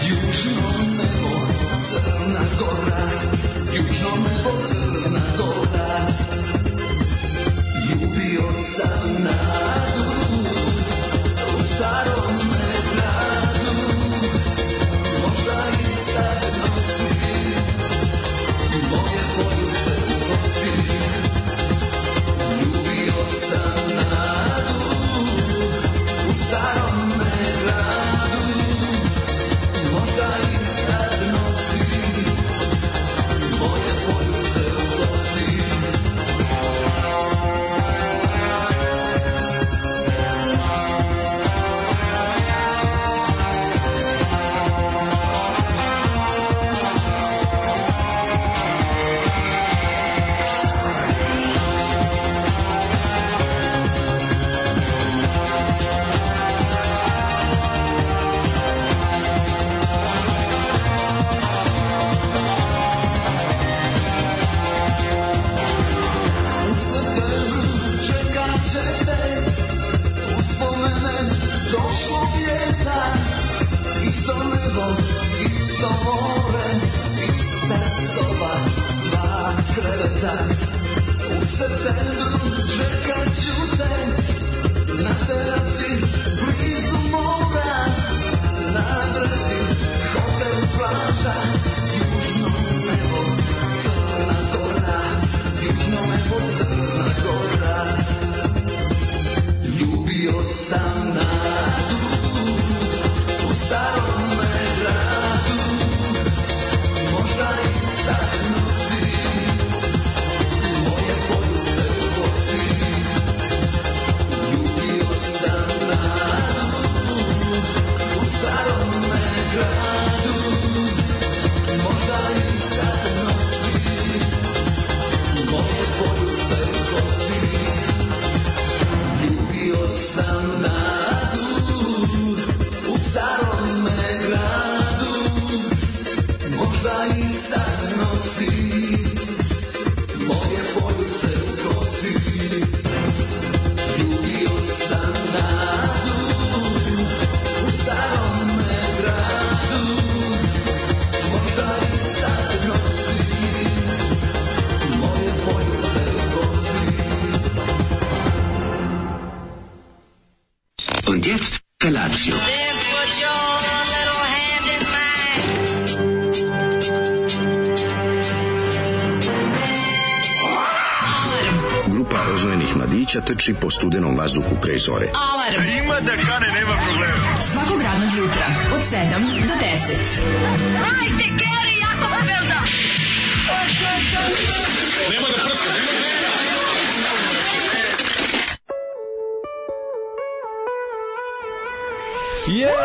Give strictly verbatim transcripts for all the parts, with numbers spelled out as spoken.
južno nebo, Crna Gora, južno nebo, Crna Gora. Ljubio sam nadu u starom gradu, možda i sad nosi moje poljuce u kosi. Ljubio sam nadu u starom gradu, možda i sad nosi moje poljuce u kosi. Došlo vjeta, isto nebo, isto more, ista soba, s dva kreveta. U septembru čekat ću te, na terasi, blizu mora, na adresi, hotel plaža, južno nebo, Crna Gora, južno nebo, Crna Gora. Ljubio sam nadu u starom gradu, možda i sad nosi moje poljuce u kosi. Ljubio sam nadu u starom gradu, možda i sad nosi moje poljuce u kosi. Ljubio sam nadu u starom gradu, možda i sad nosi moje poljuce u kosi. Ljubio sam nadu u starom gradu, možda i sad nosi moje poljuce u kosi. Und jetzt Felatio. Then put your little hand in mine. Grupa rozvojenih mladića trči po studenom vazduhu pre zore. Alarm. Ima da kane, nema problema. Svakog radnog jutra od sedam do deset. Hajde, Geri, jako se velda. Nema da prska, nema da prska. Jej!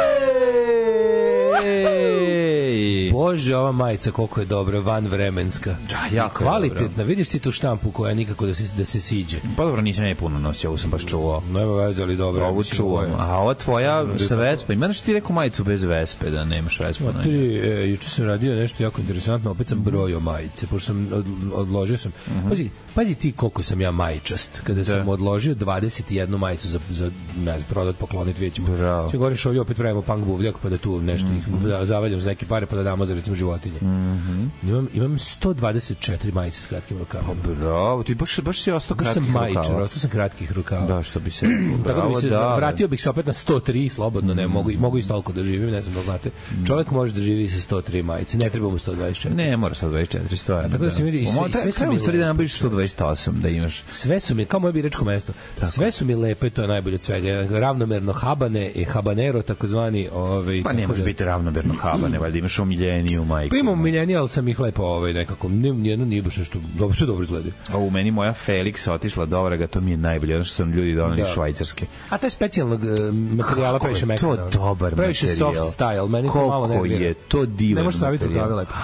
Bože, ova majica koliko je dobra, vanvremenska. Da, jako kvalitetna. dobro. Vidiš ti tu štampu koja nikako da se, da se siđe. Pa dobro, nisam ne puno nosio, ovo sam baš čuvao. Nema veze, ali dobro. Ovo čuvam. A ova tvoja sa Vespa, ima nešto ti rekao majicu bez Vespe, da nemaš Vespa? Ma ti, e, juče sam radio nešto jako interesantno, opet sam brojio majice, pošto sam od, odložio sam. Uh-huh. Pazi, pazi ti koliko sam ja majičast. Kada da. sam odložio dvadeset jednu majicu za, za ne znam, prodat, poklonit, vidjet ćemo. Če govoriš ovdje, opet pravimo punk buvljak, pa da tu nešto mm-hmm. ih zavaljam za neke pare, pa da damo za recimo životinje. Mm-hmm. Imam, imam sto dvadeset četiri majice s kratkim rukavama. Bravo, ti baš, baš si ostao kratkih rukava. Baš sam majičar, ostao sam kratkih rukava. Da, što bi se... Tako bi se, da, vratio bih se opet na sto tri, slobodno, ne, mogu, mogu i toliko da živim, ne znam da znate. Čovjek može da živi sa sto tri majice, ne treba mu sto dvadeset četiri. Ne, mora sto dvadeset četiri, stvarno. Tako da se vidi, i sve, i sve su mi... Sve da nabaviš sto dvadeset osam, da imaš. Sve su mi, kao moje biračko mesto, tako. Sve su mi lepe, to je najbolje od svega. Ravnomerno habane i habanero, takozvani... Ovaj, pa ne može da... biti ravnomerno habane, valjda imaš omiljeniju majku. Pa imam omiljeniju, ali sam ih lepo ovaj, nekako, nijedno nije baš nešto, dobro, sve dobro izgleda. A u meni moja Felix otišla dobra ga, to mi je najbolje, ono što sam ljudi donali da. Švajcarske. A to je specijalnog uh, materijala, previše mekana. Kako je to dobar previše materijal. Previše soft style, meni to malo nervira. Koliko je to divan ne možeš saviti materijal. Lepo.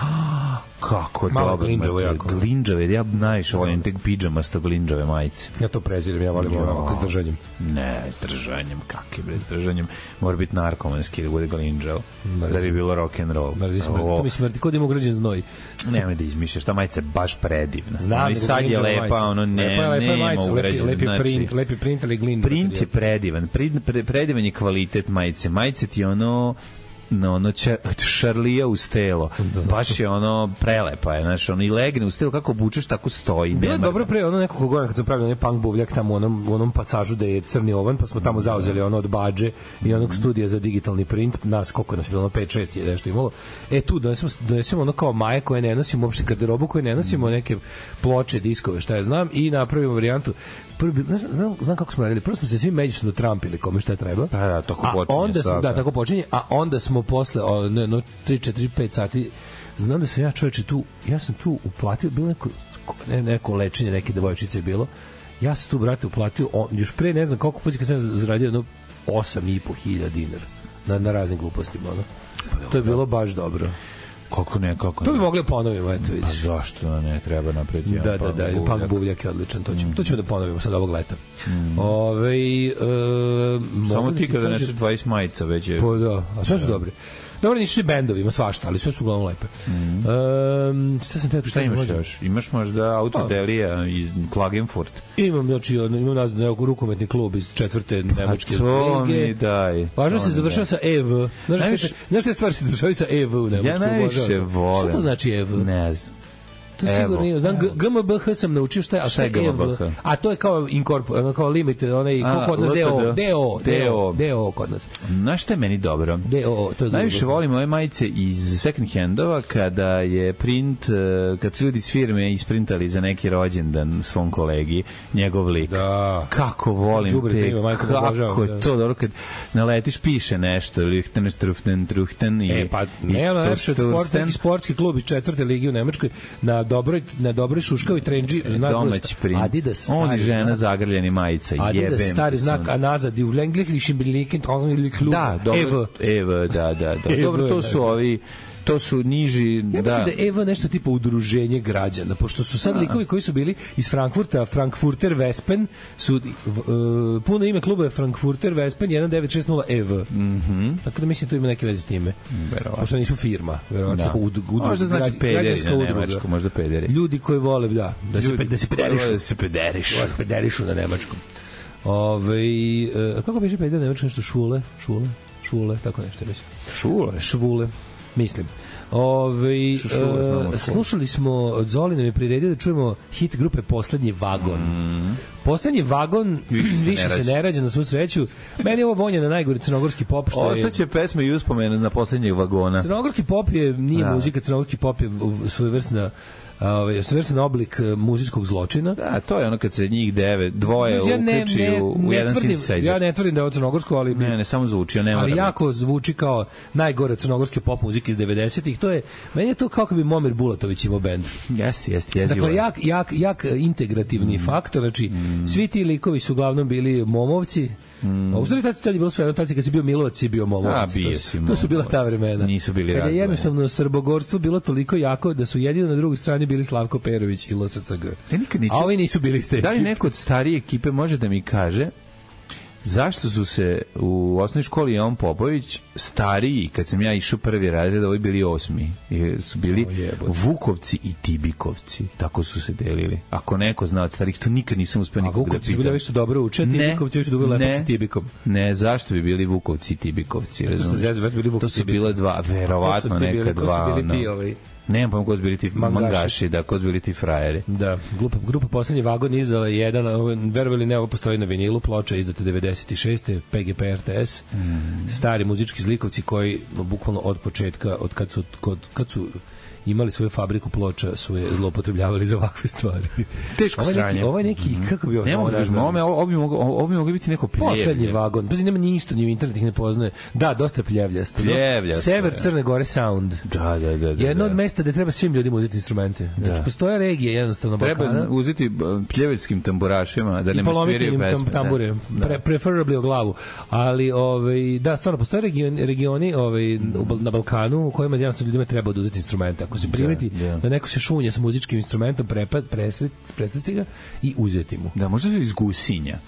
Kako malo dobro glinđavo jako. Glinđave, ja najviše volim te pidžamasto glinđave majice. Ja to prezirem, ja volim ovako s držanjem. Ne, s držanjem, kakve bre, s držanjem. Mora biti narkomanski da bude glinđao, da bi bilo rock and roll. Mrzi smrti, to mi smrti, kod ima ugrađen znoj. Nemoj da izmišljaš, ta majica je baš predivna. Znam, i sad je lepa, ono ne, nema ugrađen. Lepi print, lepi print, ali glinđ. Print je predivan, predivan je kvalitet majice. Majice ti ono no, ono će, šarlija uz telo. Da, baš je ono prelepa je, znaš, ono i legne uz telo, kako obučeš, tako stoji. Bilo je dobro pre, ono nekoliko godina kad su pravili onaj punk buvljak tamo u onom, u onom pasažu da je Crni ovan, pa smo tamo zauzeli ono od Badže i onog studija za digitalni print, nas koliko nas je bilo, ono pet šest je nešto imalo. E tu donesemo, donesemo ono kao maje koje ne nosimo, uopšte garderobu koje ne nosimo, neke ploče, diskove, šta ja znam, i napravimo varijantu. Prvi, znam, znam, znam kako smo radili. Prvo smo se svi međusobno trampili kome šta treba. Pa da, tako a počinje. Onda smo, da, tako počinje, a onda smo posle o, ne, no, tri, četiri, pet sati, znam da sam ja čovječe tu, ja sam tu uplatio, bilo neko, ne, neko lečenje, neke devojčice je bilo, ja sam tu, brate, uplatio, on, još pre ne znam koliko puta kad sam zaradio jedno osam i po hiljada dinara na, na raznim glupostima. Ono. To je bilo baš dobro. Kako ne, kako ne. To bi mogli ponovimo, eto vidiš. Pa zašto ne, treba napraviti jedan da, da, da, buvljak. Punk buvljak je odličan, to ćemo, mm. to ćemo da ponovimo sad ovog leta. Mm. Ove, e, samo ti kada neseš dvadeset majica već je... Pa da, a sve su da. Dobri. Dobro, nisu svi bendovi, ima svašta, ali sve su uglavnom lepe. Mm. Um, šta sam te, šta imaš možda? Još? Imaš možda Autodelija iz Klagenfurt? Imam, znači, imam nazad nekog rukometni klub iz četvrte nemačke lige. Pa to mi daj. Važno se završava sa E V. Znaš šta stvari se završavaju sa E V u Nemačku? Ja najviše volim. Šta to znači E V? Ne znam. To sigurno nije. Znam, G M B H sam naučio šta je, a šta je E V? A to je kao incorpor, kao limit, onaj, kao kod nas D O. D O. D O. D O kod nas. Znaš šta je meni dobro? D O. Najviše volim ove majice iz second handova kada je print, kad su ljudi iz firme isprintali za neki rođendan svom kolegi, njegov lik. Da. Kako volim te, kako je to dobro kad naletiš, piše nešto, Lichten, Struften, Truchten i... E, pa ne, ono najviše sportski klub iz četvrte ligi u Nemačkoj, na dobroj na dobroj šuškavi trendži domaći print. Adidas stari. On i žena zagrljeni majica. Adidas stari znak, a nazad i u Englishlichen Blicken ili klub. Da, dobro. Evo, da, da, da. Dobro, to su ovi to su niži, ja da. mislim da je Evo nešto tipa udruženje građana, pošto su sad likovi koji su bili iz Frankfurta, Frankfurter Wespen, su, uh, puno ime kluba je Frankfurter Wespen jedan devet šest nula E V. Mhm. Tako da mislim da to ima neke veze s time. Verovatno. Pošto nisu firma, verovatno da. Ud, ud, možda znači pederi na nemačku, možda pederi. Ljudi koji vole, da, da se, da se pederišu. Da se pederišu. Da se pederišu na nemačkom. Ove, uh, kako piše peder na nemačkom, nešto šule? Šule? Šule, tako nešto mislim. Šule? Švule. Mislim. Ove, uh, slušali smo od Zoli nam je priredio da čujemo hit grupe Poslednji vagon. Mm. Poslednji vagon više, se, više ne se ne rađa na svu sreću. Meni je ovo vonja na najgori crnogorski pop. Ostaće pesme i uspomene na Poslednjeg vagona. Crnogorski pop je, nije da. Muzika, crnogorski pop je svojevrsna ovaj svrstan oblik muzijskog zločina. Da, to je ono kad se njih devet, dvoje ja uključi ne, ne, u, u jedan synthesizer. Ja ne tvrdim da je ovo crnogorsko, ali ne, ne samo zvuči, nema. Ali jako zvuči kao najgore crnogorske pop muzike iz devedesetih. To je meni je to kako bi Momir Bulatović imao bend. Jeste, jeste, jeste. Dakle jak jak jak integrativni mm. faktor, znači mm. svi ti likovi su uglavnom bili momovci. Mm. A u stvari tad je bilo sve, tad kad si bio Milovac si bio momovac. A, bio si to su bila ta vremena. Nisu bili razne. Kad je jednostavno srbogorstvo bilo toliko jako da su jedino na drugoj strani bili Slavko Perović i L S C G. Ja nikad niču, a ovi nisu bili ste. Da li neko od starije ekipe može da mi kaže zašto su se u osnovnoj školi Jovan Popović stariji, kad sam ja išao prvi razred, ovi bili osmi. I su bili Vukovci i Tibikovci. Tako su se delili. Ako neko zna od starih, to nikad nisam uspeo nikog da pitam. A Vukovci su bili više dobro uče, Tibikovci više dobro lepo s Tibikom. Ne, zašto bi bili Vukovci i Tibikovci? To su, bili to su bile dva, verovatno neka dva. To su bili ti ovaj... Nemam pojma ko su bili ti mangaši, mangaši da, ko su bili ti frajeri. Da, grupa, grupa Poslednji vagon izdala jedan, verovali ne, ovo postoji na vinilu, ploča izdata devedeset šeste P G P R T S, mm. stari muzički zlikovci koji bukvalno od početka, od kad su, kod, kad su imali svoju fabriku ploča, su je zloupotrebljavali za ovakve stvari. Teško sranje. Ovo je neki, mm. kako bi ovo... Ne mogu da uzmem, ovo bi moglo biti neko pljevlje. Poslednji vagon, pa nema ništa, ni u internet ih ne poznaje. Da, dosta pljevljasto. Pljevljasto. Sever Crne Gore Sound. Da, da, da. Jedno od mesta gde treba svim ljudima uzeti instrumente. Znači, postoje regije jednostavno Balkana. Treba uzeti pljevljskim tamburašima, da ne mi sviraju pesme. Tambure, pre, preferably o glavu. Ali, ovaj, da, stvarno, postoje regioni, regioni ovaj, na Balkanu u kojima jednostavno ljudima treba uzeti instrumente. Ako se primeti da, da. da neko se šunje sa muzičkim instrumentom, prepad, presresti ga i uzeti mu. Da, možda iz gusinja.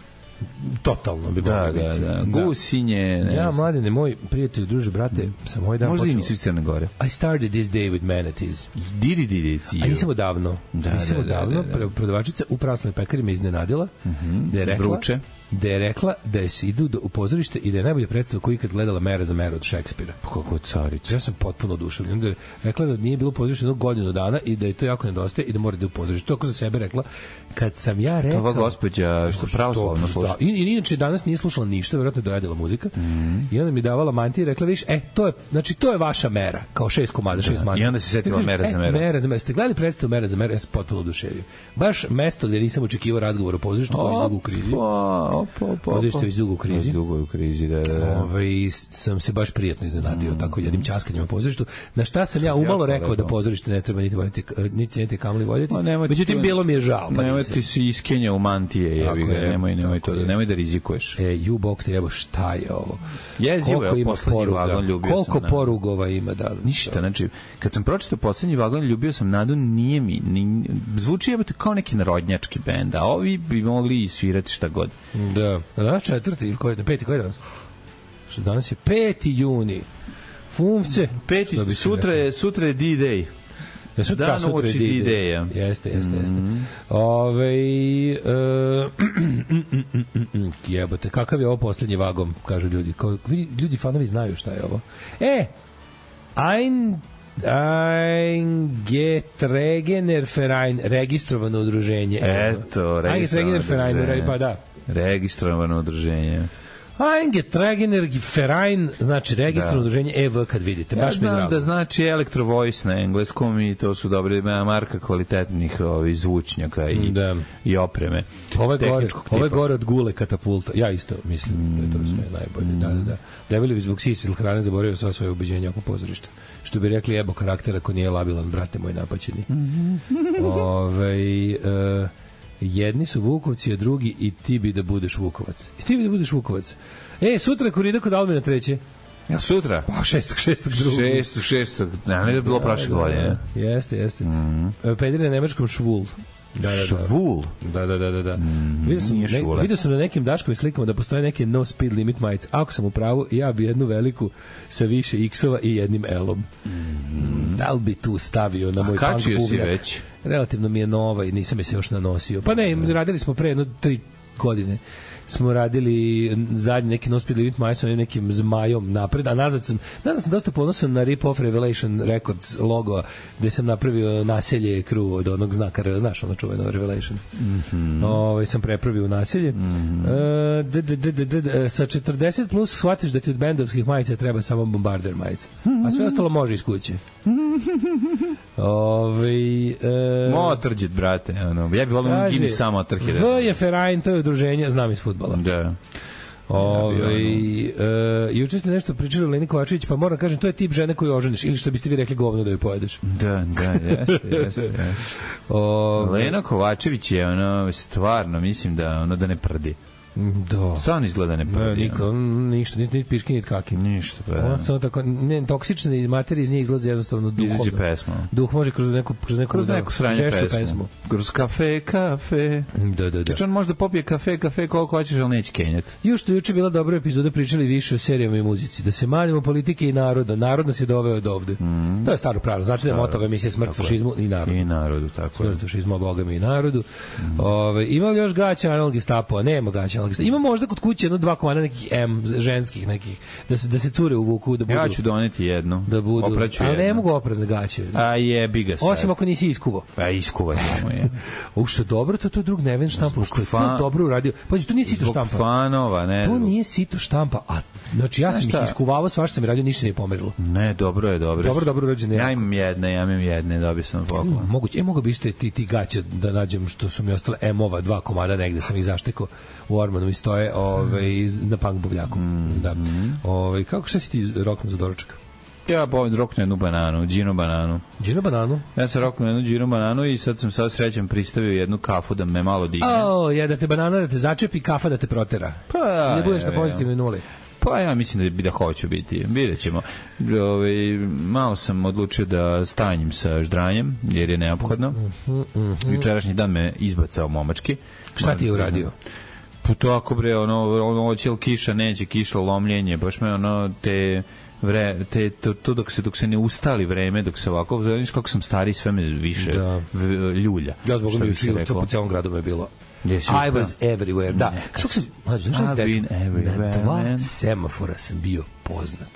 Totalno bi da, da, da, gusinje. Ne ja, mladine, moj prijatelj, druže, brate, mm. sam ovaj dan možda počeo. Možda i nisu Crne Gore. I started this day with manatees. Didi, didi, didi. A nisam odavno. Da, nisam da, odavno. Da, da, da. Prodavačica u prasnoj pekari me iznenadila. Mm-hmm. Da je rekla, vruće. da je rekla da je se idu do, u pozorište i da je najbolja predstava koju ikad gledala Mera za Meru od Šekspira. Kako carica. Ja sam potpuno oduševljen. Da je rekla da nije bilo pozorište jednog godinu dana i da je to jako nedostaje i da mora da je u pozorište. To ako za sebe rekla. Kad sam ja rekao... Ova gospođa što pravoslavno sluša. Da, i, i inače danas nije slušala ništa, verovatno je dojadila muzika. Mm. I onda mi davala mantije i rekla, viš, e, to je, znači, to je vaša Mera. Kao šest komada, šest mantija. I onda se setila Mera za Meru. E, Mera za Meru. Ste gledali predstavu Mera za Meru? Ja sam potpuno oduševio. Baš mesto gde nisam očekivao razgovor o pozorištu koji je dugo u krizi. Pozorište već dugo u krizi. Dugo u krizi, da, da. Ove, ovaj, sam se baš prijatno iznenadio mm. tako jednim ćaskanjem o pozorištu. Na šta sam ja umalo rekao da pozorište ne treba niti voditi, niti niti kamli voditi. Međutim, bilo mi je žao. Pa nemoj ti se iskenja u mantije, jebi ga, nemoj, nemoj to, da, nemoj da rizikuješ. E, ju bog te, evo, šta je ovo? Jezivo je, poslednji vagon ljubio koliko sam. Koliko porugova ima, da. Ništa, znači, kad sam pročitao poslednji vagon ljubio sam Nadu, nije mi, ni, zvuči jebote kao neki narodnjački bend, a ovi bi mogli svirati šta god. Da, danas četvrti ili koji je, peti, koji je danas? Što danas je peti juni. Fumce. Peti, sutra je, sutra je D-Day. Ja sutra, Dan sutra uoči je D-Day-a. Jeste, jeste, jeste. Mm-hmm. Ove, uh, jebote, kakav je ovo poslednji vagon, kažu ljudi. Kao, ljudi, fanovi znaju šta je ovo. E, ein Eingetregener Verein, registrovano udruženje. Eto, registrovano udruženje. Pa da. Registrovano udruženje. Eingetregener Verein, znači registrovano da. udruženje E V kad vidite. Ja baš znam mi drago. Da znači Electro Voice na engleskom i to su dobre marka kvalitetnih ovih zvučnjaka i, da. i opreme. Ove gore, ove gore od gule katapulta. Ja isto mislim mm. da je to sve najbolje. Mm. Da, da, da. Debeli bi zbog sisa ili hrane zaboravio sva svoje ubeđenja oko pozorišta. Što bi rekli jebo karakter ako nije labilan, brate moj napaćeni. Ove, uh, jedni su Vukovci, a drugi i ti bi da budeš Vukovac. I ti bi da budeš Vukovac. E, sutra korida kod Almina treće. Ja sutra? Pa šestog, šestog, drugog. Šestog, šestog. Ne, ne da je bilo da, prošle godine. Da, jeste, jeste. Mm. Pedri na nemačkom švul. Da, da, da. Švul? Da, da, da, da. Mm, vidio, sam, ne, vidio sam na nekim Daškovim slikama da postoje neke no speed limit majice. Ako sam u pravu, ja bi jednu veliku sa više X-ova i jednim L-om. Mm. Da li bi tu stavio na moj punk bubnjak? A kačio si već? Relativno mi je nova i nisam je se još nanosio. Pa ne, radili smo pre jedno tri godine. Smo radili zadnji neki no speed limit majice sa nekim zmajom napred, a nazad sam, nazad sam dosta ponosan na Rip Off Revelation Records logo, gde sam napravio naselje crew od onog znaka, znaš ono čuveno Revelation. Mm-hmm. Ove, sam prepravio naselje. Mm-hmm. E, d, d, d, d, d, d, sa četrdeset plus shvatiš da ti od bendovskih majica treba samo bombarder majica. A sve ostalo može iz kuće. Ove, e, Motorđit, brate. Ono. Ja bih volio da mi samo otrke. V je Ferajn, to je udruženje, znam iz fudbala. Da. Ove, e, juče ste nešto pričali o Leni Kovačević, pa moram kažem, to je tip žene koju oženiš, ili što biste vi rekli govno da joj pojedeš. Da, da, jeste, jeste. jeste. Ove, Lena Kovačević je ono, stvarno, mislim da ono da ne prdi. Da. Samo izgleda ne prdi. Ne, niko, ništa, niti nit piški, niti kaki. Ništa, pa da. Ona samo tako, ne, toksične materije iz nje izlaze jednostavno duhom. Izađe pesma. Duh može kroz neku, kroz neku, kroz neku sranje pesmu. pesmu. Kroz kafe, kafe. Da, da, da. Znači on može da popije kafe, kafe koliko hoćeš, ali neće kenjati. Još što juče bila dobra epizoda, pričali više o serijama i muzici. Da se manimo politike i naroda. Narod nas je doveo od ovde. Mm. To je staro pravilo. Znači da je moto ove emisije Smrt fašizmu i narodu. I narodu, tako je. Smrt fašizmu, Boga mi i narodu. Mm. Ove, ima li još gaća analog Gestapo? Nema gaća analog Gestapo. Ima možda kod kuće jedno dva komada nekih M, ženskih nekih, da se, da se cure uvuku, da budu... Ja ću doneti jednu. Da budu... Opraću ali jednu. Ne mogu opredne gaće. A jebi ga sad. Osim ako nisi iskuvao. A iskuvat ćemo je. U što dobro, to to drug Neven štampa, što je fan... to dobro uradio. Pazi, to nije sito štampa. Fanova, ne. To nije sito štampa, a znači ja sam ih iskuvavao, svašta sam radio, ništa nije pomerilo. Ne, dobro je, dobro. Dobro, dobro urađeno. Ja imam jedne, ja imam jedne, dobio sam poklon. Moguće, e, mogu bi ste ti, ti gaće da nađem što su mi ostale M-ova, dva komada negde sam ih zaštekao u Ormanu i stoje ove, na punk buvljaku. Mm. Da. Ove, kako šta si ti roknuo za doručak? Ja povim roknuo jednu bananu, džinu bananu. Džinu bananu? Ja sam roknuo jednu džinu bananu i sad sam sad srećan pristavio jednu kafu da me malo digne. O, je da te banana da te začepi, kafa da te protera. Pa ja. Da budeš na pozitivnoj nuli. Pa ja mislim da bi da hoću biti. Vidjet ćemo. Ove, malo sam odlučio da stanjim sa ždranjem, jer je neophodno. Mm-hmm, mm-hmm. Jučerašnji dan me izbacao momački. Šta ti je uradio? Pa tako bre, ono, ono, hoće li kiša, neće kiša, lomljenje, baš me ono, te... Vre, te, to, to dok se dok se ne ustali vreme, dok se ovako, znaš kako sam stari, sve me više da. v, ljulja. Ja zbog me učio, to po celom gradu me je bilo. Yes, I was everywhere. Da. Što sam, znaš šta se desilo? Na dva man. semafora sam bio poznat.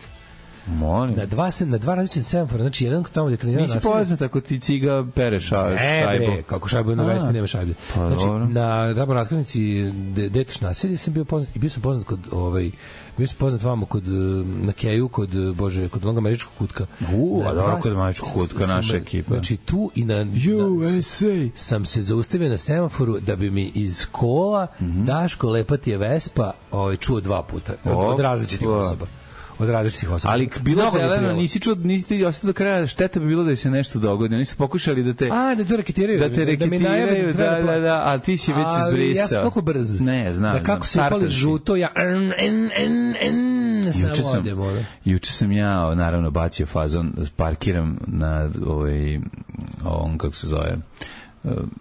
Molim. Na dva se na dva različita semafora, znači jedan tamo gde trenira naselje. Nisi poznat ako ti ciga pere ša, šajbu. Ne, kako šajbu na Vespi nema šajbe. Pa, znači dobro. na tamo raskrsnici Detoš naselje sam bio poznat i bio sam poznat kod ovaj bio sam poznat vamo kod na Keju kod Bože kod onog američkog kutka. U, a dobro kod američkog kutka naša ekipa. Znači tu i na U S A sam se zaustavio na semaforu da bi mi iz kola mm -hmm. Daško Lepatije Vespa ovaj čuo dva puta od, od različitih osoba. Od različitih osoba. Ali bilo zeleno, nisi čuo, nisi ti ostao do kraja, šteta bi bilo da se nešto dogodi. Oni su pokušali da te... A, da te reketiraju. Da te reketiraju, da, da, da, da, ali ti si već izbrisao. Ali ja sam toliko brz. Ne, znam. Da kako se upali žuto, ja... En, en, en, en, samo odem, ono. Juče sam ja, naravno, bacio fazon, parkiram na ovaj, ovom, kako se zove,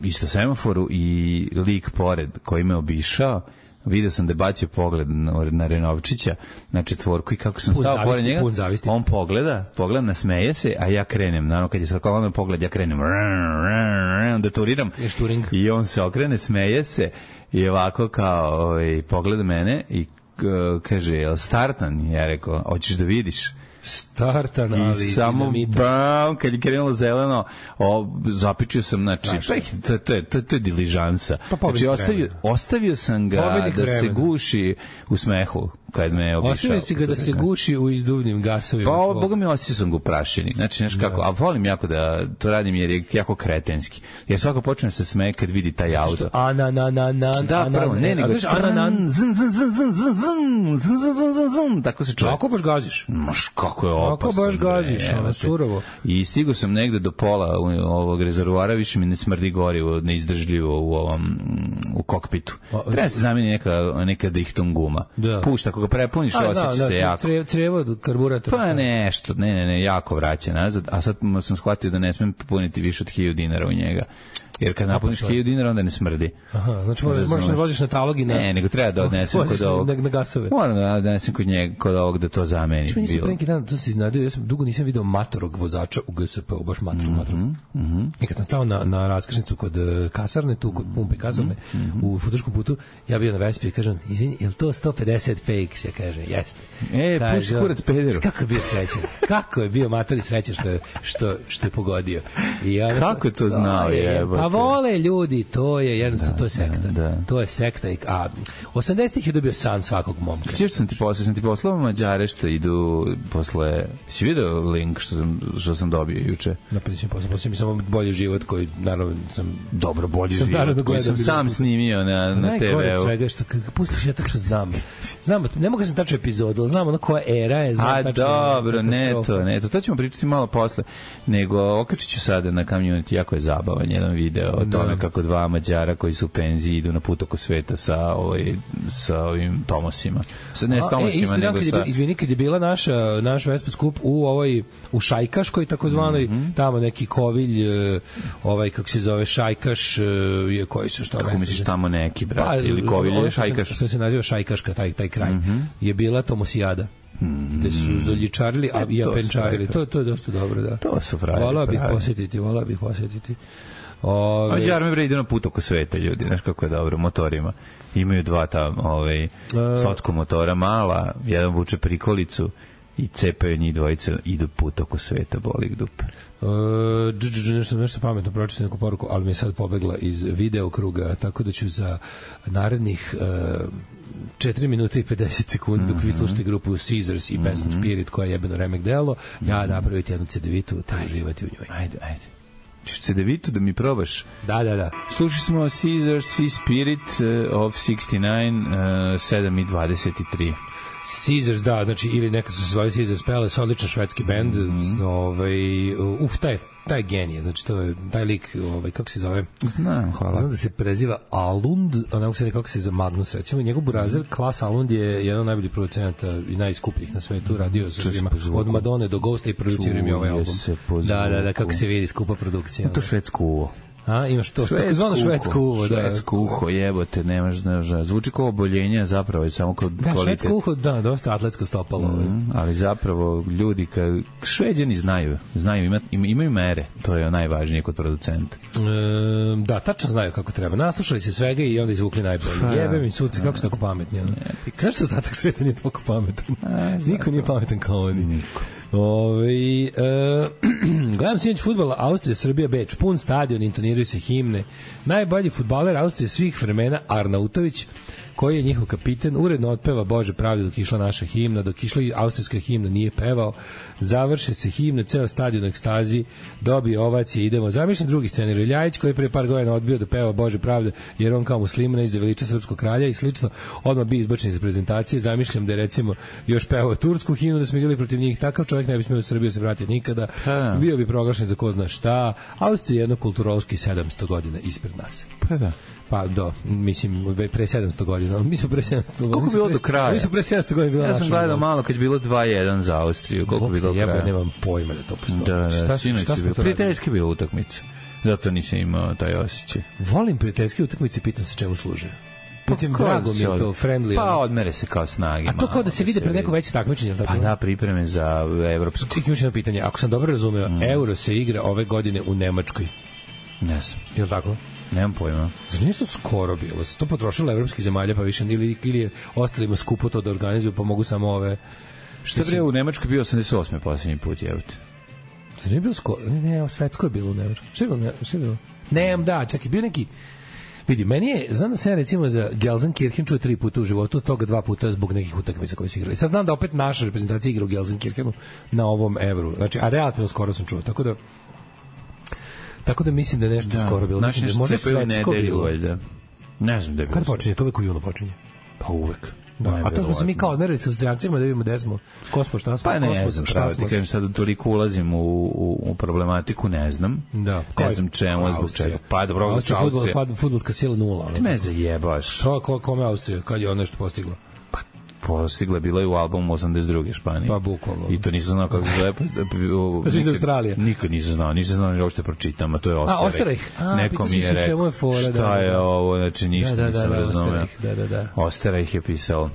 isto semaforu i lik pored koji me obišao, vidio sam da je bacio pogled na, na Renovčića, na četvorku i kako sam pun stao zavisti, pored njega, zavisti. On pogleda, pogleda, nasmeje se, a ja krenem, naravno kad je sad kolano pogled, ja krenem, da turiram i on se okrene, smeje se i ovako kao ovaj, pogleda mene i kaže, jel startan? Ja rekao, hoćeš da vidiš? Startan, ali i samo bam, kad je krenulo zeleno, o, zapičio sam, znači, to, to, je, to, to je diližansa. Pa znači, ostavio, ostavio sam ga pobednik da vremena. Se guši u smehu kad me je obišao. Ostavio si ga da se guši u izduvnim gasovima. Pa, ovo, boga mi, osjećao sam ga u prašini. Znači, nešto kako, a volim jako da to radim jer je jako kretenski. Jer svako počne se smeje kad vidi taj auto. Ana, na, na, na, da, pravo, ne, nego, ana, na, zn, zn, zn, zn, zn, zn, zn, zn, zn, zn, tako se čuje. Kako baš gaziš? Maš, kako je opasno. Kako baš gaziš, ono, surovo. I stigao sam negde do pola ovog rezervoara, više mi ne smrdi gorivo, neizdržljivo u ovom, u kokpitu. Treba se zameni neka, neka dihton guma. Pušta, ako ga prepuniš, osjeća da, se da, jako. Trevo, trevo karburator. Pa nešto, ne, ne, ne, jako vraća nazad, a sad sam shvatio da ne smem puniti više od hiljadu dinara u njega. Jer kad napuniš hiljadu dinara, onda ne smrdi. Aha, znači moraš, moraš da voziš na talog i na... Ne, nego treba da odnesem kod ovog... Na, na gasove. Moram da odnesem kod njega, kod ovog da to zameni. Znači, mi neki dan, to se iznadio, ja sam dugo nisam video matorog vozača u G S P-u, baš matorog, mm -hmm, matorog. Mm -hmm. I kad sam stao na, na raskrsnicu kod kasarne, tu kod pumpe kasarne, mm -hmm, u Futoškom putu, ja bio na Vespi i kažem, izvini, je li to sto pedeset P X? Ja kažem, jeste. E, puši kurac pederu. Kako je bio srećan? Kako je bio mator i srećan što je, što, što je pogodio? I ja, kako je to znao? Je, pa vole ljudi, to je jednostavno, da, to je sekta. Da, da. To je sekta. A osamdesetih je dobio san svakog momka. Sjećam sam ti poslao, sam ti poslao Mađare što idu posle... Si vidio link što sam, što sam dobio juče? Napričam posle, posle mi samo bolji život koji, naravno, sam... Dobro, bolji život koji sam sam snimio na, na te ve u. Svega što, kada pustiš, ja tačno znam. Znam, ne mogu sam tačno epizodu, ali znam ono koja era je, znam A, tačno... A, dobro, ne to, ne to. To ćemo pričati malo posle. Nego, okačit ću sada na Community, jako je zabavan jedan video o tome kako dva Mađara koji su u penziji idu na put oko sveta sa, ovaj, sa ovim Tomosima. Sa, ne s Tomosima, e, nego sa... Je, izvini, kad je bila naša, naš Vespa skup u ovoj, u Šajkaškoj, takozvanoj, mm -hmm, tamo neki kovilj, ovaj, kako se zove, Šajkaš, je koji su što... Kako misliš tamo neki, brat, pa, ili kovilj ili Šajkaš? Što se naziva Šajkaška, taj, taj kraj, mm -hmm, je bila Tomosijada. Mm, gde su zoljičarili, a i apenčarili. To, to je dosta dobro, da. To su frajeri. Vola bih posjetiti, vola bih posjetiti. Ove... Mađar mi bre ide na put oko sveta, ljudi, znaš kako je dobro, motorima. Imaju dva ta, ovaj, socko motora mala, jedan vuče prikolicu i cepaju njih dvojice, idu put oko sveta, boli ih dupe. Uh, nešto, nešto pametno pročitao neku poruku, ali mi je sad pobegla iz video kruga, tako da ću za narednih uh, četiri minute i pedeset sekundi, mm -hmm, dok vi slušate grupu Caesars i pesmu mm -hmm. Spirit, koja je jebeno remek delo, mm -hmm, ja napraviti jednu cedevitu, te uživati u njoj. Ajde, ajde. Češ cedevitu da mi probaš? Da, da, da. Slušali smo Caesars i Spirit uh, of šezdeset devet, uh, sedam i dvadeset tri. Caesars, da, znači, ili nekad su se zvali Caesars Palace, odličan švedski bend, mm -hmm, ovaj, uf, taj, taj genije, znači, to je, taj lik, ovaj, kako se zove? Znam, hvala. Znam da se preziva Alund, a ne mogu se ne kako se zove Magnus, recimo, njegov burazer, Klas Alund je jedan od najboljih producenata i najskupljih na svetu, radio sa svima, od Madone do Ghosta i produciram je ovaj album. Da, da, da, kako se vidi, skupa produkcija. To švedsko uvo. A, imaš to, tako zvano švedsko uho, da. Švedsko uho, jebote, nemaš, nemaš, zvuči kao oboljenje, zapravo je samo kao da, kvalitet. Švedsko uho, da, dosta atletsko stopalo. Mm, ali zapravo ljudi, ka, Šveđani znaju, znaju, ima, imaju mere, to je najvažnije kod producenta. E, da, tačno znaju kako treba. Naslušali se svega i onda izvukli najbolje. Jebe mi suci, kako su tako pametni. Ono. Znaš što ostatak sveta nije toliko pametan? A, niko nije pametan kao oni. Niko. Ove, e, gledam sinoć fudbala Austrija, Srbija, Beč, pun stadion, intoniraju se himne. Najbolji fudbaler Austrije svih vremena Arnautović, koji je njihov kapiten, uredno otpeva Bože pravde dok išla naša himna, dok išla austrijska himna nije pevao, završe se himne, ceo stadion u ekstazi, dobije ovacije, idemo. Zamišljam drugi scenarij, Iljajić koji je pre par godina odbio da peva Bože pravde jer on kao musliman izde veliča srpskog kralja i slično, odmah bi izbačen iz prezentacije. Zamišljam da je recimo još pevao tursku himnu, da smo igrali protiv njih, takav čovjek ne bi smio u Srbiju se vratiti nikada, ha. Bio bi proglašen za ko zna šta. Austrija je jedno kulturološki sedamsto godina ispred nas. Pa da. Pa do, mislim, pre sedamsto godina. Mi smo pre sedamsto godina. Koliko bilo do kraja? Mi smo pre sedamsto godina bila naša. Ja sam gledao malo kad je bilo dva jedan za Austriju. Koliko bilo do kraja? Ja nemam pojma da to postoji. Da, da, šta, šta, šta smo to prijateljski bilo utakmice. Zato nisam imao taj osjećaj. Volim prijateljske utakmice, pitam se čemu služe. Mislim, pa, drago mi je to, friendly. Pa odmere se kao snage. A to kao da se vide pred neko veće takmičenje. Pa da, pripreme za evropsku. Čekaj, još jedno pitanje. Ako sam dobro razumeo, mm. Euro se igra ove godine u Nemačkoj. Ne znam. Je li tako? Nemam pojma. Zar nije to skoro bilo? To potrošilo evropskih zemalja, pa više ili, ili je ostalima skupo to da organizuju, pa mogu samo ove... Što je u Nemačkoj bio osamdeset osme posljednji put, jevite? Zar nije bilo skoro? Ne, ne, svetsko je bilo u Nemačkoj. Što je bilo? Što je bilo? Ne, da, čekaj, bio neki... Vidi, meni je, znam da sam ja recimo za Gelsenkirchen čuo tri puta u životu, toga dva puta zbog nekih utakmica koje su igrali. Sad znam da opet naša reprezentacija igra u Gelsenkirchenu na ovom Evru. Znači, a relativno skoro sam čuo, tako da... Tako da mislim da je nešto da, skoro bilo. Znači, da možda svetsko bilo. Da. Ne znam da je bilo. Kad počinje? To uvek u junu počinje. Pa uvek. Da, a to smo se mi kao odmerili sa Austrijancima da vidimo gde smo. Ko smo, šta smo? Pa ne znam, pravo ti kažem, sad toliko ulazim u, u, u problematiku, ne znam. Da. Ne znam čemu, zbog čega. Pa dobro, Austrija. Austrija, fudbalska sila nula. Ti me zajebaš. Što, ko, kome Austrija? Kad je ona nešto postigla? Postigla, bila je u albumu osamdeset druge Španije. Pa bukvalno. I to nisam znao kako se zove. Pa svi iz Australije. Nikad nisam znao, nisam znao da uopšte pročitam, a to je Osterich. A, Osterich. Neko mi je rekao, šta je ovo, znači ništa da, da, nisam da, razumeo. Da, da, da. Osterich je pisao,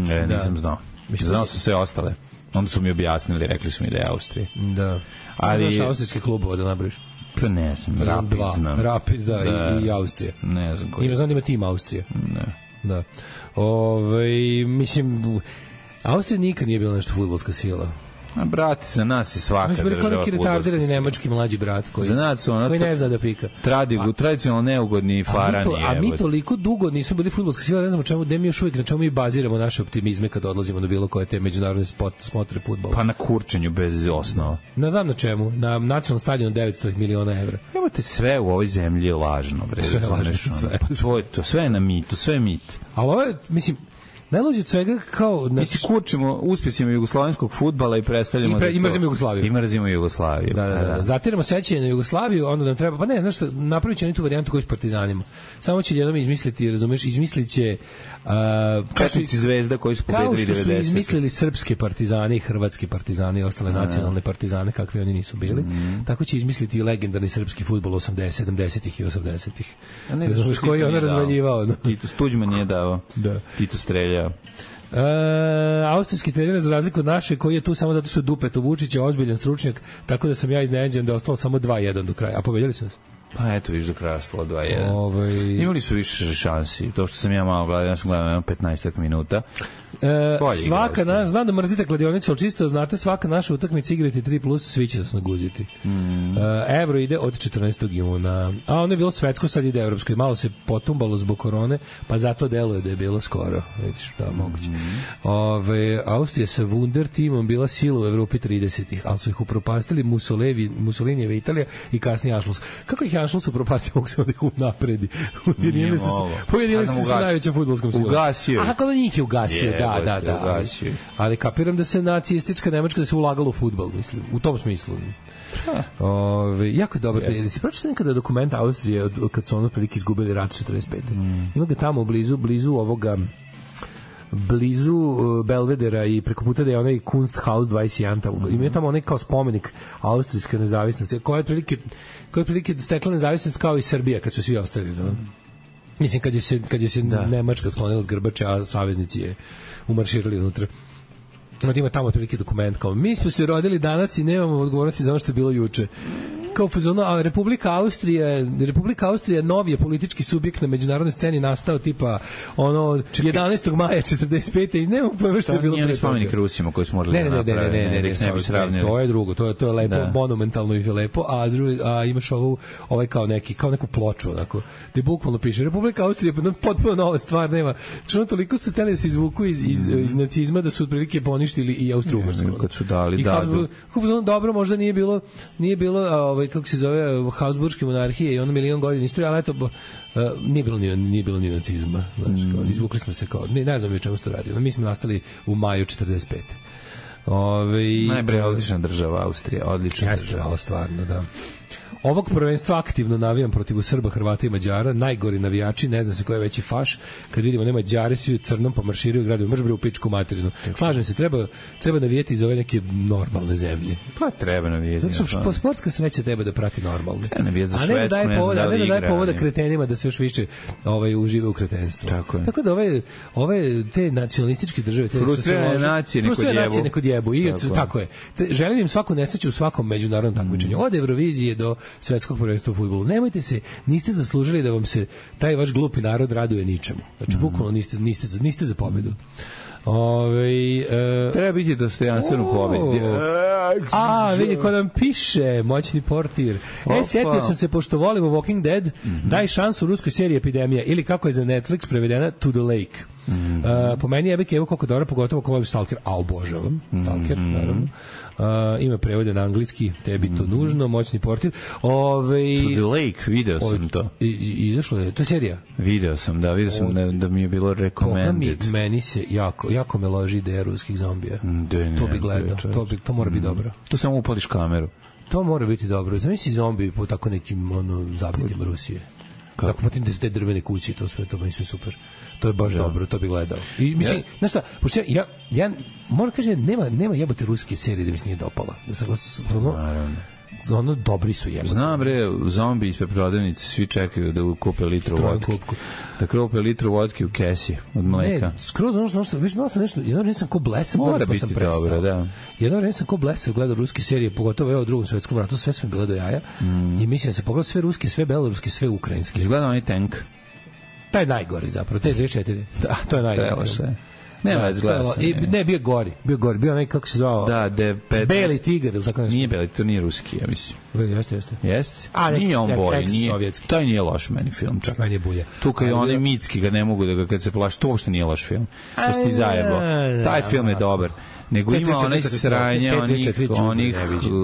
e, nisam da. znao. Znao sam sve ostale. Onda su mi objasnili, rekli su mi da je Austrija. Da. Ali znaš austrijske klubove da nabriš? Pa ne znam, Rapid dva. znam. Rapid, da, da. I, i Austrija. Ne znam koji. Ima znam da ima tim Austrija. Ne. Da. Ove, mislim, Austrija nikad nije bila nešto fudbalska sila. A brati, za nas je svaka država. Mi smo bili kao neki retardirani nemački mlađi brat koji, za nas su ono koji ne zna da pika. Tradi, a, tradicionalno neugodni farani. A mi, to, a mi toliko dugo nismo bili fudbalska sila, ne znamo čemu, gde mi još uvijek, na čemu mi baziramo naše optimizme kad odlazimo na bilo koje te međunarodne spot, smotre fudbala. Pa na kurčenju bez osnova. Ne znam na čemu, na nacionalnom stadionu devetsto miliona evra. Evo te sve u ovoj zemlji je lažno. Bre, sve je lažno, sve. Pa to, to, sve je na mitu, sve je mit. Ali ovo je, mislim, najluđe od svega kao... Mi se kurčimo uspjesima jugoslovenskog fudbala i predstavljamo... I, pre, i mrzimo Jugoslaviju. I mrzimo Jugoslaviju. Da, da, da. da. Zatiramo sećanje na Jugoslaviju, onda nam treba... Pa ne, znaš što, napravit će oni tu varijantu koju s partizanima. Samo će jednom izmisliti, razumeš, izmislit će... Uh, Četnici zvezda koji su pobedili devedeset. Kao što su izmislili srpske partizane i hrvatski partizane i ostale a, nacionalne partizane, kakvi oni nisu bili. Mm. Tako će izmisliti i legendarni srpski fudbal osamdesetih, sedamdesetih i osamdesetih. Razumeš, koji je on razvaljivao. No? Tito Tuđman nije dao. Da. Tito streljao. E, austrijski trener za razliku od naše koji je tu samo zato što Dupeto Vučić je ozbiljan stručnjak, tako da sam ja iznenađen da je ostalo samo dva jedan do kraja. A pobedili su nas? Pa eto, viš do kraja stalo dva jedan. Ovaj... Imali su više šansi. To što sam ja malo gledao, ja sam gledao petnaest minuta. E, svaka naša, znam da mrzite kladionicu, ali čisto znate, svaka naša utakmica igrati tri plus, svi će nas naguziti. Mm. E, Evro ide od četrnaestog juna. A ono je bilo svetsko, sad ide evropsko. I malo se potumbalo zbog korone, pa zato deluje da je bilo skoro. Vidiš, da, moguće. Mm. Ove, Austrija sa Wunder timom bila sila u Evropi tridesetih, ali su ih upropastili Mussolini, Mussolinijeva Italija i kasnije Anschluss. Kako ih Anschluss upropastio, mogu se da ih napredi. Ujedinili su se, pojedinili su se sa najvećom fudbalskom silom. Ugasio. A kako njih je ugasio, yeah. Da, da, da. Ali, ali kapiram da se nacistička Nemačka da se ulagalo u fudbal, mislim, u tom smislu. Ove, jako je dobro. Yes. Da si pročitao nekada dokument Austrije od, od kad su ono prilike izgubili rat četrdeset pete. Mm. Ima ga tamo blizu, blizu ovoga blizu uh, Belvedera i preko puta da je onaj Kunsthaus dvadeset jedan tamo. Mm-hmm. Ima tamo onaj kao spomenik austrijske nezavisnosti, koja je otprilike koja je otprilike stekla nezavisnost kao i Srbija kad su svi ostali, da. Mislim, kad je se, kad je se Nemačka sklonila s grbače, a saveznici je umarširali unutra. Ima tamo otprilike dokument kao mi smo se rodili danas i nemamo odgovornosti za ono što je bilo juče. Kao fazonu, a Republika Austrija, Republika Austrija novi je politički subjekt na međunarodnoj sceni nastao tipa ono jedanaestog maja četrdeset pete i nemamo pojma što je bilo. To nije spomenik Rusima koji smo morali ne, ne, ne, napraviti. Ne, ne, ne, ne, ne, ne, to je drugo, to je, to je lepo, da. Monumentalno i lepo, a, drugi, a imaš ovu, ovaj kao neki, kao neku ploču, onako, gde bukvalno piše Republika Austrija, potpuno nova stvar, nema. Što toliko su teli da se izvuku iz, iz, iz nacizma da su otprilike poništili i Austro-Ugarsku. Kad su dali, da, da. Dobro, možda nije bilo, nije bilo, ovaj, kako se zove, Habsburgske monarhije i ono milion godina istorije, ali eto, uh, nije bilo ni, nije bilo ni nacizma. Znači, kao, izvukli smo se kao, ne, ne znam o čemu se to radi. Mi smo nastali u maju četrdeset pete. Ove, Najbre, odlična država Austrija, odlična jeste, država. Jeste, stvarno, da. Ovog prvenstva aktivno navijam protiv Srba, Hrvata i Mađara, najgori navijači, ne zna se ko je veći faš, kad vidimo ne Mađari svi u crnom pa marširaju gradom, mrš bre u pičku materinu. Slažem se, treba, treba navijeti za ove neke normalne zemlje. Pa treba navijeti. Zato što sportska sreća treba da prati normalne. Treba navijeti za Švedsku, ne da daje povoda, da ne da daje povoda kretenima da se još više ovaj, užive u kretenstvu. Tako, Tako da ove, ove te nacionalističke države, te frustrirane nacije neko djebu. I tako, tako je. Želim im svaku nesreću u svakom međunarodnom takmičenju. Od Eurovizije do svetskog prvenstva u fudbalu. Nemojte se, niste zaslužili da vam se taj vaš glupi narod raduje ničemu. Znači, bukvalno niste, niste, za, niste za pobedu. Ove, e, treba biti dostojanstven u pobedi. A, vidi ko nam piše, moćni portir. E, sjetio sam se, pošto volimo Walking Dead, mm-hmm. daj šansu ruskoj seriji Epidemija, ili kako je za Netflix prevedena, To the Lake. Mm-hmm. Uh, po meni je Ebeke evo koliko dobro, pogotovo ko voli Stalker, a obožavam Stalker, mm-hmm. naravno. Uh, ima prevode na anglijski, tebi to mm-hmm. nužno, moćni portir. Ove, To the Lake, video sam o, to. I, i, izašlo je, to je serija? Video sam, da, video sam da, da mi je bilo recommended. Mi, meni se jako, jako me loži ideja ruskih zombija. De, ne, to bi gledao, to, bi, to mora biti mm. dobro. To samo upališ kameru. To mora biti dobro. Zamisli zombi po tako nekim ono, zabitim Rusije. Kako? Tako potim da su te drvene kući, to sve, to mi sve super. To je baš da. dobro, to bi gledao. I mislim, ja. znaš šta, pošto ja, ja, ja moram kažem, nema, nema jebote ruske serije da mi se nije dopala. Da sam ono, ono, dobri su jebote. Znam bre, zombi ispred prodavnice, svi čekaju da kupe litru vodke. Da kupe litru vodke u kesi od mleka. Ne, skroz ono što, što, viš, malo sam nešto, jedno vreme sam ko blesav, mora pa biti sam prestao. Dobro, da. Jedno vreme sam ko blesav gledao ruske serije, pogotovo evo u Drugom svetskom ratu, sve sam gledao jaja. Mm. I mislim da se pogledao sve ruske, sve beloruske, sve ukrajinske. Izgledao onaj tank. Taj najgori zapravo, te dve četiri. Da, to je najgori. Nema da, izgleda i, ne, bio gori, bio gori, bio onaj, kako se zvao, da, de, petnaest Beli tigar, ili tako nešto. Nije Beli, to nije ruski, ja mislim. Jeste, jeste. Jeste? A, neki, nije on bolji, nije, sovjetski. taj nije loš meni film, čak. Meni je bulja. Tu kad je onaj mitski, ga ne mogu da ga, kad se plaši, to uopšte nije loš film. To si ti zajebao. Taj film je dobar. Nego ima onaj sranje onih, onih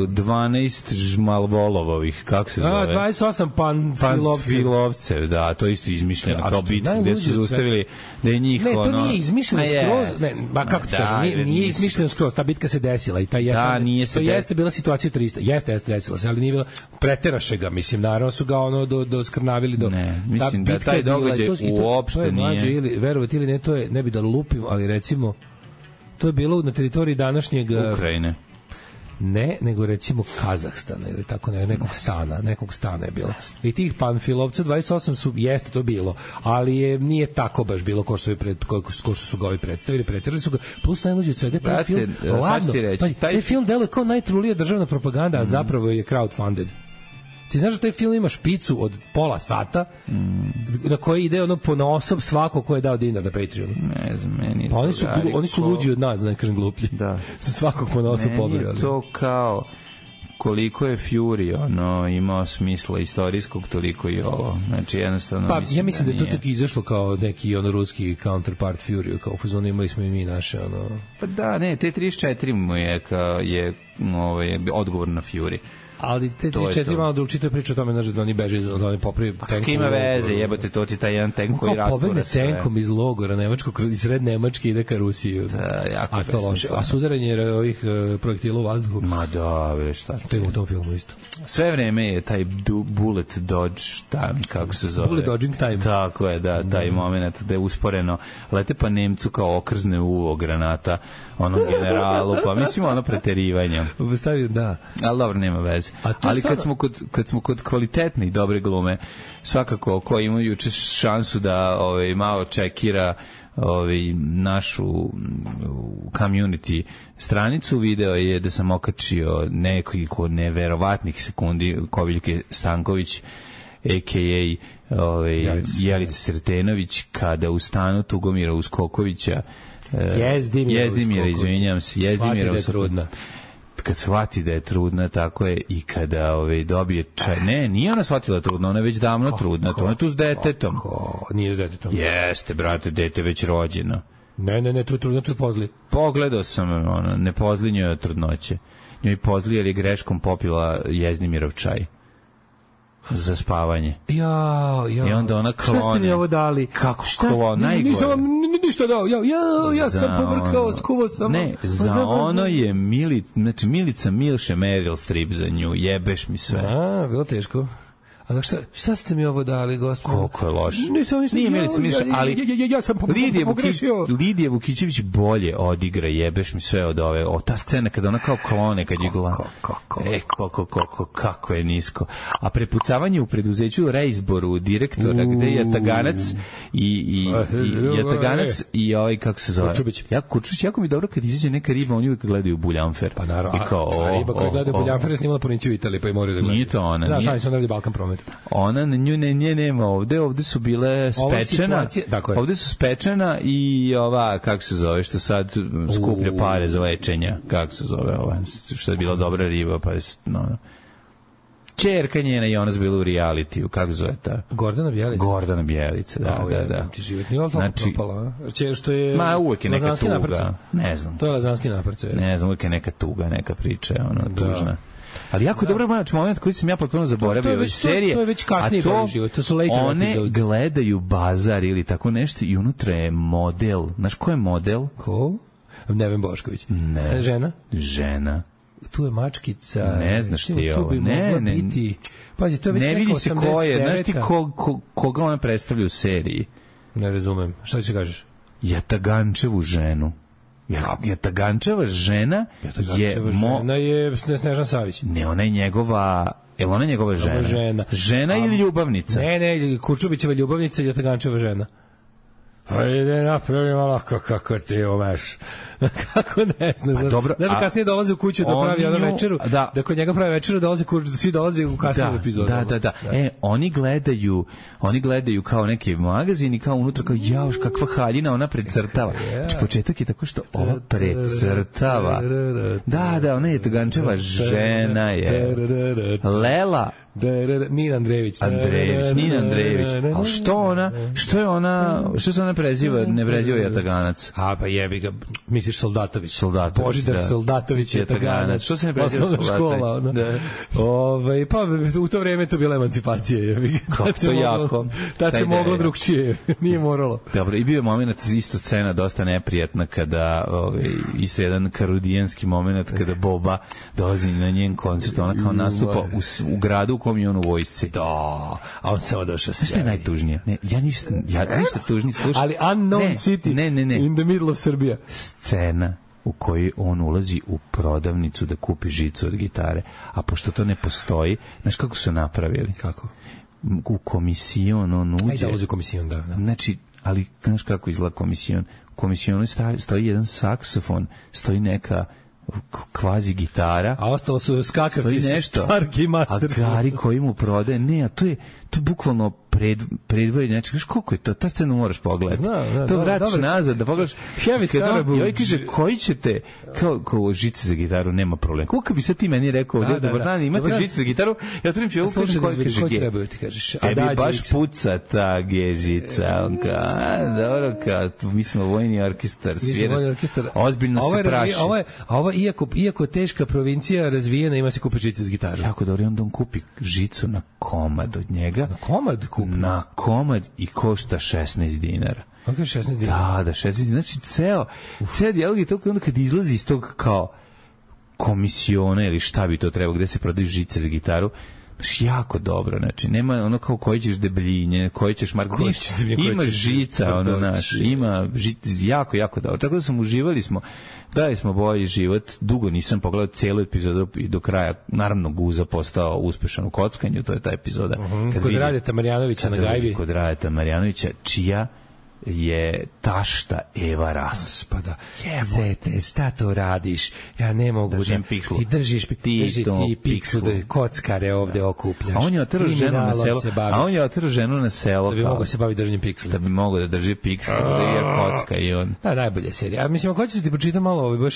dvanaest žmalvolovovih, kako se zove? A, dvadeset osam panfilovcev, da, to isto izmišljeno kao bitka, gde su zaustavili da je njih ono... Ne, to nije izmišljeno skroz, ne, ba, kako ti kažem, nije, nije izmišljeno skroz, ta bitka se desila i ta je, da, nije se to jeste bila situacija trista, jeste, jeste desila se, ali nije bila, preteraše ga, mislim, naravno su ga ono do, do skrnavili, do... Ne, mislim da taj događaj uopšte nije... Verovati ili ne, to je, ne bi da lupim, ali recimo, to je bilo na teritoriji današnjeg Ukrajine. Ne, nego recimo Kazahstana ili tako ne, nekog stana, nekog stana je bilo. I tih panfilovca dvadeset osam su jeste to bilo, ali je nije tako baš bilo ko što su pred ko, ko što su ga ovi predstavili, preterali su ga. Plus najluđe od svega taj film. Ladno, pa, taj film deluje kao najtrulija državna propaganda, a zapravo je crowdfunded. Ti znaš da taj film ima špicu od pola sata mm. na koji ide ono po osob svako ko je dao dinar na Patreonu. Ne znam, meni pa oni su, glu, oni su luđi od nas, da ne kažem gluplji. Da. Su svakog po osob pobrali. Meni je to kao koliko je Fury ono, imao smisla istorijskog, toliko i ovo. Znači, jednostavno pa, mislim ja mislim da, da je to tako izašlo kao neki ono ruski counterpart Fury, kao u fazonu imali smo i mi naše ono... Pa da, ne, T trideset četiri mu je, ka, je ovaj, odgovor na Fury. Ali te tri četiri malo drugčije, to je priča o tome, znaš, da oni beže, da oni popravi tenkom. Ima veze, jebote, to ti taj jedan tenk koji rastura sve. Pobegne tenkom iz logora nemačkog, iz sred Nemačke ide ka Rusiji. Da, jako a to loše. A sudaranje ovih uh, projektila u vazduhu. Ma da, ve šta. To je u tom filmu isto. Sve vreme je taj du, bullet dodge time, kako se zove. Bullet dodging time. Tako je, da, taj mm. moment da je usporeno lete pa Nemcu kao okrzne uvo granata onom generalu, pa mislim ono preterivanje. Stavio, da. Ali dobro, nema veze. Ali kad smo kod, kad smo kod kvalitetne i dobre glume, svakako ko ima juče šansu da ovaj, malo čekira ovaj, našu community stranicu, video je da sam okačio nekoliko neverovatnih sekundi Koviljke Stanković a k a. Ovaj, Jelica Sretenović kada u stanu Tugomira Uskokovića Jezdimira, Jezdimira izvinjam se, Jezdimira da je trudna. Kad shvati da je trudna, tako je, i kada ovaj, dobije čaj. Ne, nije ona shvatila trudna, ona je već davno ko, trudna, ko, to je tu s detetom. Ko, nije s detetom. Jeste, brate, dete već rođeno. Ne, ne, ne, tu je trudna, tu je pozli. Pogledao sam, ono, ne pozli njoj od trudnoće. Njoj pozli jer je greškom popila Jezdimirov čaj za spavanje. Ja, ja. I onda ona klone. Šta ste mi ovo dali? Kako klone? Najgore. Nisam vam ništa dao. Ja, ja, ja za sam povrkao, skuvao sam. Ne, za ono je Milica, znači Milica Milše Meryl Streep za nju. Jebeš mi sve. A, bilo teško. A šta, šta ste mi ovo dali, gospodine? Koliko je loše. Nisam, nisam, Nije Milica Milše, ali ja, ja, ja sam Lidija, pogrešio. Vuki, Lidija Vukićević bolje odigra, jebeš mi sve od ove. O, ta scena kada ona kao klone, kad je gla. E, kako, kako, kako je nisko. A prepucavanje u preduzeću reizboru direktora, gde je Jataganac i, i, i Jataganac i ovaj, kako se zove? Kurčubić. Ja, Kurčubić, jako mi dobro kad izađe neka riba, oni uvijek gledaju Buljanfer. Pa naravno, a, kao, a riba koja gledaju Buljanfer je snimala Puniću u Italiji, pa i moraju da gledaju. Nije to ona. Znaš, oni su onda Balkan Promet. Ona nju ne, nje nema ovde, ovde su bile spečena, ovde su spečena i ova, kako se zove, što sad skuplja pare za lečenja, kako se zove ova, što je bila dobra riba, pa je, no, čerka njena i ona su bila u realitiju, kako zove ta? Gordana Bjelica. Gordana Bjelica, da, A, da, je, da. Ti život nije toliko znači, propala, a? Što je... Ma, uvek je neka tuga, naprca. ne znam. To je lazanski naprca. Ne znam, uvek je neka tuga, neka priča, ono, da. Tužna. Ali jako dobro moment koji sam ja potpuno zaboravio. To je već, serije, to je već kasnije to, život, to su later one episodes. Gledaju bazar ili tako nešto i unutra je model. Znaš ko je model? Ko? Neven Bošković. Ne. Žena? Žena. Tu je mačkica. Ne znaš ti ovo. Ne, ne. Biti, pazi, to je već ne vidi se ko je. Znaš ti ko, ko, koga ona predstavlja u seriji? Ne razumem. Šta ti se kažeš? Jatagančevu ženu. Jatagančeva žena je mo... žena je Snežana Savić. Ne, ona je njegova, je ona njegova žena? Žena, žena ili ljubavnica? Ne, ne, Kurčubićeva ljubavnica i Jatagančeva žena. Ajde, napravi malo kako ti umeš. Kako ne znam. Pa dobro, znaš, kasnije dolaze u kuću da pravi ono večeru, da, da kod njega pravi večeru, dolaze, svi dolaze u kasnije epizodu. Da, da, da, da. E, oni gledaju, oni gledaju kao neki magazin i kao unutra kao, jauš, kakva haljina, ona precrtava. Znači, početak je tako što ova precrtava. Da, da, ona je Tagančeva žena je. Lela Nina Andrejević. Andrejević, Nina Andrejević. Ali što ona, što je ona, što se ona preziva, ne preziva Jataganac? A, pa jebi ga, misliš Soldatović. Soldatović, Božidar da. Soldatović, Jataganac. Što se ne preziva Soldatović? Škola, ona. Da. Ove, pa u to vreme to bila emancipacija. Jebi. Kako to jako. Tad se moglo drugčije, nije moralo. Dobro, i bio je moment, isto scena dosta neprijatna kada, ovaj, isto jedan karudijanski moment kada Boba dolazi na njen koncert, ona kao nastupa u, u gradu u kom je on u vojsci. Da, a on samo došao se. Šta je najtužnije? Ne, ja ništa, ja ništa tužnije, slušaj. Ali unknown ne, city ne, ne, ne. in the middle of Serbia. Scena u kojoj on ulazi u prodavnicu da kupi žicu od gitare, a pošto to ne postoji, znaš kako su napravili? Kako? U komisijon on uđe. Ajde, ulazi u komisijon, da, da. Znači, ali znaš kako izgleda komisijon? U komisijonu stoji jedan saksofon, stoji neka kvazi gitara, a ostalo su skakavci nešto, Starkey Masters, a Gari koji mu prodaje, ne, a to je, to je bukvalno pred, predvori, znači, kažeš, koliko je to, ta scenu moraš pogledati. Zna, zna, to dobro, vratiš dobro. nazad, da pogledaš. Heavy Scarabout. I ovaj kaže, koji ćete, kao, kao žice za gitaru, nema problema. Kako bi sad ti meni rekao, Da, ovdje, da, dobar da. dan, imate Dobar dan. žice za gitaru, ja otvorim fiolu, Slušaj, kažem, koji koji kaže, trebaju ti kažeš. tebi Adagio baš X. puca ta gežica, on kao, a, dobro, kao, mi smo vojni orkestar, svira se, ozbiljno ovo je se razvi- praši. Ovo je, a ovo iako, iako teška provincija razvijena, ima se kupi žice s gitaru. Jako dobro, i onda on kupi žicu na komad od njega. Na komad kupi? Na komad i košta šesnaest dinara. On kaže šesnaest dinara. Da, da, šesnaest dinara. Znači, ceo, ceo dijalog je to onda kad izlazi iz tog kao komisiona ili šta bi to trebao, gde se prodaju žice za gitaru, znači, jako dobro, znači, nema ono kao koji ćeš debljinje, koji ćeš marko, Koji ćeš debljinje, koji ima ćeš žica, ono, doći. naš, ima žica, jako, jako dobro. Tako da sam uživali smo, dali smo bolji život, dugo nisam pogledao celu epizodu i do kraja, naravno Guza postao uspešan u kockanju, to je ta epizoda. Uh-huh. Kad Kod vidi- Radeta Marjanovića na kada gajbi. vidi Kod Radeta Marjanovića, čija je tašta Eva Ras. Pa da. Zete, šta to radiš? Ja ne mogu Držim da... pikslu. Ti držiš pi- Ti drži to ti pikslu, pikslu. da kockare ovde okupljaš. A on je otrao ženu na Kriminalom selo, se baviš. a on je otrao ženu na selo Da bi kao- mogao se baviti držanjem piksla. da bi mogao da drži pikslu, da je kocka i on. A, najbolja serija. A mislim, ako hoćeš da ti pročitam malo, ovaj, baš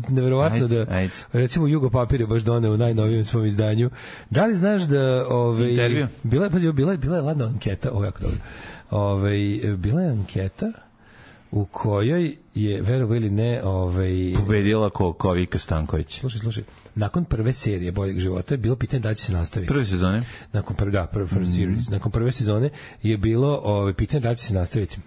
neverovatno Ajde, da, ajde. recimo, Jugo Papir je baš doneo u najnovijem svom izdanju. Da li znaš da... Ovaj, Intervju? Bila je, pazi, bila je, bila je ladna anketa, ovo je jako dobro. Ovaj, bila je anketa u kojoj je, verovo ili ne, ovaj... Pobedila ko, ko Vika Stanković. Slušaj, slušaj, nakon prve serije Boljeg života je bilo pitanje da li će se nastaviti. Prve sezone? Nakon prve, da, prve first series. Nakon prve sezone je bilo ovaj, pitanje da li će se nastaviti.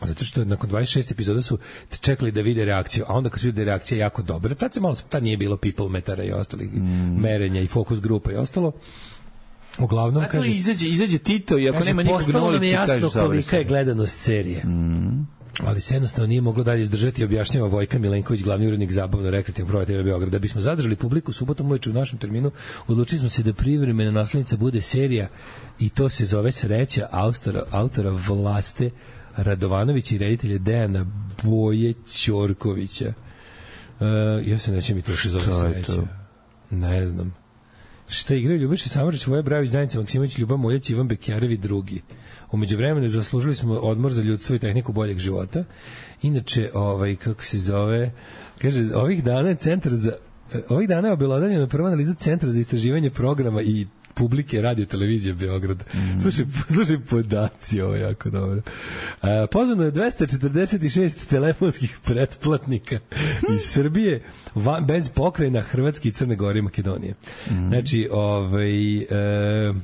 Zato što nakon dvadeset šest epizoda su čekali da vide reakciju, a onda kad su vide da je reakcija jako dobra, tad se malo, tad nije bilo people metara i ostalih merenja i fokus grupa i ostalo. Uglavnom, Ako kaže... izađe, izađe Tito i ako kaže, nema nikog na postalo nam je ulici, jasno kažeš kolika je završeno. gledanost serije. Ali se jednostavno nije moglo dalje izdržati, objašnjava Vojka Milenković, glavni urednik zabavno-rekreativnog programa T V Beograd. Da bismo zadržali publiku subotom uveče u našem terminu, odlučili smo se da privremena naslednica bude serija i to se zove Sreća autora, autora Vlaste Radovanovića i reditelja Dejana Boje Ćorkovića. Uh, ja se neće mi to se zove Šta je Sreća. to? Ne znam. Šta igraju Ljubiša Samarić, Voja Bravić, Danica Maksimović, Ljuba Muljać, Ivan Bekjarev i drugi. Umeđu vremenu zaslužili smo odmor za ljudstvo i tehniku boljeg života. Inače, ovaj, kako se zove, kaže, ovih dana je centar za ovih dana je obelodanjena prva analiza Centra za istraživanje programa i publike radio televizije Beograd. Mm. Slušaj, slušaj podaci, ovo je jako dobro. A, pozvano je dvesta četrdeset šest telefonskih pretplatnika iz Srbije van, bez pokrajina Hrvatske i Crne Gore i Makedonije. Mm. Znači, ovaj... E,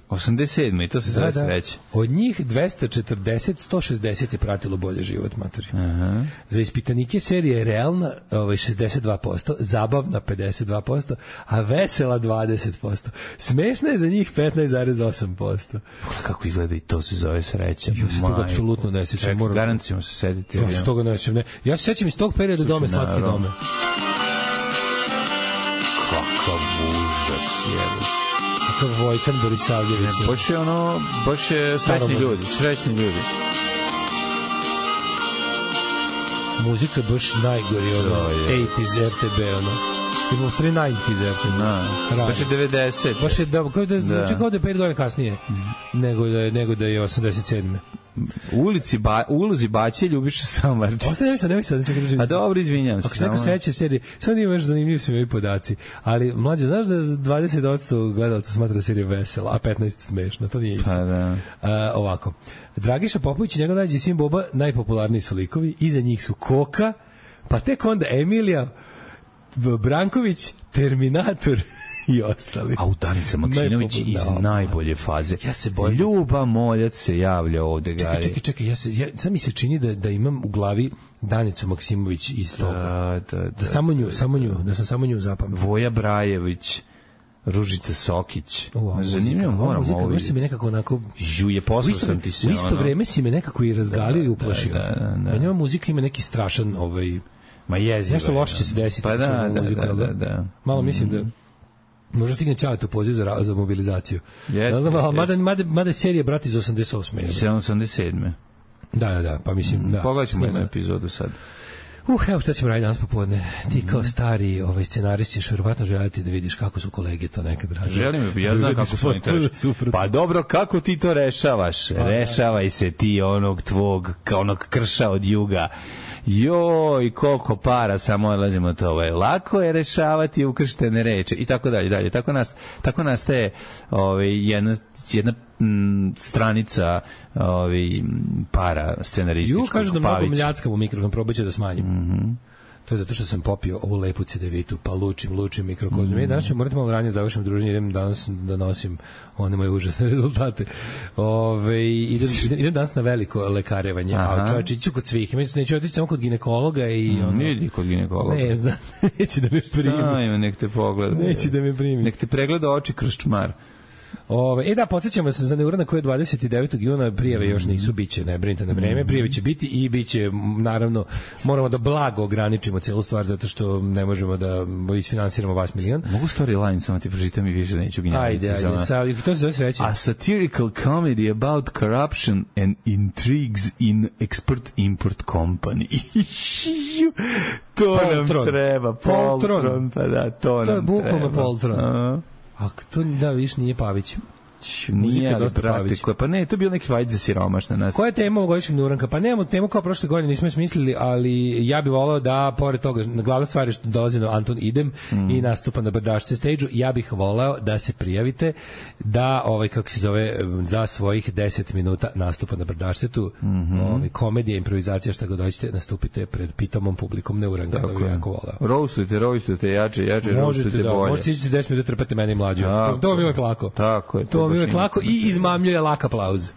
osamdeset sedme i to se zove da, da. Sreća. Od njih dvesta četrdeset, sto šezdeset je pratilo bolje život, matori. Aha. Za ispitanike serija je realna ovaj, šezdeset dva posto, zabavna pedeset dva posto, a vesela dvadeset posto. Smešna je za njih petnaest zarez osam posto. Pogledaj kako izgleda i to se zove Sreća. Ja se toga Majko. apsolutno ne sjećam. Čekaj, Moram- garant ćemo se sediti. Ja se toga ne sjećam. Ne. Ja se sjećam iz tog perioda Dome, Slatke naravno. dome. Kakav užas, jebe. Kakav Vojkan Borisavljević. je. Baš je ono, baš je srećni Staromodno. ljudi, srećni ljudi. Muzika je baš najgori, ono, To je. osamdeset R T B, ono. Ili u stvari devedeset R T B. Na, Rano. baš je devedeset. Baš je, da, kao da, Da. zvuči kao da je pet godina kasnije, nego da je, nego da je osamdeset sedme. U ulici ba, u ulozi Baće Ljubiša Samardžić. Ostaje mi sad, nemoj sad, čekaj da želim. A dobro, izvinjam se. Ako se neko samo- seća serije, sad nije baš zanimljiv su mi ovi podaci, ali mlađe, znaš da dvadeset posto gledalaca smatra seriju vesela, a petnaest smešna, to nije isto. Pa da. A, ovako, Dragiša Popović i njegov najđi sin Boba, najpopularniji su likovi, iza njih su Koka, pa tek onda Emilija, B- Branković, Terminator i ostali. A u Danica Maksimović iz Najpopularniji. najbolje faze. Ja se bojim. Ljuba Moljac se javlja ovde, Čekaj, Gari. čekaj, čekaj, ja se, ja, sad mi se čini da, da imam u glavi Danicu Maksimović iz toga. Da, da, da. Da samo nju, samo nju, da sam samo nju zapamtio. Voja Brajević, Ružica Sokić. O, a Zanimljivo, muzika, a moram muzika, ovo baš si mi vidjeti. nekako onako... Žuje, U poslao isto, sam ti se. u isto ono. vreme si me nekako i razgalio i uplašio. da, da, da. Meni ova muzika ima neki strašan, ovaj, Ma jezivo. nešto je, loše će se desiti. Pa kad da, čujemo da, muziku, da, jel da, da. Malo mislim da možda stigne Ćalet u poziv za, ra- za mobilizaciju. Jeste, Ne znam, ali jeste. mada, mada, mada je serija Brat iz osamdeset osme. Iz osamdeset sedme. Da, da, da, pa mislim, da. Pogledat ćemo snima. jednu epizodu sad. Uh, evo šta ćemo raditi danas popodne. Ti kao stari ovaj, scenarist ćeš verovatno želiti da vidiš kako su kolege to nekad radili. Želim, ja znam kako su oni to rešavaju. Pa dobro, kako ti to rešavaš? Pa, rešavaj se ti onog tvog, kao onog krša od juga. Joj, koliko para, samo odlazimo to. Ovaj. Lako je rešavati ukrštene reči i tako dalje. dalje. Tako, nas, tako nastaje ovaj, jedna, jedna m, stranica ovaj, para scenarističkog. Ju, kažu da mnogo mljackam u mikrofon, probat ću da smanjim. Mm-hmm. To je zato što sam popio ovu lepu cedevitu, pa lučim, lučim mikrokozmiju. Mm. Danas ću morati malo ranije završim druženje, idem danas da nosim one moje užasne rezultate. Ove, idem, idem, idem danas na veliko lekarevanje, aha, a čovječ, iću kod svih. Mislim, neću otići samo kod ginekologa i... Mm, ono, idi kod ginekologa. Ne, znam, neće da me primi. Ajme, nek te pogleda. Neće da me primi. Nek te pregleda oči kroz čmar. Ove, e da, podsjećamo se za neuranak koji je dvadeset devetog juna, prijave još nisu, biće, ne brinite na vreme, prijave će biti i biće, naravno, moramo da blago ograničimo celu stvar zato što ne možemo da isfinansiramo vas milion. Mogu storyline samo ti pročitam i više neću gnjaviti. Ajde, ajde, sa, to se zove sreće. A satirical comedy about corruption and intrigues in export-import company. To Poltron. Nam treba. Poltron. Poltron. Pa da, to, to nam treba. To je bukvalno Poltron. A A to da viš nije Pavić. Nije, ali brate, koje, pa ne, to je bio neki vajd za siromašne nas. Koja je tema ovogodišnjeg neuranka? Pa nemamo temu kao prošle godine, nismo smislili, ali ja bih voleo da, pored toga, na glavna stvar je što dolazi na Anton Idem mm. i nastupa na Brdašce stage-u, ja bih voleo da se prijavite da, ovaj, kako se zove, za svojih deset minuta nastupa na Brdašcetu, mm-hmm. ovaj, komedija, improvizacija, šta god dođete, nastupite pred pitomom publikom neuranka, da bih jako voleo. Roastujte, roastujte, jače, jače, roastujte da, bolje. Možete ići deset minuta, trpete meni mlađu. To, to mi je uvek lako. Tako je. To mi je uvek lako i izmamljuje lak aplauz.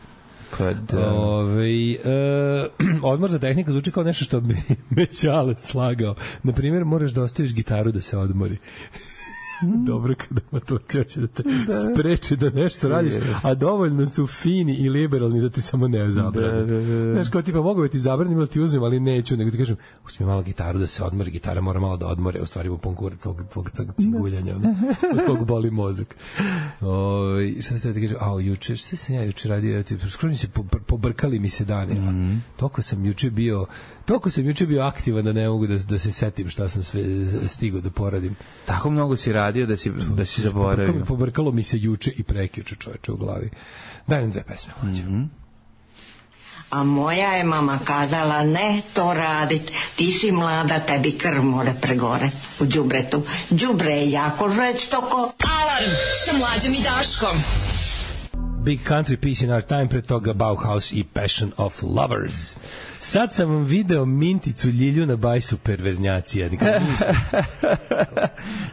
Kad, Ove, e, odmor za tehnika zvuči kao nešto što bi me Ćale slagao. Naprimjer, moraš da ostaviš gitaru da se odmori. Dobro kada ma to će da te da. spreči da nešto radiš, a dovoljno su fini i liberalni da ti samo ne zabrane. Da, da, da. Znaš, kao tipa, mogu da ti zabranim ili ti uzmem, ali neću, nego ti kažem, uzmi malo gitaru da se odmori, gitara mora malo da odmore, u stvari u ponkur tvog, tvog ciguljanja, ono, kog boli mozak. O, šta se da ti kažem, a juče, šta sam ja juče radio, skoro mi se pobrkali mi se dani, mm-hmm. toliko sam juče bio Toliko sam juče bio aktivan da ne mogu da, da se setim šta sam sve stigao da poradim. Tako mnogo si radio da si, da si zaboravio. Pobrkalo, pobrkalo mi se juče i prekjuče, čoveče, u glavi. Daj nam dve pesme. Mm-hmm. A moja je mama kazala, ne to radit, ti si mlada, tebi krv mora pregore u đubretu. Đubre je jako žestoko. Alarm sa Mlađom i Daškom. Big Country Piece in Our Time, pre toga Bauhaus i Passion of Lovers. Sad sam vam video Minticu Ljilju na bajsu perverznjacija.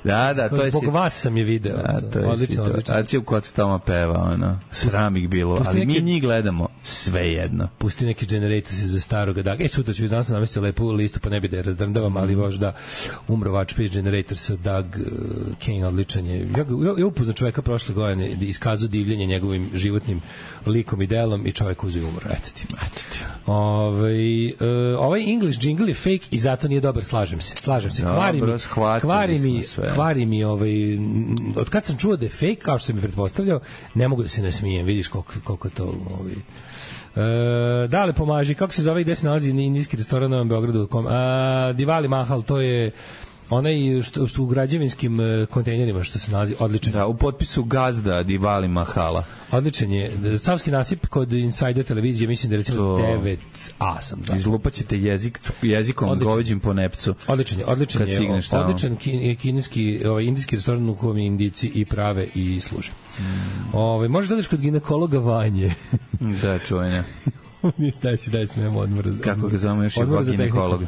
Da, da, to je zbog si... vas sam je video. Da, to je odlično, odlično. A ci u kod Toma peva, ono, sram ih bilo, pusti ali neke... mi njih gledamo sve jedno. Pusti neki generator se za staroga daga. E, sutra ću vi znam sam namestio lepu listu, pa ne bi da je razdrndavam, ali možda umro Watch Page Generator sa Doug uh, Kane, odličan je. Ja, ja, ja upoznam čoveka prošle godine, iskazao divljenje njegovim životnim likom i delom i čovek uzeo umro. Eto ti. Eto ti. Ove, uh, ovaj English jingle je fake i zato nije dobar, slažem se. Slažem se. Kvari mi, kvari mi, kvari mi ovaj, od kad sam čuo da je fake, kao što sam mi pretpostavljao, ne mogu da se ne smijem. Vidiš koliko, koliko to... Ovaj, E, da li pomaži, kako se zove i gde se nalazi indijski restoran u Novom Beogradu? A, Diwali Mahal, to je onaj što, što u građevinskim kontejnerima što se nalazi, odličan. Da, u potpisu gazda Diwali Mahala. Odličan je. Savski nasip kod Insider televizije, mislim da je recimo to... devet A sam. Da. Izlupaćete jezik, jezikom odličan. Goveđim po nepcu. Odličan je, odličan je. Odličan kineski, ovaj, indijski restoran u kojem Indijci i prave i služe. Mm. Ove, možeš da odeš kod ginekologa Vanje. Da, čuvanja. daj si, daj smemo odmor. Kako ga zovemo još je ginekolog?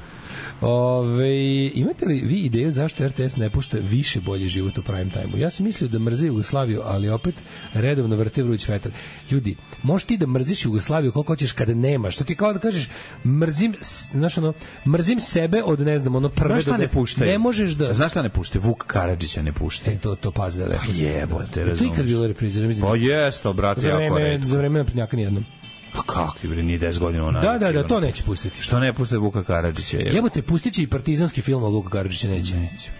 Ove, imate li vi ideju zašto R T S ne pušta više bolji život u prime time-u? Ja sam mislio da mrze Jugoslaviju, ali opet redovno vrte vruć vetar. Ljudi, možeš ti da mrziš Jugoslaviju koliko hoćeš kada nemaš. Što ti kao da kažeš, mrzim, znaš ono, mrzim sebe od, ne znam, ono prve... Znaš šta ne puštaju? Ne možeš da... Znaš šta ne puštaju? Vuk Karadžića ne puštaju. E, to, to pazi da lepo. Pa jebote, razumiješ. To je ikad bilo reprizirano. Pa jesto, brate, jako redko. Za vreme naprednjaka nijednom. Pa kakvi bre, nije deset godina ona. Da, da, da, to neće pustiti. Što ne puste Vuka Karadžića? Evo te, pustiće i partizanski film, a Vuka Karadžića neće. Neće.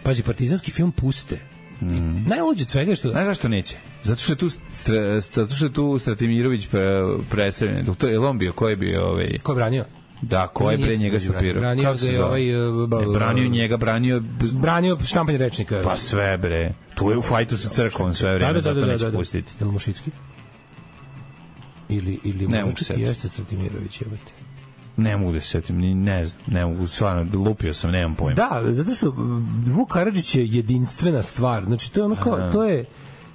Pazi, partizanski film puste. Mm. Najluđe od svega što... Znaš zašto neće? Zato što je tu, stra, zato što je tu Stratimirović pre, preseljen. To je on bio, ko je bio... Ovaj... Ko je branio? Da, ko je pre njega stopirao? Branio ga je ovaj... Ne, branio njega, branio... Branio štampanje rečnika. Pa sve, bre. Tu je u fajtu sa crkvom sve vreme, da, da, zato da, neće da, da. pustiti. Je li Mušicki? Ili, ili ne Mušicki jeste Cvetimirović, jebate. Ne mogu da se setim, ni ne znam, ne mogu, stvarno, lupio sam, nemam pojma. Da, zato što Vuk Karadžić je jedinstvena stvar, znači to je ono kao, to je...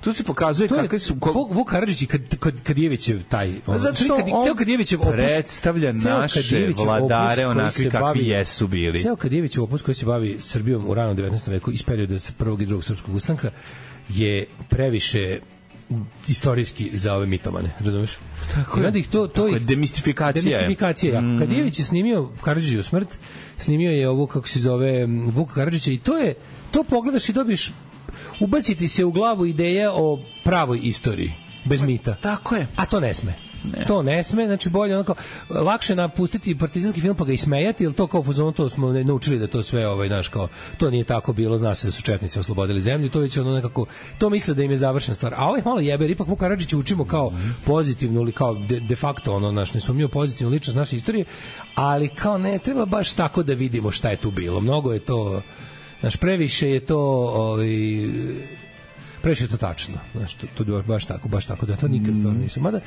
Tu se pokazuje kakve su... Vuk, Vuk Karadžić i kad, kad, Kadijevićev taj... On, zato što kad, on Kadijevićev opus, predstavlja naše vladare onakvi kakvi jesu bili. Ceo Kadijevićev opus koji se bavi Srbijom u ranom devetnaestom veku iz perioda prvog i drugog srpskog ustanka je previše istorijski za ove mitomane, razumeš? Tako je. Ih to, to je demistifikacija. Demistifikacija, mm. Kadijević je snimio Karadžićevu smrt, snimio je ovo, kako se zove, Vuka Karadžića i to je, to pogledaš i dobiš, ubaciti se u glavu ideja o pravoj istoriji, bez mita. Tako je. A to ne sme. Ne. To ne sme, znači bolje onako lakše napustiti partizanski film pa ga ismejati, ili to kao fuzonu, to smo naučili da to sve ovaj naš kao to nije tako bilo, zna se da su četnici oslobodili zemlju, to već ono nekako to misle da im je završena stvar. A ovaj malo jebe, ipak Vuk Karadžić učimo kao pozitivnu ili kao de, de facto ono naš nesumnjivo pozitivnu ličnost naše istorije, ali kao ne treba baš tako da vidimo šta je tu bilo. Mnogo je to naš previše je to ovaj previše je to tačno. Znaš, to, to je baš tako, baš tako da to nikad stvarno nisu. Mada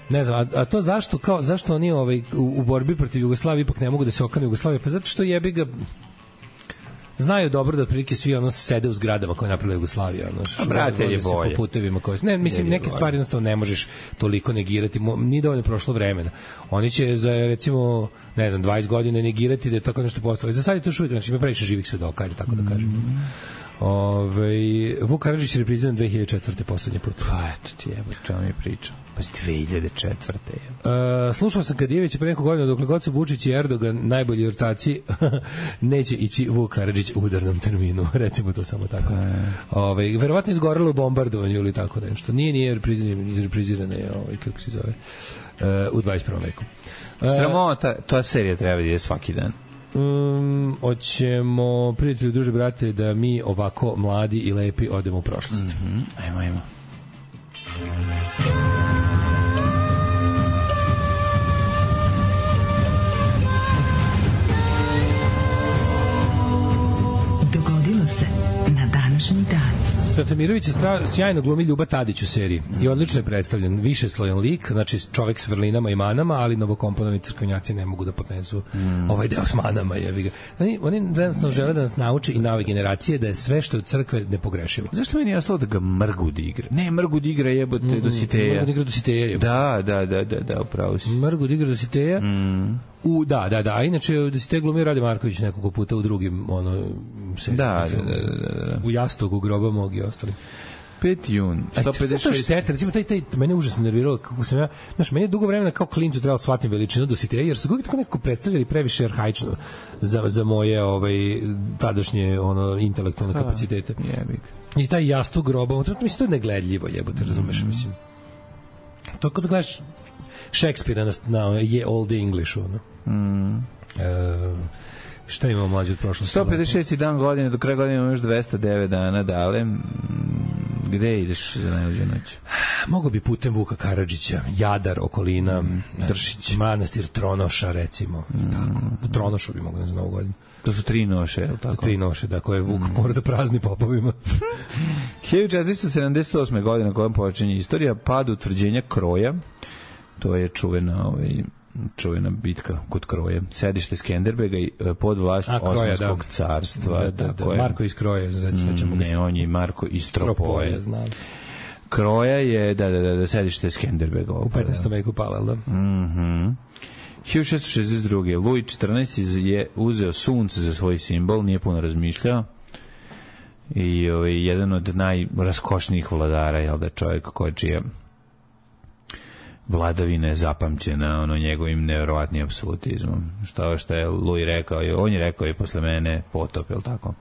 ne znam, a, a to zašto kao zašto oni ovaj u, u borbi protiv Jugoslavije ipak ne mogu da se okane Jugoslavije? Pa zato što jebi ga znaju dobro da otprilike svi ono sede u zgradama koje je napravila Jugoslavija, ono što brate je bolje. Po putevima koje ne mislim je neke bolje. Stvari jednostavno ne možeš toliko negirati, ni dovoljno prošlo vremena. Oni će za recimo ne znam dvadeset godina negirati da je tako nešto postalo. Za sad je to šuvijek, znači ima previše živih svedoka, ajde tako da kažem. Mm. Ove, Vuk Karadžić je repriziran dve hiljade četvrte poslednji put. Pa eto ti jebo, čemu mi priča. Pa dve hiljade četvrte Uh, slušao sam Kadijevića pre nekog godina, dokle god su Vučić i Erdogan najbolji ortaci, neće ići Vuk Karadžić u udarnom terminu, recimo to samo tako. Ove, verovatno izgorelo u bombardovanju ili tako nešto. Nije, nije reprizirane, reprizirane ovaj, kako se zove, uh, u dvadeset prvom veku. Uh, Sramota, ta serija treba da je svaki dan. Um, hoćemo, prijatelji, druže, brate, da mi ovako mladi i lepi odemo u prošlost. Mm-hmm. Ajmo, ajmo. Dogodilo se na današnji dan. Stratamirović je stra, sjajno glumi Ljuba Tadić u seriji i odlično je predstavljen, više slojan lik, znači čovek s vrlinama i manama, ali novokomponovani crkvenjaci ne mogu da podnesu mm. ovaj deo s manama. Jevi ga. Oni, oni jednostavno žele da nas nauče i nove generacije da je sve što je od crkve nepogrešivo. Zašto meni je jasno da ga Mrgud igra? Ne, Mrgud igra jebote mm, Dositeja. Mrgud igra Dositeja. Jebote. Da, da, da, da, da, upravo si. Mrgud igra Dositeja. Mm. U, da, da, da, a inače da se te glumio Rade Marković nekoliko puta u drugim ono se da, da, da, da, da. u Jastogu, Groba mog i ostali. peti jun sto pedeset šest. Šteta, recimo taj taj mene užasno nerviralo kako sam ja, znaš, meni je dugo vremena kao klincu trebalo shvatiti veličinu Dositeja, jer su ga tako nekako predstavljali previše arhaično za za moje ovaj tadašnje ono intelektualne kapacitete. Jebik. I taj Jastog, Groba, to mislim to je negledljivo, jebote, razumeš, mislim. To kad gledaš Šekspira na, na je Old English ono. Mm. E, šta imamo mlađe od prošlosti? sto pedeset šesti dan godine, do kraja godine imamo još dvesta devet dana, dale. Gde ideš za najluđu noć? Mogu bi putem Vuka Karadžića, Jadar, okolina, mm. Dršić, manastir Tronoša, recimo, mm. i tako. U Tronošu bi mogu da za novu godinu. To su tri noše, je li tako? Tri noše, da, koje Vuk mm. mora da prazni popovima. hiljadu četiristo sedamdeset osme godine, kojom počinje istorija, pad utvrđenja Kroja. To je čuvena, ovaj, čuvena bitka kod Kroje. Sedište Skenderbega i pod vlast Osmanskog da. carstva. Da, da, da. Marko iz Kroje. Mm, ne, on je Marko iz Tropoje. Znam. Kroja je, da, da, da, da sedište Skenderbega. U petnaestom veku pala, da? Mhm. hiljadu šessto šezdeset druge. Luj četrnaesti je uzeo sunce za svoj simbol, nije puno razmišljao. I ovaj, jedan od najraskošnijih vladara, jel da, čovjek koji čije vladavina je zapamćena ono njegovim neverovatnim apsolutizmom. Što što je Luj rekao, on je rekao i posle mene potop, je li tako?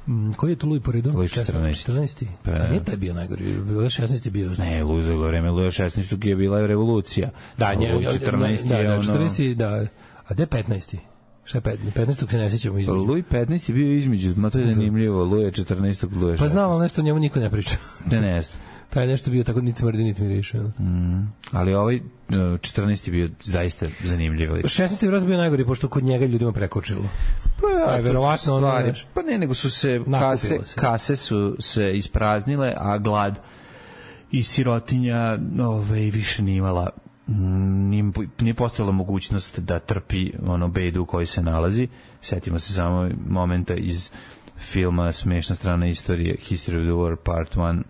Mm, koji je to Luj po redu? Luj četrnaesti. četrnaesti. Pa, a nije taj bio najgori, Luj šesnaesti bio. Ne, Luj za vreme Luja šesnaestog je bila revolucija. Da, nje, Luj četrnaesti da, je da, ono... četrnaesti, da. A gde petnaesti? Šta je petnaesti? petnaestog se ne sjećamo između. Luj petnaesti je bio između, ma to je zanimljivo, Luj četrnaestog, Luj šesnaestog. Pa znam, ali nešto o njemu niko ne priča. Ne, ne znam. taj je nešto bio tako niti smrdi, niti miriše. Mm, ali ovaj četrnaesti bio zaista zanimljiv. šesnaesti je vjerojatno bio najgori, pošto kod njega ljudima prekočilo. Pa, je verovatno ono, stvari, znaš, pa ne, nego su se kase, se kase su se ispraznile, a glad i sirotinja ovaj, više nije imala, nije, nije postojala mogućnost da trpi ono bedu u kojoj se nalazi. Sjetimo se samo momenta iz filma Smešna strana istorije, History of the War Part one,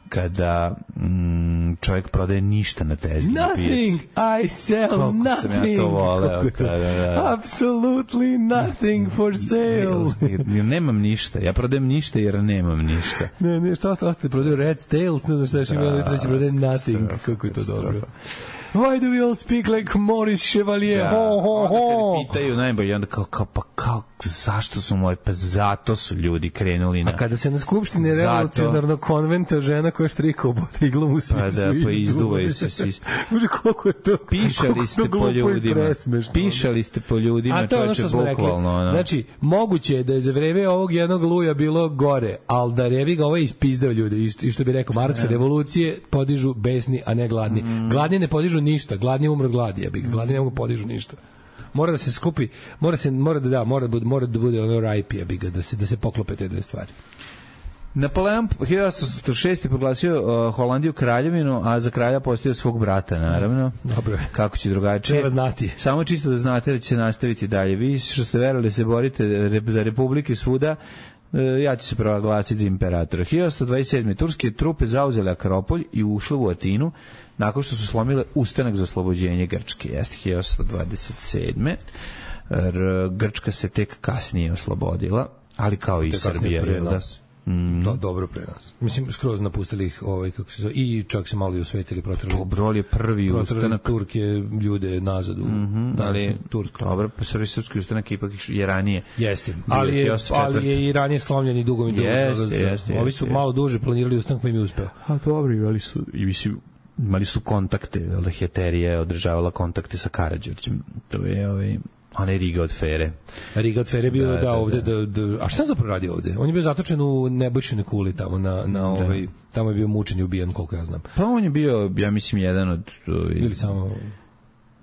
kada mm, čovjek prodaje ništa na tezgi. Nothing, I sell Koliko nothing. Sam ja to voleo. To... Da, da, da. Absolutely nothing for sale. Ja nemam ništa, ja prodajem ništa jer nemam ništa. Ne, ne, šta ostalo ste prodaju Red Stales, ne znam šta još imali, treći prodaje nothing. Kako je to dobro. Why do we all speak like Maurice Chevalier? Da, ho, ho, ho. Onda kad pitaju najbolje, onda kao, kao, pa kao, zašto su moji, pa zato su ljudi krenuli na... A kada se na skupštini revolucionarnog konventa žena koja štrika obota iglom u svi, pa da, pa izduvaju se svi. Može, koliko je to, pišali ste po ljudima, pišali ste po ljudima, čovječe, bukvalno. Ono. Znači, moguće je da je za vreme ovog jednog luja bilo gore, ali da revi ga ovo je ispizdao ljude, i što bi rekao Marks, revolucije podižu besni, a ne gladni. Mm. Gladni ne podižu ništa, gladni umro gladi, ja bih, gladni ne mogu podižu ništa. Mora da se skupi, mora se mora da da, mora da bude, mora da bude ono rajpi, ja bih ga, da se da se poklope te dve stvari. Napoleon hiljadu osamsto šeste proglasio uh, Holandiju kraljevinu, a za kralja postavio svog brata, naravno. Dobro. Kako će drugačije? Treba znati. Samo čisto da znate da će se nastaviti dalje. Vi što ste verovali da se borite za republike svuda, ja ću se proglasiti za imperatora. hiljadu osamsto dvadeset sedme turske trupe zauzele Akropolj i ušle u Atinu nakon što su slomile ustanak za oslobođenje Grčke. Jeste hiljadu osamsto dvadeset sedme Grčka se tek kasnije oslobodila, ali kao i Srbija. Mm. Do, dobro pre nas. Mislim, skroz napustili ih ovaj, kako se zove, i čak se malo i osvetili, protrali. Dobro, je prvi ustanak. Turke ljude nazad u mm-hmm, ali, Tursku. Dobro, pa srvi srpski ustanak ipak je ranije. Jeste, ali je, ali je i ranije slomljen i dugo i dugo. Jeste, jeste. Ovi su malo duže planirali ustanak, pa im je uspeo. A dobro, imali su, i mislim, imali su kontakte, da Heterija je održavala kontakte sa Karađorđem. To je ovaj... Ona je Riga od Fere. Riga od Fere bio da, da, da ovde da, da, a šta zapravo radi ovde? On je bio zatočen u Nebojšinoj kuli tamo na na ovaj, tamo je bio mučen i ubijen, koliko ja znam. Pa on je bio, ja mislim, jedan od ovaj, ili samo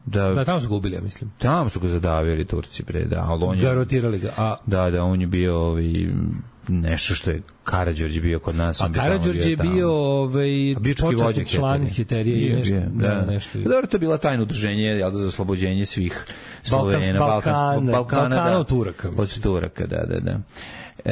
da, da tamo su ga ubili, ja mislim. Tamo su ga zadavili Turci pre, da, al on je garotirali ga. A da, da, on je bio ovaj nešto što je Karađorđe bio kod nas. A Karađorđe je bio ovaj počasni član Heterije i nešto, da, da, nešto. Dobro, to je bila tajno udruženje, jel, za oslobođenje svih Slovena, Balkana, Balkana, da, Turaka. Od Turaka, da, da, da.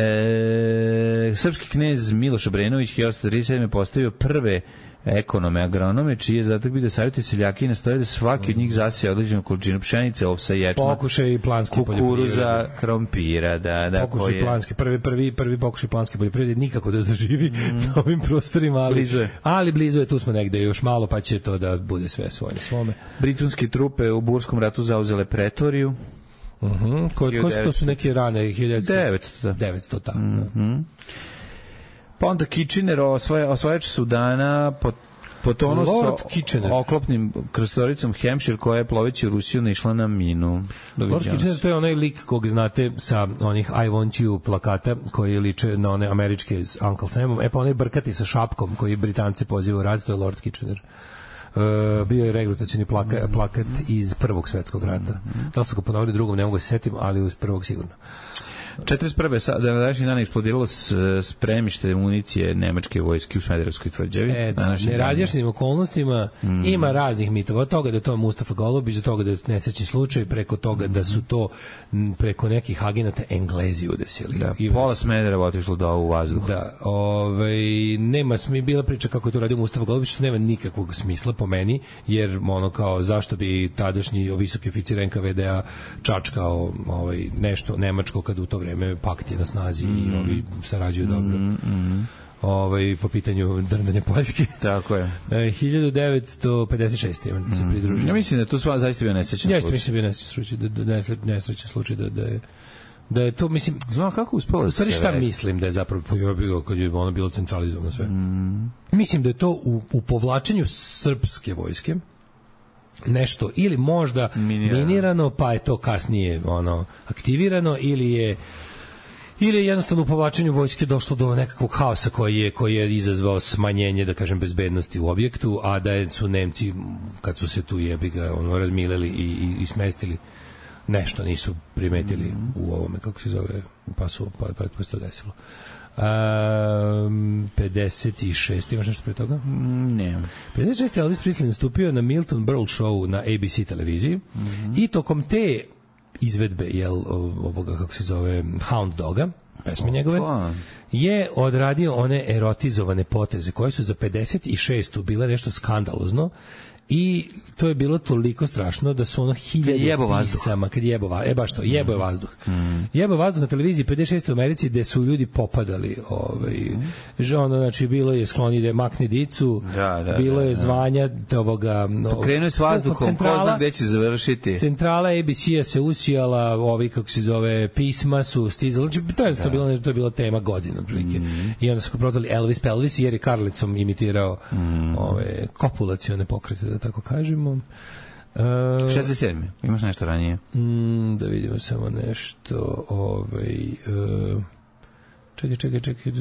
E, srpski knez Miloš Obrenović hiljadu osamsto trideset sedme postavio prve ekonome, agronome, čiji je zatak bio da savjeti seljaki i nastoje da svaki od njih zasije određenu količinu pšenice, ovsa, ječma, pokušaj planski kukuruza, krompira, da, da, pokušaj koje... planski, prvi, prvi, prvi pokušaj planske poljoprivrede, nikako da zaživi mm. na ovim prostorima, ali blizu je. ali blizu je, tu smo negde još malo, pa će to da bude sve svoje svome. Britanske trupe u Burskom ratu zauzele Pretoriju. Mhm, uh-huh. Ko, ko su, to su neke rane, hiljadu devetsto. devetsto, tako. Mhm. Pa onda Kitchener, osvaja, osvajač Sudana, pod potonuo sa oklopnim krastoricom Hampshire, koja je ploveći u Rusiju naišla na minu. Lord Kitchener, to je onaj lik kog znate sa onih I want you plakata koji liče na one američke s Uncle Samom. E pa onaj brkati sa šapkom koji Britance pozivaju u rad, to je Lord Kitchener. Uh, bio je regrutacioni plaka, plakat iz Prvog svetskog rata. Da li su ga ponovili drugom, ne mogu se setim, ali iz prvog sigurno. četrdeset prve da na današnji dan eksplodiralo spremište municije nemačke vojske u Smederevskoj tvrđavi. E, da, nerazjašnjenim okolnostima mm. ima raznih mitova. Od toga da je to Mustafa Golubić, do toga da je nesrećni slučaj, preko toga mm. da su to preko nekih agenata Englezi udesili. Da, I pola Smedereva otišlo do u vazduh. Da, ovaj, nema smi bila priča kako je to radio Mustafa Golubić, što nema nikakvog smisla po meni, jer ono kao zašto bi tadašnji visoki oficir N K V D-a čačkao ovaj, nešto nemačko kad u to vreme pakt je na snazi mm. i ovi sarađuju dobro. Mm, mm. Ovaj, po pitanju drndanja Poljske. Tako je. E, hiljadu devetsto pedeset šeste Mm. se pridružio. Ja mislim da je to sva zaista bio nesrećan ja, slučaj. Ja mislim da je bio nesrećan slučaj, da, da, nesrećan slučaj, da, da je da je to, mislim, znam kako uspelo da se šta mislim da je zapravo bilo kad je ono bilo centralizovano sve. Mm. Mislim da je to u, u povlačenju srpske vojske nešto ili možda minirano. minirano, pa je to kasnije ono aktivirano, ili je ili je jednostavno u povlačenju vojske došlo do nekakvog haosa koji je, koji je izazvao smanjenje, da kažem, bezbednosti u objektu, a da su Nemci, kad su se tu jebi ga ono, razmileli i, i, i smestili, nešto nisu primetili mm. u ovome, kako se zove, pa su, pa, pa, pa se to desilo. Um, pedeset šest imaš nešto pre toga? Mm, ne. pedeset šest Elvis Presley nastupio na Milton Berle show na A B C televiziji mm-hmm. i tokom te izvedbe, jel, ovoga, kako se zove, Hound Doga, pesme njegove, je odradio one erotizovane poteze koje su za pedeset šest bile nešto skandalozno i to je bilo toliko strašno da su ono hiljade pisama, kad jebo vazduh, e baš to, jebo je vazduh. Mm. Jebo vazduh na televiziji pedeset šest u Americi gde su ljudi popadali, ovaj, mm. ono, znači, bilo je skloni da je makne dicu, da, da, bilo je da, zvanja ovoga... Pokrenuo je s vazduhom, ko zna gde će završiti. Centrala A B C-a se usijala, ovi, kako se zove, pisma su stizali, znači, to je, da. bilo, to je bila tema godina, prilike. Mm. I onda su ga prozvali Elvis Pelvis, jer je Karlicom imitirao mm. ove kopulacione pokrete, da tako kažemo. Uh, šezdeset sedam Imaš nešto ranije? Mm, da vidimo samo nešto. Ovaj, uh, čekaj, čekaj, čekaj.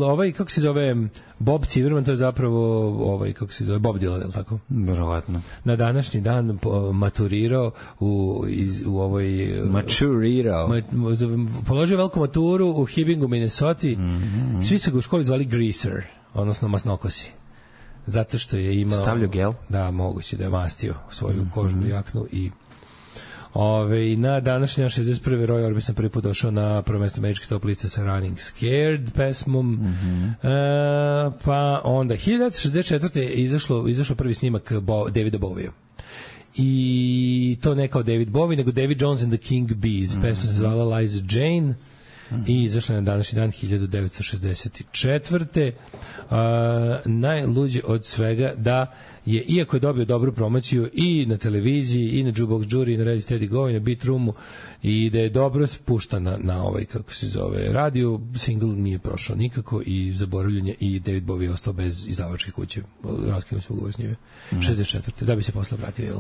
Ovaj, kako se zove, Bob Civerman, to je zapravo ovaj, kako se zove, Bob Dylan, je li tako? Verovatno. Na današnji dan maturirao u, iz, u ovoj... Maturirao. Ma, položio veliku maturu u Hibbingu, Minnesota. Mm-hmm. Svi su ga u školi zvali Greaser, odnosno masnokosi. Zato što je imao... Stavljao gel? Da, moguće da je mastio svoju mm-hmm. kožnu jaknu i... Ove, na današnji šezdeset prvi Roy Orbison prvi put došao na prvo mesto američke top liste sa Running Scared pesmom. Mm-hmm. E, pa onda hiljadu devetsto šezdeset četvrte je izašlo, izašao prvi snimak Bo, Davida Bovija. I to ne kao David Bowie, nego David Jones and the King Bees. Mm-hmm. Pesma se zvala Liza Jane. Mm-hmm. I izašla je na današnji dan hiljadu devetsto šezdeset četvrte Uh, najluđe od svega da je, iako je dobio dobru promociju i na televiziji, i na Jukebox Jury, i na Radio Steady Go, i na Beat Roomu, i da je dobro spušta na, na ovaj, kako se zove, radio, single nije prošao nikako i zaboravljenje, i David Bowie je ostao bez izdavačke kuće, raskinuo se ugovor s njime. Mm. šezdeset četvrte da bi se posle vratio, jel?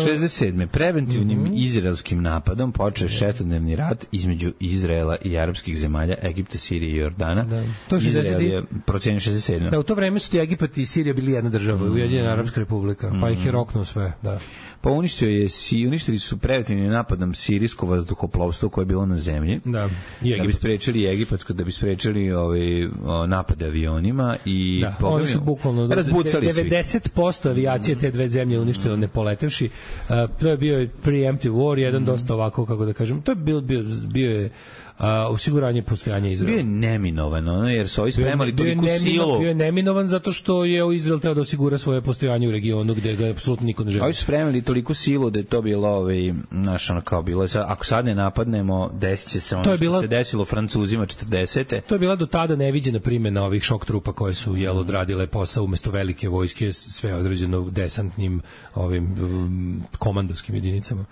šezdeset sedme Preventivnim mm-hmm. izraelskim napadom počeo šestodnevni rat između Izraela i arapskih zemalja, Egipta, Sirije i Jordana. Da. To je Izrael je procenio šezdeset sedme Da, u to vreme su ti Egipat i Sirija bili jedna država, mm-hmm. Ujedinjena Arapska republika, pa mm-hmm. ih je roknuo sve, da. Pa uništio je, uništili su preventivnim napadom sirijsko vazduhoplovstvo koje je bilo na zemlji. Da. Da bi sprečili egipatsko, da bi sprečili ovaj napade avionima i da, oni su bukvalno devedeset posto avijacije te dve zemlje uništilo ne poletevši. Uh, to je bio preemptive war, jedan mm. dosta ovako, kako da kažem, to je bio, bio, bio je uh, osiguranje postojanja Izraela. Bio je neminovan, ono, jer su ovi spremali toliko silu. Bio je neminovan zato što je Izrael teo da osigura svoje postojanje u regionu gde ga apsolutno niko ne želi. Ovi su spremali toliko silu da je to bilo, ovaj, znaš, ono, kao bilo je, sad, ako sad ne napadnemo, desit će se ono što bila, se desilo Francuzima četrdesete To je bila do tada neviđena primjena ovih šok trupa koje su, jel, odradile posao umesto velike vojske, sve određeno desantnim ovim um, komandoskim jedinicama,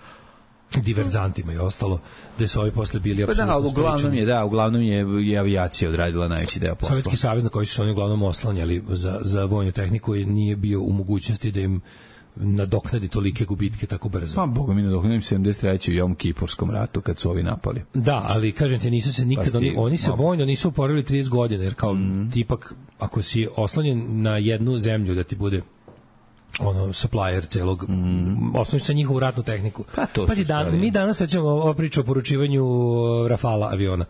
diverzantima i ostalo, gde su ovi posle bili apsolutno pa da, uglavnom je, da, uglavnom je, je avijacija odradila najveći deo posla. Sovjetski savez na koji su oni uglavnom oslanjali za, za vojnu tehniku i nije bio u mogućnosti da im nadoknadi tolike gubitke tako brzo. Pa, boga mi nadoknadim sedamdeset treće u Jom Kipurskom ratu kad su ovi napali. Da, ali kažem ti, nisu se nikad, pa oni, oni se vojno nisu oporili trideset godina, jer kao mm. tipak, ako si oslanjen na jednu zemlju da ti bude ono supplier celog mm. osnoviš sa njihovu ratnu tehniku. Pa to Pazi, dan, mi danas rećemo ova priča o poručivanju Rafala aviona.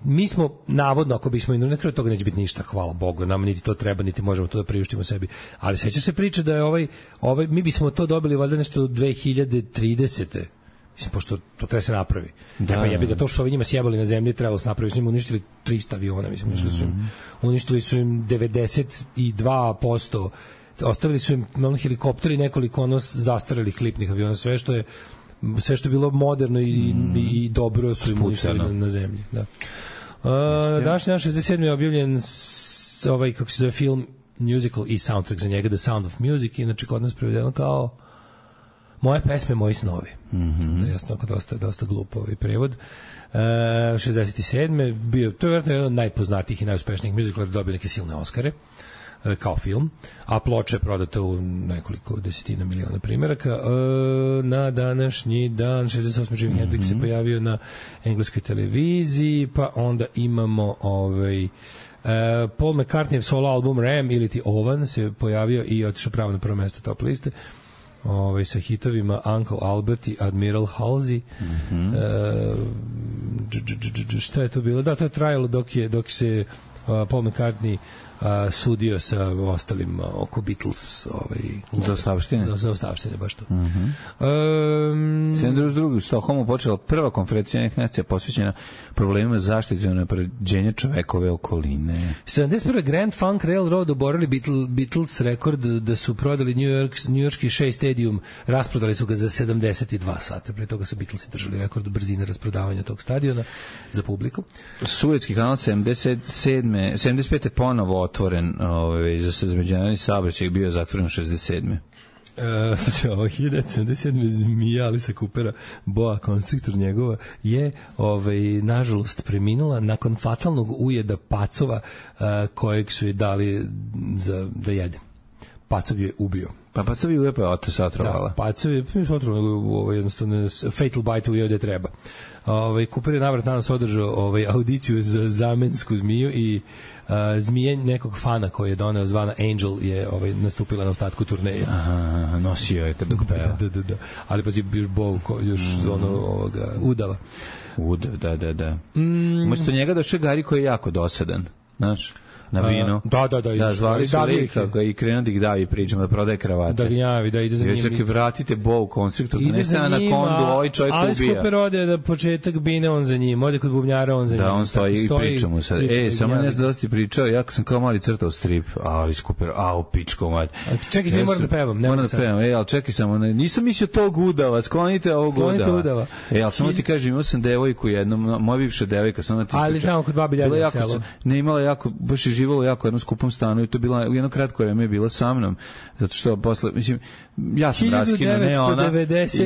Mi smo, navodno, ako bismo i na kraju toga neće biti ništa, hvala Bogu, nam niti to treba, niti možemo to da priuštimo sebi. Ali seća se priča da je ovaj, ovaj mi bismo to dobili valjda nešto do dve hiljade tridesete Mislim, pošto to treba se napravi. Da, pa ja bih ga to što ovi njima sjebali na zemlji trebalo se napraviti. Su im uništili trista aviona, mislim, uništili su im, uništili su im devedeset dva posto ostavili su im ono, helikopteri, nekoliko ono zastarelih lipnih aviona, sve što je sve što je bilo moderno i, mm. i, i dobro su im uništili na, na zemlji. Da. Uh, današnji dan šezdeset sedmi je objavljen s, ovaj, kako se zove, film musical i soundtrack za njega, The Sound of Music, inače kod nas prevedeno kao Moje pesme, moji snovi. Mm-hmm. Jasno, dosta, dosta glupo ovaj prevod. Uh, šezdeset sedme bio, to je vjerojatno jedan od najpoznatijih i najuspešnijih muzikala, dobio neke silne Oskare. kao film, a ploča je prodata u nekoliko desetina miliona primjeraka. Na današnji dan šezdeset osme Jimi Hendrix se pojavio na engleskoj televiziji, pa onda imamo ovaj Paul McCartneyjev solo album Ram ili ti Ovan se pojavio i otišao pravo na prvo mesto top liste. Ovaj sa hitovima Uncle Albert i Admiral Halsey. Mm-hmm. e, šta je to bilo? Da, to je trajalo dok je dok se uh, Paul McCartney uh, sudio sa ostalim uh, oko Beatles, ovaj za ostavštine. Za, za ostavštine, baš to. Mhm. Um, sedamdeset druge u Stokholmu počela prva konferencija Ujedinjenih nacija posvećena problemima zaštite i unapređenja čovekove okoline. sedamdeset prve Grand Funk Railroad oborili Beatles, Beatles rekord da su prodali New York, New Yorkski Shea Stadium, rasprodali su ga za sedamdeset dva sata. Pre toga su Beatlesi držali rekord brzine rasprodavanja tog stadiona za publiku. Suetski kanal sedamdeset sedme sedamdeset pete ponovo otvoren, ovaj za međunarodni saobraćaj, bio zatvoren u šezdeset sedme Uh, znači, ovo hiljadu devetsto sedamdeset sedme zmija Alisa Coopera, boa konstruktor njegova, je ovaj, nažalost preminula nakon fatalnog ujeda pacova uh, kojeg su je dali za, da jede. Pacov je ubio. Pa Pacov je ubio, pa se otrovala. Da, Pacov je ovaj, jednostavno fatal bite ujeo da treba. Ovaj, Cooper je navrat danas održao ovaj, audiciju za zamensku zmiju i Uh, zmije nekog fana koji je doneo zvana Angel je ovaj, nastupila na ostatku turneje. Aha, nosio je kad dok peva. Da, da, da. Ali pa još bov, još mm. ono ovoga, udava. Udav, da, da, da. Mm. Umesto njega došao Gari koji je jako dosadan, znaš? Na vino. A, da, da, da. Da, zvali su lika ga i krenuo da ih davi pričama, da prodaje kravate. Da gnjavi, da ide za njim. Još čak vratite Bow konstruktor, da ne stane na kondu, ovaj čovjek ubija. Ali Cooper ode na početak bine, on za njim, ode kod bubnjara, on za njim. Da, on stoji i priča mu sad. E, samo ne znam da ti pričao, ja sam kao mali crtao strip, ali Cooper, au, pičko, mać. Čekaj, ne moram da pevam. Moram da pevam, e, ali čekaj samo, nisam mislio tog udava, sklonite ovog udava. Sklonite udava. E, ali samo ti kažem, imao sam devojku jednom, moja bivša devojka, samo ti ali znamo kod babi Ljadja na selu. Ne, imala jako, baš je živjelo jako jednom skupom stanu i to bila u jedno kratko vreme je bila sa mnom, zato što posle, mislim, ja sam raskinuo, ne ona,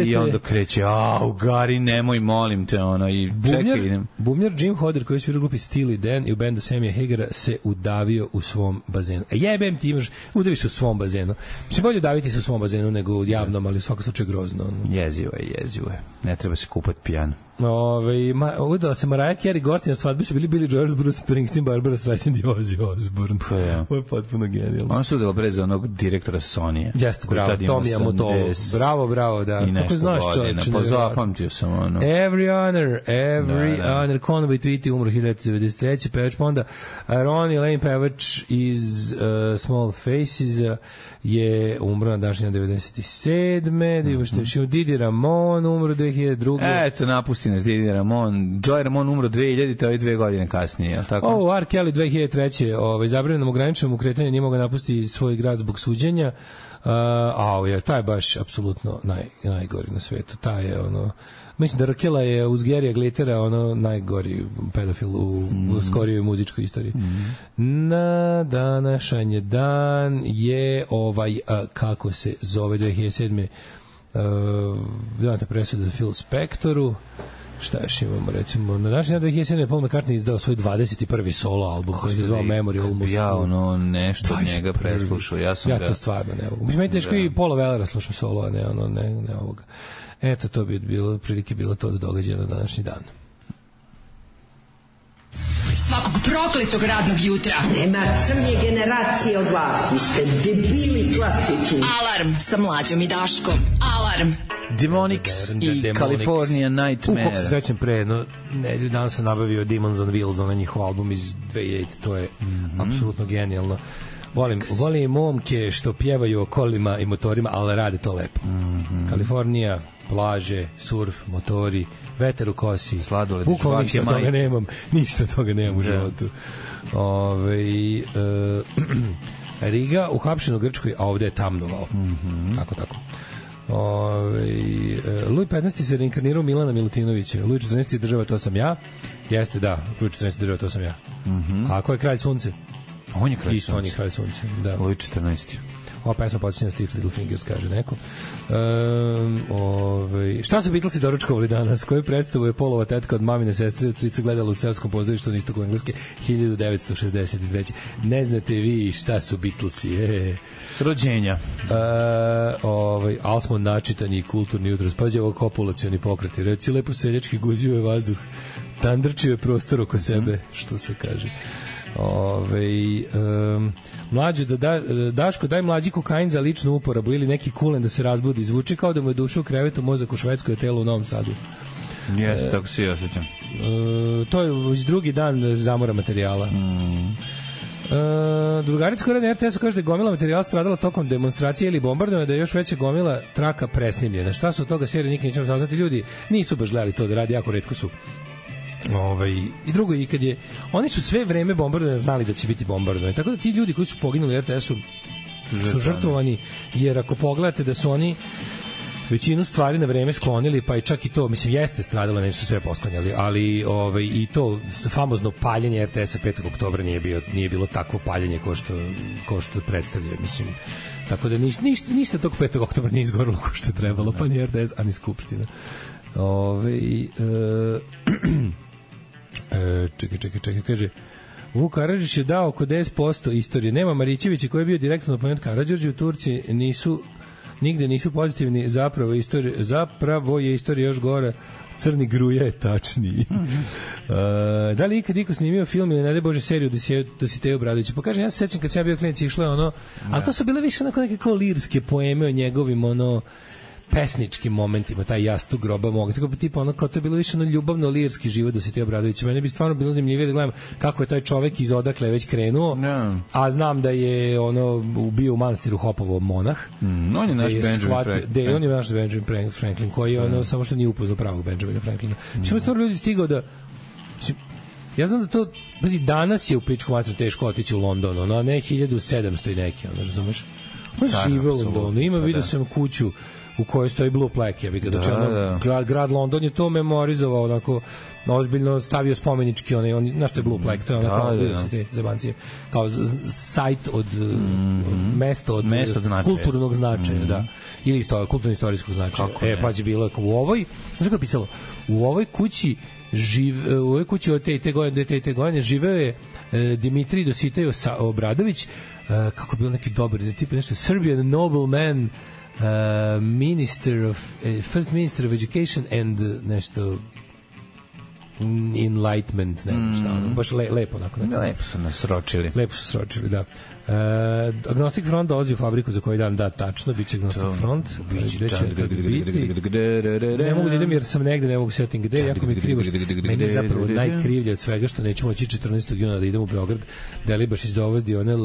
i onda kreće, au, Gari, nemoj, molim te, ona, i čekaj, idem. Bumljar Jim Hodder, koji je svirao u grupi Steely Dan i u bendu Samija Hagera, se udavio u svom bazenu. E, jebem ti, imaš, udaviš se u svom bazenu. Mislim, bolje udaviti se u svom bazenu nego u javnom, ali u svakom slučaju grozno. Jezivo je, jezivo je. Ne treba se kupati pijan. Ove, ma, udala se Mariah Carey, gosti na svadbi su bili Billy Joel, Bruce Springsteen, Barbara Streisand i Ozzy Osbourne. Pa ja. Ovo je potpuno genijalno. Ona su udala bre za onog direktora Sony-a. Jeste, bravo, Tomija Mottola. Bravo, bravo, da. Kako znaš čovječe? Pa zapamtio sam ono. Every honor, every da, da. honor. Conway Twitty umro hiljadu devetsto devedeset treće pevač, pa onda Ronnie Lane, pevač iz uh, Small Faces, uh, je umro na današnji devedeset sedme Da imamo što je Didi Ramon, umro dve hiljade druge Eto, napusti nas Didi Ramon. Joy Ramon umro dve hiljadite, ali dve godine kasnije. Tako? O, R. Kelly dve hiljade treće Ovaj, zabranjenom ograničenom ukretanju nije mogao napustiti svoj grad zbog suđenja. Uh, a je, taj je baš apsolutno naj, najgori na svetu. Taj je ono... Mislim da Rakela je uz Gerija Glitera ono najgori pedofil u, mm. u skorijoj muzičkoj istoriji. Mm. Na današnji dan je ovaj, a, kako se zove dve hiljade sedme Uh, znate presuda Phil Spectoru. Šta još imamo, recimo, na današnji dan dve hiljade sedme Paul McCartney izdao svoj dvadeset prvi solo album koji se zvao Memory Almost. Ja ono nešto od njega preslušao. Ja sam ja ga... to stvarno ne mogu. Mislim, meni teško i Paula Wellera slušam solo, a ne, ono, ne, ne ovoga. Eto, to bi bilo, prilike bilo to da događa na današnji dan. Svakog prokletog radnog jutra. Nema crnje generacije od vas. Vi ste debili klasični. Alarm sa Mlađom i Daškom. Alarm. Demonics i Demonics. California Nightmare. U, kako se srećem pre, no, nedelju dan sam nabavio Demons on Wheels, onaj njihov album iz dve hiljade To je mm -hmm. apsolutno genijalno. Volim, volim momke što pjevaju o kolima i motorima, ali rade to lepo. Mm -hmm. Kalifornija, plaže, surf, motori, veter u kosi. Sladoled, bukvalno ništa toga majice. nemam. Ništa toga nemam u životu. Ove, uh, Riga uhapšen u Grčkoj, a ovde je tamnovao. Mm -hmm. Tako, tako. Ove, Luj petnaesti se reinkarnirao Milana Milutinovića. Luj četrnaesti država, to sam ja. Jeste, da, Luj četrnaesti država, to sam ja. Mm -hmm. A ko je kralj sunce? On je kralj Isto, sunce. on je kralj sunce, da. Luj četrnaesti Ova pesma počinje na Stiff Little Fingers, kaže neko. Um, ovaj, šta su Beatlesi doručkovali danas? Koju predstavu je Polova tetka od mamine sestre od strica gledala u seoskom pozorištu na istoku Engleske hiljadu devetsto šezdeset treće. Ne znate vi šta su Beatlesi? E. Rođenja. E, ovaj, ali smo načitani i kulturni jutros. Pađe ovo kopulacioni pokreti. Reci lepo seljački guđuje vazduh. Tandrčio je prostor oko sebe, što se kaže. Ove, um, mlađe da, da Daško daj mlađi kokain za ličnu uporabu ili neki kulen da se razbudi, zvuči kao da mu je duša u krevetu, mozak u Švedskoj, a telo u Novom Sadu. Jeste, e, tako se i osjećam. E, to je već drugi dan zamora materijala. Mm. E, drugarica koja na er te esu kaže da je gomila materijala stradala tokom demonstracije ili bombardovanja, da je još veća gomila traka presnimljena. Šta su od toga serije, nikad nećemo saznati. Ljudi nisu baš gledali to da radi, jako retko su. Ovaj, i drugo, i kad je oni su sve vreme bombardovanja znali da će biti bombardovanje, tako da ti ljudi koji su poginuli u er te esu su žrtvovani, jer ako pogledate da su oni većinu stvari na vreme sklonili, pa i čak i to, mislim, jeste stradalo, neće su sve posklanjali, ali ovaj, i to famozno paljenje er te esa petog oktobra nije, bio, nije bilo takvo paljenje ko što, ko što predstavljaju, mislim, tako da ništa, ništa, ništa tog petog oktobra nije izgorilo ko što je trebalo, pa ni er te es, a ni Skupština. Ove, e, E, čekaj, čekaj, čekaj, kaže Vuk Karadžić je dao oko deset posto istorije. Nema Marićevića koji je bio direktno oponent Karadžiću. Turci nisu, nigde nisu pozitivni. Zapravo, istorija, zapravo je istorija još gora. Crni gruja je tačniji. uh, da li ikad iko snimio film ili ne daj Bože seriju do Siteju Bradovića? Pa kažem, ja se sećam kad sam ja bio klinac išlo je ono, ali to su bile više onako neke kao lirske poeme o njegovim ono pesničkim momentima, taj jastu groba mogu. Tako bi tipa ono kao to je bilo više ono ljubavno lirski život do Sitija Obradovića. Mene bi stvarno bilo zanimljivije da gledam kako je taj čovek iz odakle već krenuo. No. A znam da je ono bio u manastiru Hopovo monah. Mm, on je naš Benjamin Franklin. Da, on je naš Benjamin Franklin koji je ono, mm. samo što nije upoznao pravog Benjamina Franklina. Mm. Mislim, stvarno ljudi stigao da ja znam da to, pazi, danas je u pičku matru teško otići u London, ono, ne hiljadu sedamsto i neki, ono, razumeš? On žive u Londonu, ima, vidio sam kuću u kojoj stoji Blue Plaque, ja bih ga, znači, ono, da. grad, grad London je to memorizovao, onako, ozbiljno stavio spomenički, onaj, on, znaš što je Blue Plaque, to je onako, da, da, da. te zebancije, kao sajt od, mm-hmm. mesto od, mesto od značaja. Kulturnog značaja, mm-hmm. da, ili isto, kulturno-istorijskog značaja. Kako e, pa je bilo, u ovoj, znaš kako je pisalo, u ovoj kući živ, u ovoj kući od te i te godine, te i te godine živeo je e, Dimitrij Dositej Obradović, e, kako je bilo neki dobar, tipa nešto, Serbian nobleman, Uh, minister of uh, first minister of education and uh, nešto enlightenment, ne znam šta, ono, baš le, lepo onako. Ne, lepo su nas sročili. Lepo su sročili, da. Uh, Agnostic Front dolazi u fabriku za koji dan, da, tačno, bit će Agnostic Front. Gde će biti? Ne mogu da idem jer sam negde, ne mogu setim gde, jako mi je krivo. Meni je zapravo najkrivlje od svega što neću moći četrnaestog juna da idem u Beograd, da li baš izdovodi one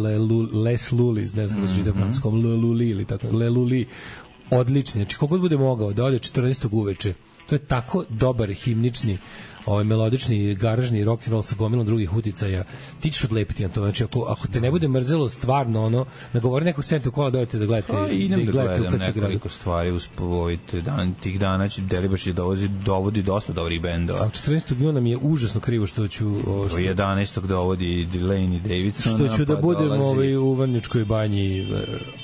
Les Lulis, ne znam da se ide francuskom, Le Luli ili tako, Le Luli, odlični, znači kogod bude mogao da ode četrnaestog uveče, to je tako dobar himnični, ovaj melodični garažni rock and roll sa gomilom drugih uticaja, ti ćeš odlepiti na to. Znači ako ako te ne bude mrzelo stvarno ono, nagovori nekog senta u kola dojete da gledate, pa, da, da gledate u nekoliko stvari uz povojite dan tih dana će Delibaš je dovozi dovodi dosta dobrih bendova. A četrnaestog juna mi je užasno krivo što ću o, što jedanaestog dovodi Delaney Davidson, što ću da pa budem ovaj u Vrnjačkoj banji,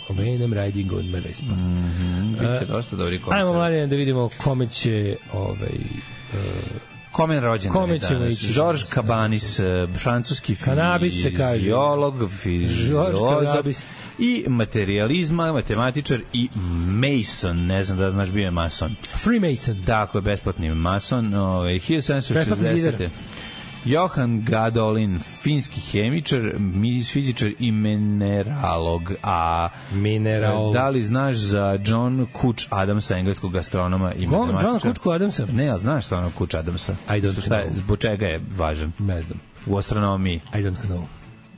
Venom Riding on my Vespa. Mhm. Biće dosta dobri koncert. Ajmo mladen da vidimo kome će ovaj uh, Kome rođendan je danas? Georges Cabanis, francuski fiziolog, fiziolog i materializma, matematičar i Mason, ne znam da znaš, bio je mason. Freemason. Tako je, besplatni mason, ovaj, hiljadu sedamsto šezdesete. Johan Gadolin, finski hemičar, fizičar i mineralog. A Mineral. Da li znaš za John Couch Adamsa, engleskog gastronoma i matematičara? John Couch Adamsa? Ne, ali znaš što ono Couch Adamsa? I don't Šta je, zbog čega je važan? Ne znam. U astronomiji? I don't know.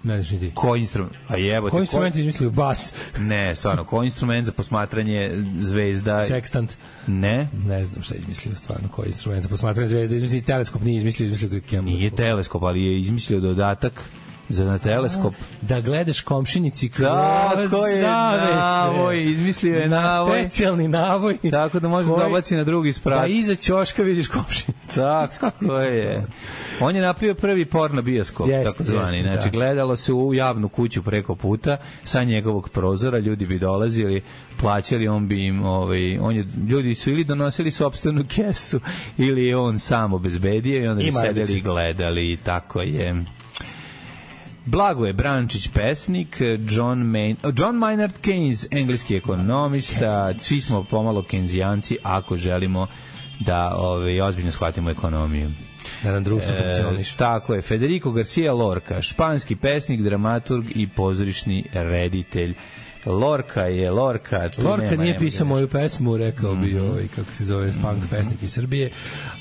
Ne znaš ni ti. Koji instrument? A jebote, koji instrument ko... izmislio? Bas. Ne, stvarno, koji instrument za posmatranje zvezda? Sextant. Ne? Ne znam šta je izmislio, stvarno, koji instrument za posmatranje zvezda. Izmislio teleskop, nije izmislio, izmislio Nije teleskop, ali je izmislio dodatak za na teleskop. Da gledaš komšinici kroz Tako je, zavese. navoj, izmislio je Na navoj. specijalni navoj. Tako da možeš koji- da obaci na drugi sprat. Da iza ćoška vidiš komšinicu. Tako je. On je napravio prvi porno bioskop, Jeste, tako zvani. jeste, Znači, da. gledalo se u javnu kuću preko puta, sa njegovog prozora, ljudi bi dolazili, plaćali, on bi im, ovaj, on je, ljudi su ili donosili sopstvenu kesu, ili je on sam obezbedio i onda bi I sedeli maramice. i gledali, tako je. Blagoje Brančić, pesnik, John, Mayn, John Maynard Keynes, engleski ekonomista, svi smo pomalo kenzijanci ako želimo da ove, ozbiljno shvatimo ekonomiju. Da nam društvo E, funkcioniše. tako je, Federico Garcia Lorca, španski pesnik, dramaturg i pozorišni reditelj. Lorca je Lorca. tu Lorca nema, nije nema pisao ga moju pesmu, rekao bi Mhm. ovaj, kako se zove, punk pesnik iz Srbije,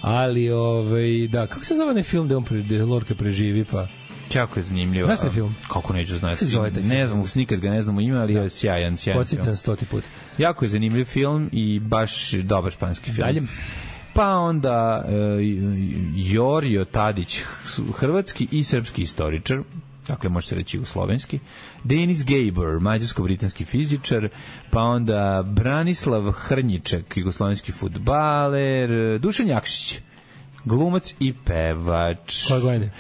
ali ovaj, da, kako se zove onaj film da on pre, da Lorca preživi, pa Jako je zanimljivo. Znaš taj film? Kako neću znati. Kako se zove taj film? Ne znam, nikad ga ne znam u ime, ali je sjajan, sjajan film. podsjećam stoti put. Jako je zanimljiv film i baš dobar španski film. Dalje. Pa onda uh, Jorio Tadić, hrvatski i srpski istoričar, dakle može se reći jugoslovenski, Denis Gabor, mađarsko-britanski fizičar, pa onda Branislav Hrnjiček, jugoslovenski fudbaler, Dušan Jakšić, glumac i pevač. Koje godine?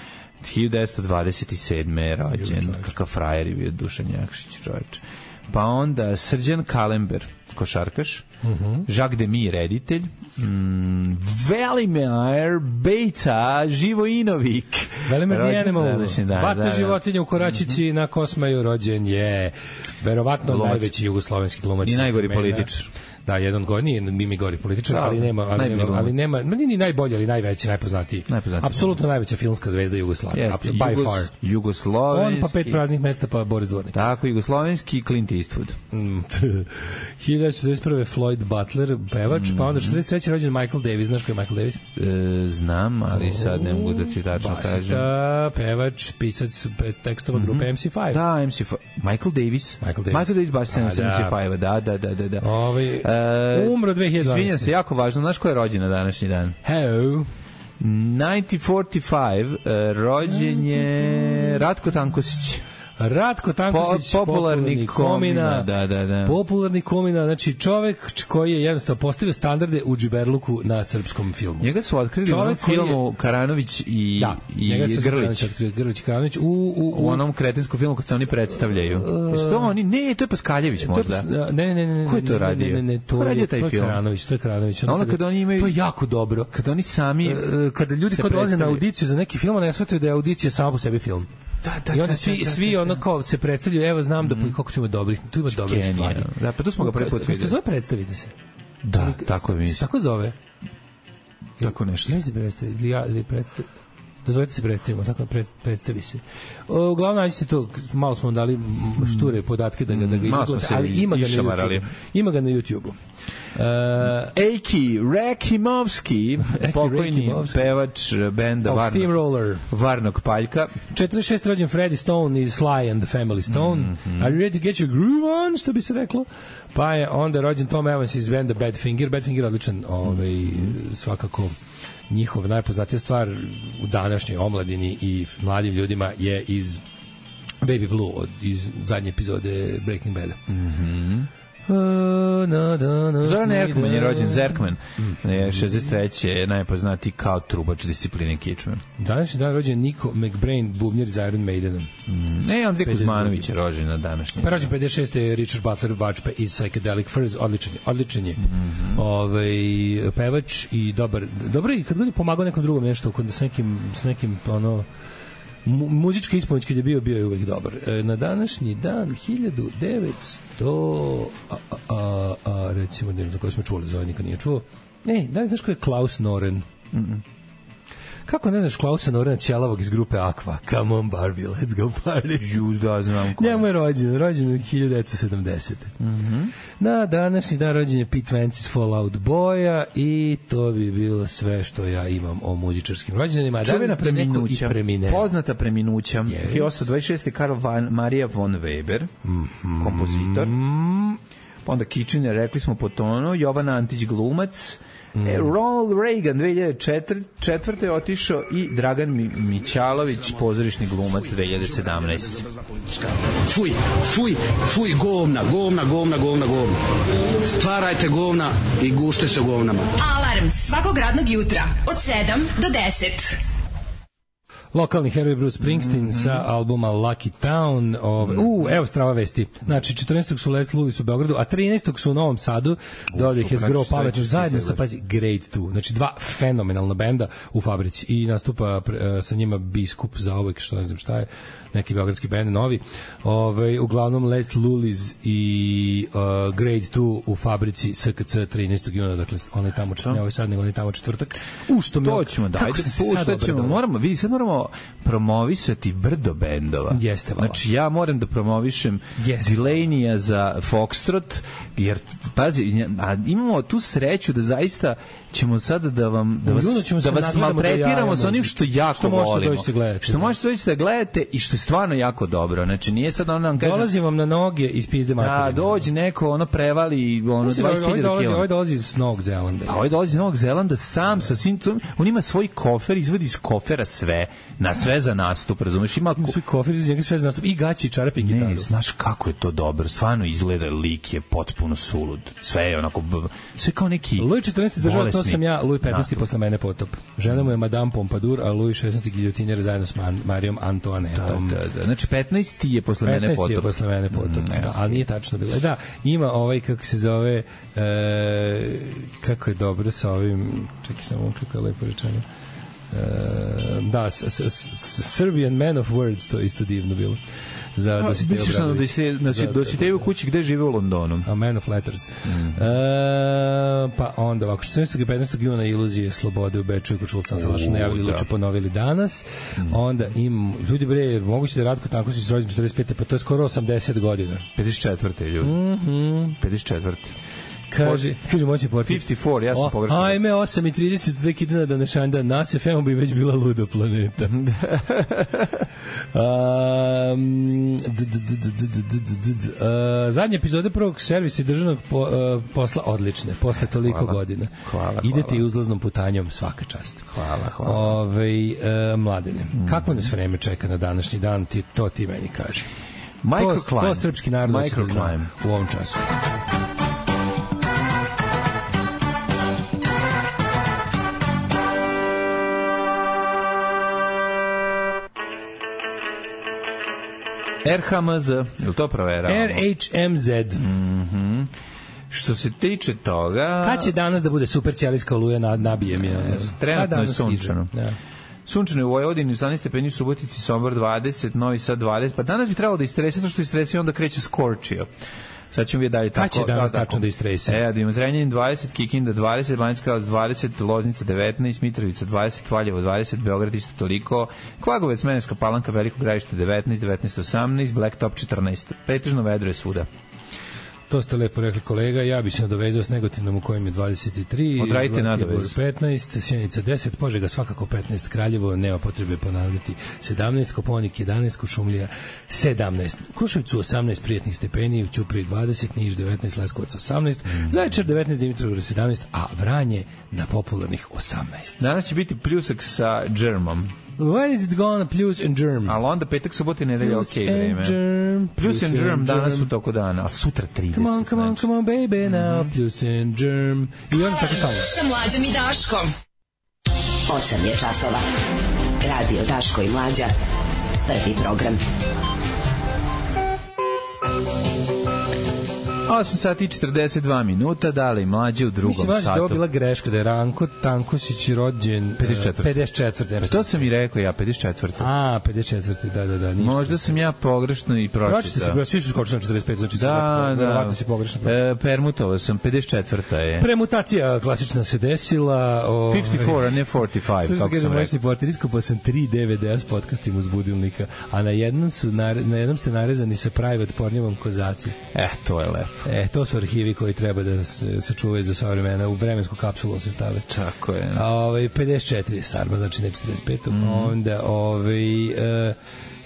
hiljadu devetsto dvadeset sedme je rođen, kakav frajer je bio Dušan Jakšić, čovječ. Pa onda Srđan Kalember, košarkaš, Mhm. Jacques Demy, reditelj, mm, Velimir Bejta Živojinovik. Velimir the Rođen Animal, današnji dan, bata da, da. životinja u Koračici na Kosmaju rođen je verovatno Glumac. najveći jugoslovenski glumac. I najgori vremena. političar. Da, jedan od gorniji, Mimi gori političar, Da, ali nema, ali najbolji nema, glumac. ali nema, ma nije ni najbolji, ali najveći, najpoznatiji. Najpoznatiji. Apsolutno najveća filmska zvezda Jugoslavije. Jeste, By Jugos- far. Jugoslovenski. On pa pet praznih mesta, pa Boris Dvornik. Tako, jugoslovenski Clint Eastwood. Mm, hiljadu devetsto četrdeset prve. Floyd Butler, pevač, pa onda četrdeset treće. rođen Michael Davis. Znaš ko je Michael Davis? E, znam, ali sad ne mogu da ti tačno kažem. Basista, pevač, pisac pe- tekstova grupe M C five. Da, M C five. Michael Davis. Michael Davis. Michael Davis basista A, M C five, da, da, da, da. da. Ovaj, E, umro dve hiljade dvanaeste. Izvinjam se, jako važno. Znaš ko je rođen na današnji dan? Hello. devetnaest četrdeset pet, uh, rođen je Ratko Tankosić. Ratko Tankosić, Po- popularni komina, da, da, da. Popularni komina, znači čovek č- koji je jednostavno postavio standarde u džiberluku na srpskom filmu. Njega su otkrili u onom Čovek koji je- filmu Karanović i, Da, i njega se Grlić. otkrio Grlić i Karanović u, u, U onom kretinskom filmu kad se oni predstavljaju. Jesu to oni? Ne, to je Paskaljević To je možda. pas- ne, ne, ne, ne. Ko je to ne, radio? Ne, ne, ne, to Ko radio je, taj to je film? Karanović, to je Karanović. Ono kada oni imaju- To je jako dobro. Kad oni sami E, kada ljudi se kod dolaze na predstavljaju. audiciju za neki film, ne shvataju da je audicija sama po sebi film. Da, da, I onda da, svi da, da, svi da, ono da. kao se predstavljaju, evo znam da mm. kako tu ima dobrih, tu ima dobrih Genijalno. stvari. Da, pa tu smo ga prvi put Kako se videli. zove, predstavite se. Da, tako je mislim. Tako zove. Tako nešto. Ne se predstavi, ili ja, ili predstavi. Dozvolite se predstavimo, tako pred, predstavi se. O, uglavnom nađite to, malo smo dali m, šture podatke da ga, da ga Malo smo izgledate, se ali ima ga na išamarali. YouTube. Ima ga na YouTube-u. Uh, Ejki Rekimovski, pokojni Rekimovski. pevač benda of Varnog, Steamroller. Varnog Paljka. četrdeset šeste. rođen Freddie Stone iz Sly and the Family Stone. Mhm. Are you ready to get your groove on, što bi se reklo? Pa je onda rođen Tom Evans iz benda Badfinger. Badfinger je odličan, ovaj, svakako njihov najpoznatija stvar u današnjoj omladini i mladim ljudima je iz Baby Blue, od, iz zadnje epizode Breaking Bada. Mhm. Uh, na, da, na, Zoran na, Erkman je da. rođen, Zerkman. Je šezdeset treće je najpoznatiji kao trubač discipline Kičman. Današnji dan rođen Nico McBrain, bubnjar iz Iron Maidena. Ne, Andrej pedeset Kuzmanović je rođen na današnji. Pa rođen pedeset šeste. je Richard Butler Vačpe iz Psychedelic Furs, odličan je, odličan je. Mhm. Ovaj, pevač i dobar, dobro i kad god je pomagao nekom drugom nešto, kod s nekim, s nekim ono, mu, muzička ispomoć kad je bio, bio je uvek dobar. E, na današnji dan, hiljadu devetsto, a, a, a, a, recimo, ne znam za koje smo čuli, za ovaj nikad nije čuo. Ne, da li znaš ko je Klaus Noren? Mm-mm. Kako ne znaš Klausa Norena Ćelavog iz grupe Aqua? Come on Barbie, let's go party. Juz da znam ko. Njemu je rođen, rođen u hiljadu devetsto sedamdesete. Mhm. Na današnji dan rođen je Pete Wentz iz Fallout Boya i to bi bilo sve što ja imam o muzičarskim rođendanima. Čuvena Da li neko preminuća. i premine? Poznata preminuća. Yes. hiljadu osamsto dvadeset šeste. Karl van Maria von Weber, Mhm. kompozitor. onda Kitchener, rekli smo po tonu, Jovan Antić glumac, mm. e, Ronald Reagan dve hiljade četvrte otišao i Dragan Mi- Mićalović, pozorišni glumac dve hiljade sedamnaeste. Fuj, fuj, fuj, govna, govna, govna, govna, govna. Stvarajte govna i gušte se govnama. Alarm svakog radnog jutra od sedam do deset. Lokalni heroj Bruce Springsteen mm-hmm. sa albuma Lucky Town. Ove, u, evo strava vesti. Znači, četrnaestog su Les Lewis u Beogradu, a trinaestog su u Novom Sadu. Dode ih je zgro Paveć zajedno sa, pazi, Grade dva. Znači, dva fenomenalna benda u Fabrici. I nastupa pre, sa njima Biskup za ovek, što ne znam šta je, neki beogradski bend, novi. Ove, uglavnom, Les Lewis i uh, Grade dva u Fabrici S K C trinaestog juna. Dakle, on je tamo četvrtak, ne ovaj sad, nego on je tamo četvrtak. U, što mi... To ćemo, dajte, puštat ćemo. Moramo, vidi, sad moramo promovisati brdo bendova. Jeste, vala. Znači, ja moram da promovišem Delaney za Foxtrot, jer, pazi, a imamo tu sreću da zaista ćemo sada da vam da vas, da vas maltretiramo da sa onim što jako što volimo. Što možete doći da gledate i što je stvarno jako dobro. Znači, nije sad ono vam kažem... Dolazi vam na noge iz pizde materine. Da, dođe neko, ono prevali ono dvadeset hiljada kilograma. Ovaj dolazi iz Novog Zelanda. A ovaj dolazi iz Novog Zelanda sam sa svim... On ima svoj kofer, izvadi iz kofera sve. Na sve za nastup, razumeš? Ima svoj kofer, iz njega sve za nastup. I gaći, i čarape, i gitaru. Ne, znaš kako je to dobro. Stvarno izgleda, lik je potpuno sulud. Sve je onako... Sve kao neki... Louis četrnaesti država, to sam ja, Louis petnaesti posle mene potop. Žena mu je Madame Pompadour, a Louis šesnaesti giljotinjer zajedno s Marijom Antoanetom. Da, da, da. Znači petnaesti je posle mene potop. petnaesti je posle mene potop, mm, da, ali nije tačno bilo. Da, ima ovaj, kako se zove, e, kako je dobro sa ovim, čekaj samo, kako je lepo rečeno. E, da, s, s, s, Serbian Man of Words, to je isto divno bilo. Za Dositeju Obradović. Znači, Dositeju u kući gde žive u Londonu. A Man of Letters. Mm. E, pa onda ovako, četrnaestog i petnaestog juna Iluzije slobode u Beču i Kočulca Salaša najavili Luče ponovili danas. Mm. Onda im, ljudi bre, moguće da Ratko Tanko si rođen četrdeset pete, pa to je skoro osamdeset godina. pedeset četvrte ljudi. Mhm. pedeset četvrte Kaže, kaže moći porti. pedeset četiri, ja sam pogrešno. Ajme, osam i trideset dve kidana da nešanda, nas F M bi već bila luda planeta. Zadnje epizode prvog servisa i državnog posla odlične, posle toliko godina. Hvala, idete i uzlaznom putanjom, svaka čast. Hvala, hvala. Ove, mladene, kako nas vreme čeka na današnji dan, ti, to ti meni kaže. Microclimb. To, to srpski narod će da zna u ovom času. R H M Z, je li to proveravamo? R H M Z. Mhm. Što se tiče toga... Kad će danas da bude super ćelijska oluja, nabijem je? Trenutno je sunčano. Da. Sunčano je u Vojvodini, osamnaest stepeni, u Subotici, Sombor dvadeset, Novi Sad dvadeset. Pa danas bi trebalo da istresi, to što istresi onda kreće Scorchio. Sad ćemo vidjeti dalje tako. Kad će danas da, tačno da istresi? E, da imamo Zrenjanin dvadeset, Kikinda dvadeset, Banjska Karlovac dvadeset, Loznica devetnaest, Mitrovica dvadeset, Valjevo dvadeset, Beograd isto toliko, Kvagovec, Smederevska Palanka, Veliko Gradište devetnaest, devetnaest osamnaest, Blacktop četrnaest. Pretežno vedro je svuda. To ste lepo rekli, kolega. Ja bi se nadovezao s Negotinom u kojem je dvadeset tri. Odradite nadovez. petnaest, Sjenica deset, Požega svakako petnaest, Kraljevo, nema potrebe ponavljati sedamnaest, Koponik jedanaest, Kuršumlija sedamnaest, Kruševcu osamnaest prijatnih stepeni, u Ćupriji dvadeset, Niš devetnaest, Leskovac osamnaest, mm. Zaječar devetnaest, Dimitrovgrad sedamnaest, a Vranje na popularnih osamnaest. Danas će biti pljusak sa džermom. When is it gonna plus and germ? Ali onda petak, subota i nedelja ok vreme. Germ, plus, plus and germ danas u toku dana, a sutra trideset. Come on, come on, come on, baby, now. Mm-hmm. Plus and germ. I onda tako stavno. Sa Mlađom i Daškom. osam je časova. Radio Daško i Mlađa. Prvi program. osam sati i četrdeset dva minuta, dali Mlađe u drugom Mislim, satu. Mislim, da je ovo bila greška, da je Ranko Tankosić rođen pedeset četvrte. pedeset četvrte. Što sam i rekao ja, pedeset četvrte. A, pedeset četvrte, da, da, da. Ništa. Možda sam ja pogrešno i pročitao. Pročite se, svi su skočili na četrdeset pet, znači da, da, da. si pogrešno pročitao. E, permutovao sam, pedeset četvrta je. Premutacija klasična se desila. O, pedeset četiri, a ne četrdeset pet, kako sam rekao. Portir, iskupao sam tri D V D-a s podcastima uz budilnika, a na jednom, su, na, na jednom ste narezani sa private pornjevom kozaci. E, to je lepo. E, to su arhivi koji treba da se sačuvaju za sva vremena, u vremensku kapsulu se stave. Tako je. A ovaj pedeset četiri je Sarma, znači ne četrdeset pet. Mm. Onda ovaj uh,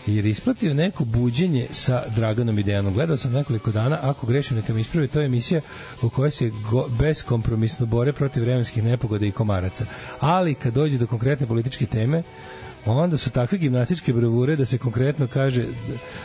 jer ispratio neko buđenje sa Draganom i Dejanom. Gledao sam nekoliko dana, ako grešim neka mi ispravi, to je emisija u kojoj se go, beskompromisno bore protiv vremenskih nepogoda i komaraca. Ali kad dođe do konkretne političke teme, onda su takve gimnastičke bravure da se konkretno kaže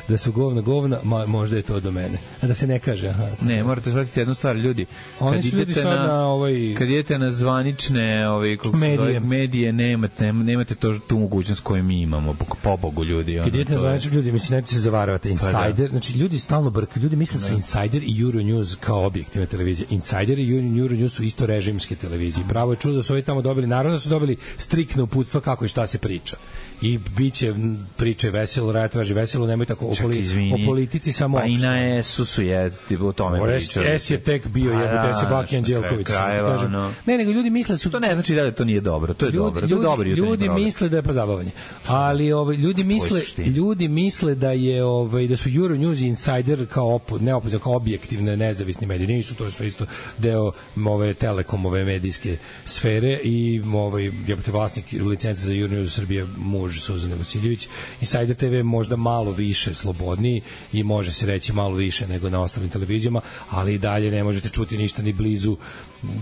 da su govna govna, ma, možda je to do mene. A da se ne kaže, aha. Ne, morate shvatiti jednu stvar, ljudi. Oni kad su ljudi idete sad na, na ovaj... kad idete na zvanične ovaj, medije. medije, nemate, nemate to, tu mogućnost koju mi imamo, po, po Bogu, ljudi. Kad idete na zvanične ljudi, mislim, nemojte se zavaravate. Insider, pa da. Znači, ljudi stalno brkaju. Ljudi misle da su Insider i Euronews kao objektivne televizije. Insider i Euronews su isto režimske televizije. Pravo je čudo da su ovi tamo dobili, naravno da su dobili striktno uputstva kako i šta se priča. I biće priče veselo, raja traži veselo, nemoj tako o, poli, o politici samo. Pa i na S-u su je o tome pričali. S je tek bio jebote se Baki Anđelković. No. Ne, nego ljudi misle su to ne znači da to nije dobro, to je ljudi, dobro, to ljudi, je dobro. Ljudi misle da je pozabavanje. Ali ovaj ljudi misle ljudi misle da je ovaj da su Euronews i Insider kao op, ne opozicioni, kao objektivne nezavisni mediji. Nisu, to je sve isto deo ove Telekomove medijske sfere i ovaj jebote vlasnik licence za Euronews Srbije muž Suzane Vasiljević. Insider te ve možda malo više slobodniji i može se reći malo više nego na ostalim televizijama, ali i dalje ne možete čuti ništa ni blizu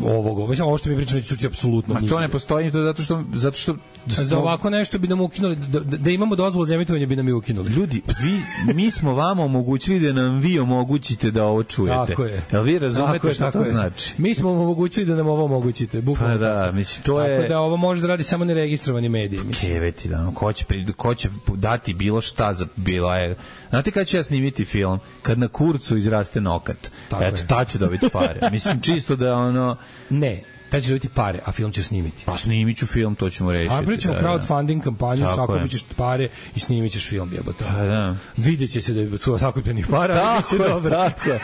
ovog. Mislim, ovo što mi pričamo neće čuti apsolutno ništa. A to ne postoji, to zato što zato što za ovako nešto bi nam ukinuli, da, da imamo dozvolu za emitovanje bi nam i ukinuli. Ljudi, vi, mi smo vama omogućili da nam vi omogućite da ovo čujete. Tako je. Jel vi razumete šta to je. Znači? Mi smo vam omogućili da nam ovo omogućite. Bukvalno. Pa da, mislim, to je... Tako da ovo može da radi samo neregistrovani mediji. Keveti, da, ko će, ko će dati bilo šta za bila je... Znate kada ću ja snimiti film? Kad na kurcu izraste nokat. Tako Eto, je. Ta ću dobiti pare. Mislim, čisto da ono... Ne, taj će dobiti pare, a film će snimiti. Pa snimit ću film, to ćemo rešiti. A pričamo da, crowdfunding kampanju, sakupit ćeš pare i snimit ćeš film, jebote. Pa da. Vidjet će se da su sakupljenih para, tako ali biće dobro. Tako je,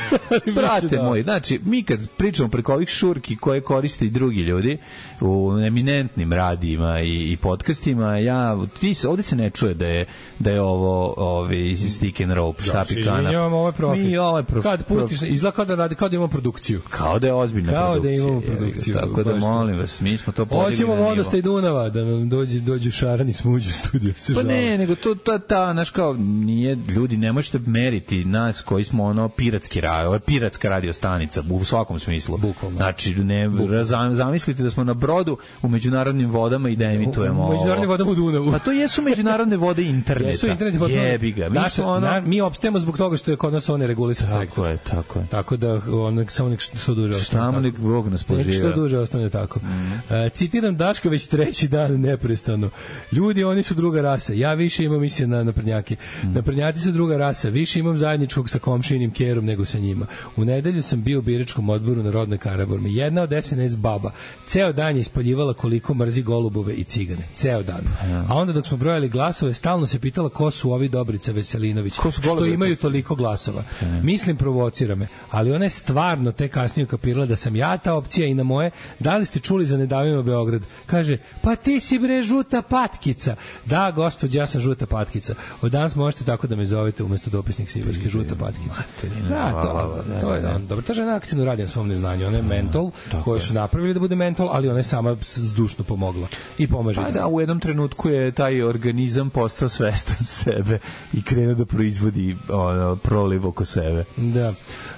brate moji, znači, mi kad pričamo preko ovih šurki koje koriste i drugi ljudi u eminentnim radijima i, i podcastima, ja, ti, ovdje se ne čuje da je, da je ovo ovi, stick and rope, štapi kanap. Izvinjavam, ovo je profit. Mi ovo je profit. Kad pustiš, izgleda kao da radi, kao da imamo produkciju. Kao da je ozbiljna kao produkcija. Kao da imamo produkciju. Tako da molim vas, mi smo to podigli. Hoćemo vodostaj Dunava da nam dođe dođu šarani smuđu studio se. Pa ne, nego to ta ta naš kao nije ljudi ne možete meriti nas koji smo ono piratski radio, ovo je piratska radio stanica u svakom smislu. Bukvalno. Znači ne razam, zamislite da smo na brodu u međunarodnim vodama i da emitujemo. U međunarodnim vodama u Dunavu. Pa to jesu međunarodne vode interneta. Jesu internet vodama. Jebi ga. Mi Naša, smo ono... na, mi opstajemo zbog toga što je kod nas on regulisan sektor. Tako je, tako je. Tako da on samo nek što duže ostane. Samo nek Bog nas poživa. Nek što duže ostane tako. Mm. Uh, citiram Daška već treći dan neprestano. Ljudi, oni su druga rasa. Ja više imam misije na naprednjake. Mm. Naprednjaci su druga rasa. Više imam zajedničkog sa komšinim kerom nego sa njima. U nedelju sam bio u biračkom odboru na rodnoj Karaburmi. Jedna od S N S baba. Ceo dan je ispaljivala koliko mrzi golubove i cigane. Ceo dan. A onda dok smo brojali glasove, stalno se pitala ko su ovi Dobrica Veselinović. Što imaju toliko glasova. Mislim, provocira me. Ali ona je stvarno te kasnije kapirala da sam ja ta opcija i na moje. Da li ste čuli za Ne davimo Beograd? Kaže, pa ti si bre žuta patkica. Da, gospođa, ja sam žuta patkica. Od danas možete tako da me zovete umesto dopisnik Sibarske, žuta patkica. Da, to, to je da, dobro. Ta žena aktivno radi na svom neznanju. Ona je mentol koju su napravili da bude mentol, ali ona je sama zdušno pomogla. I pomaže. Pa da, u jednom trenutku je taj organizam postao svestan sebe i krenuo da proizvodi ono, proliv oko sebe. Da.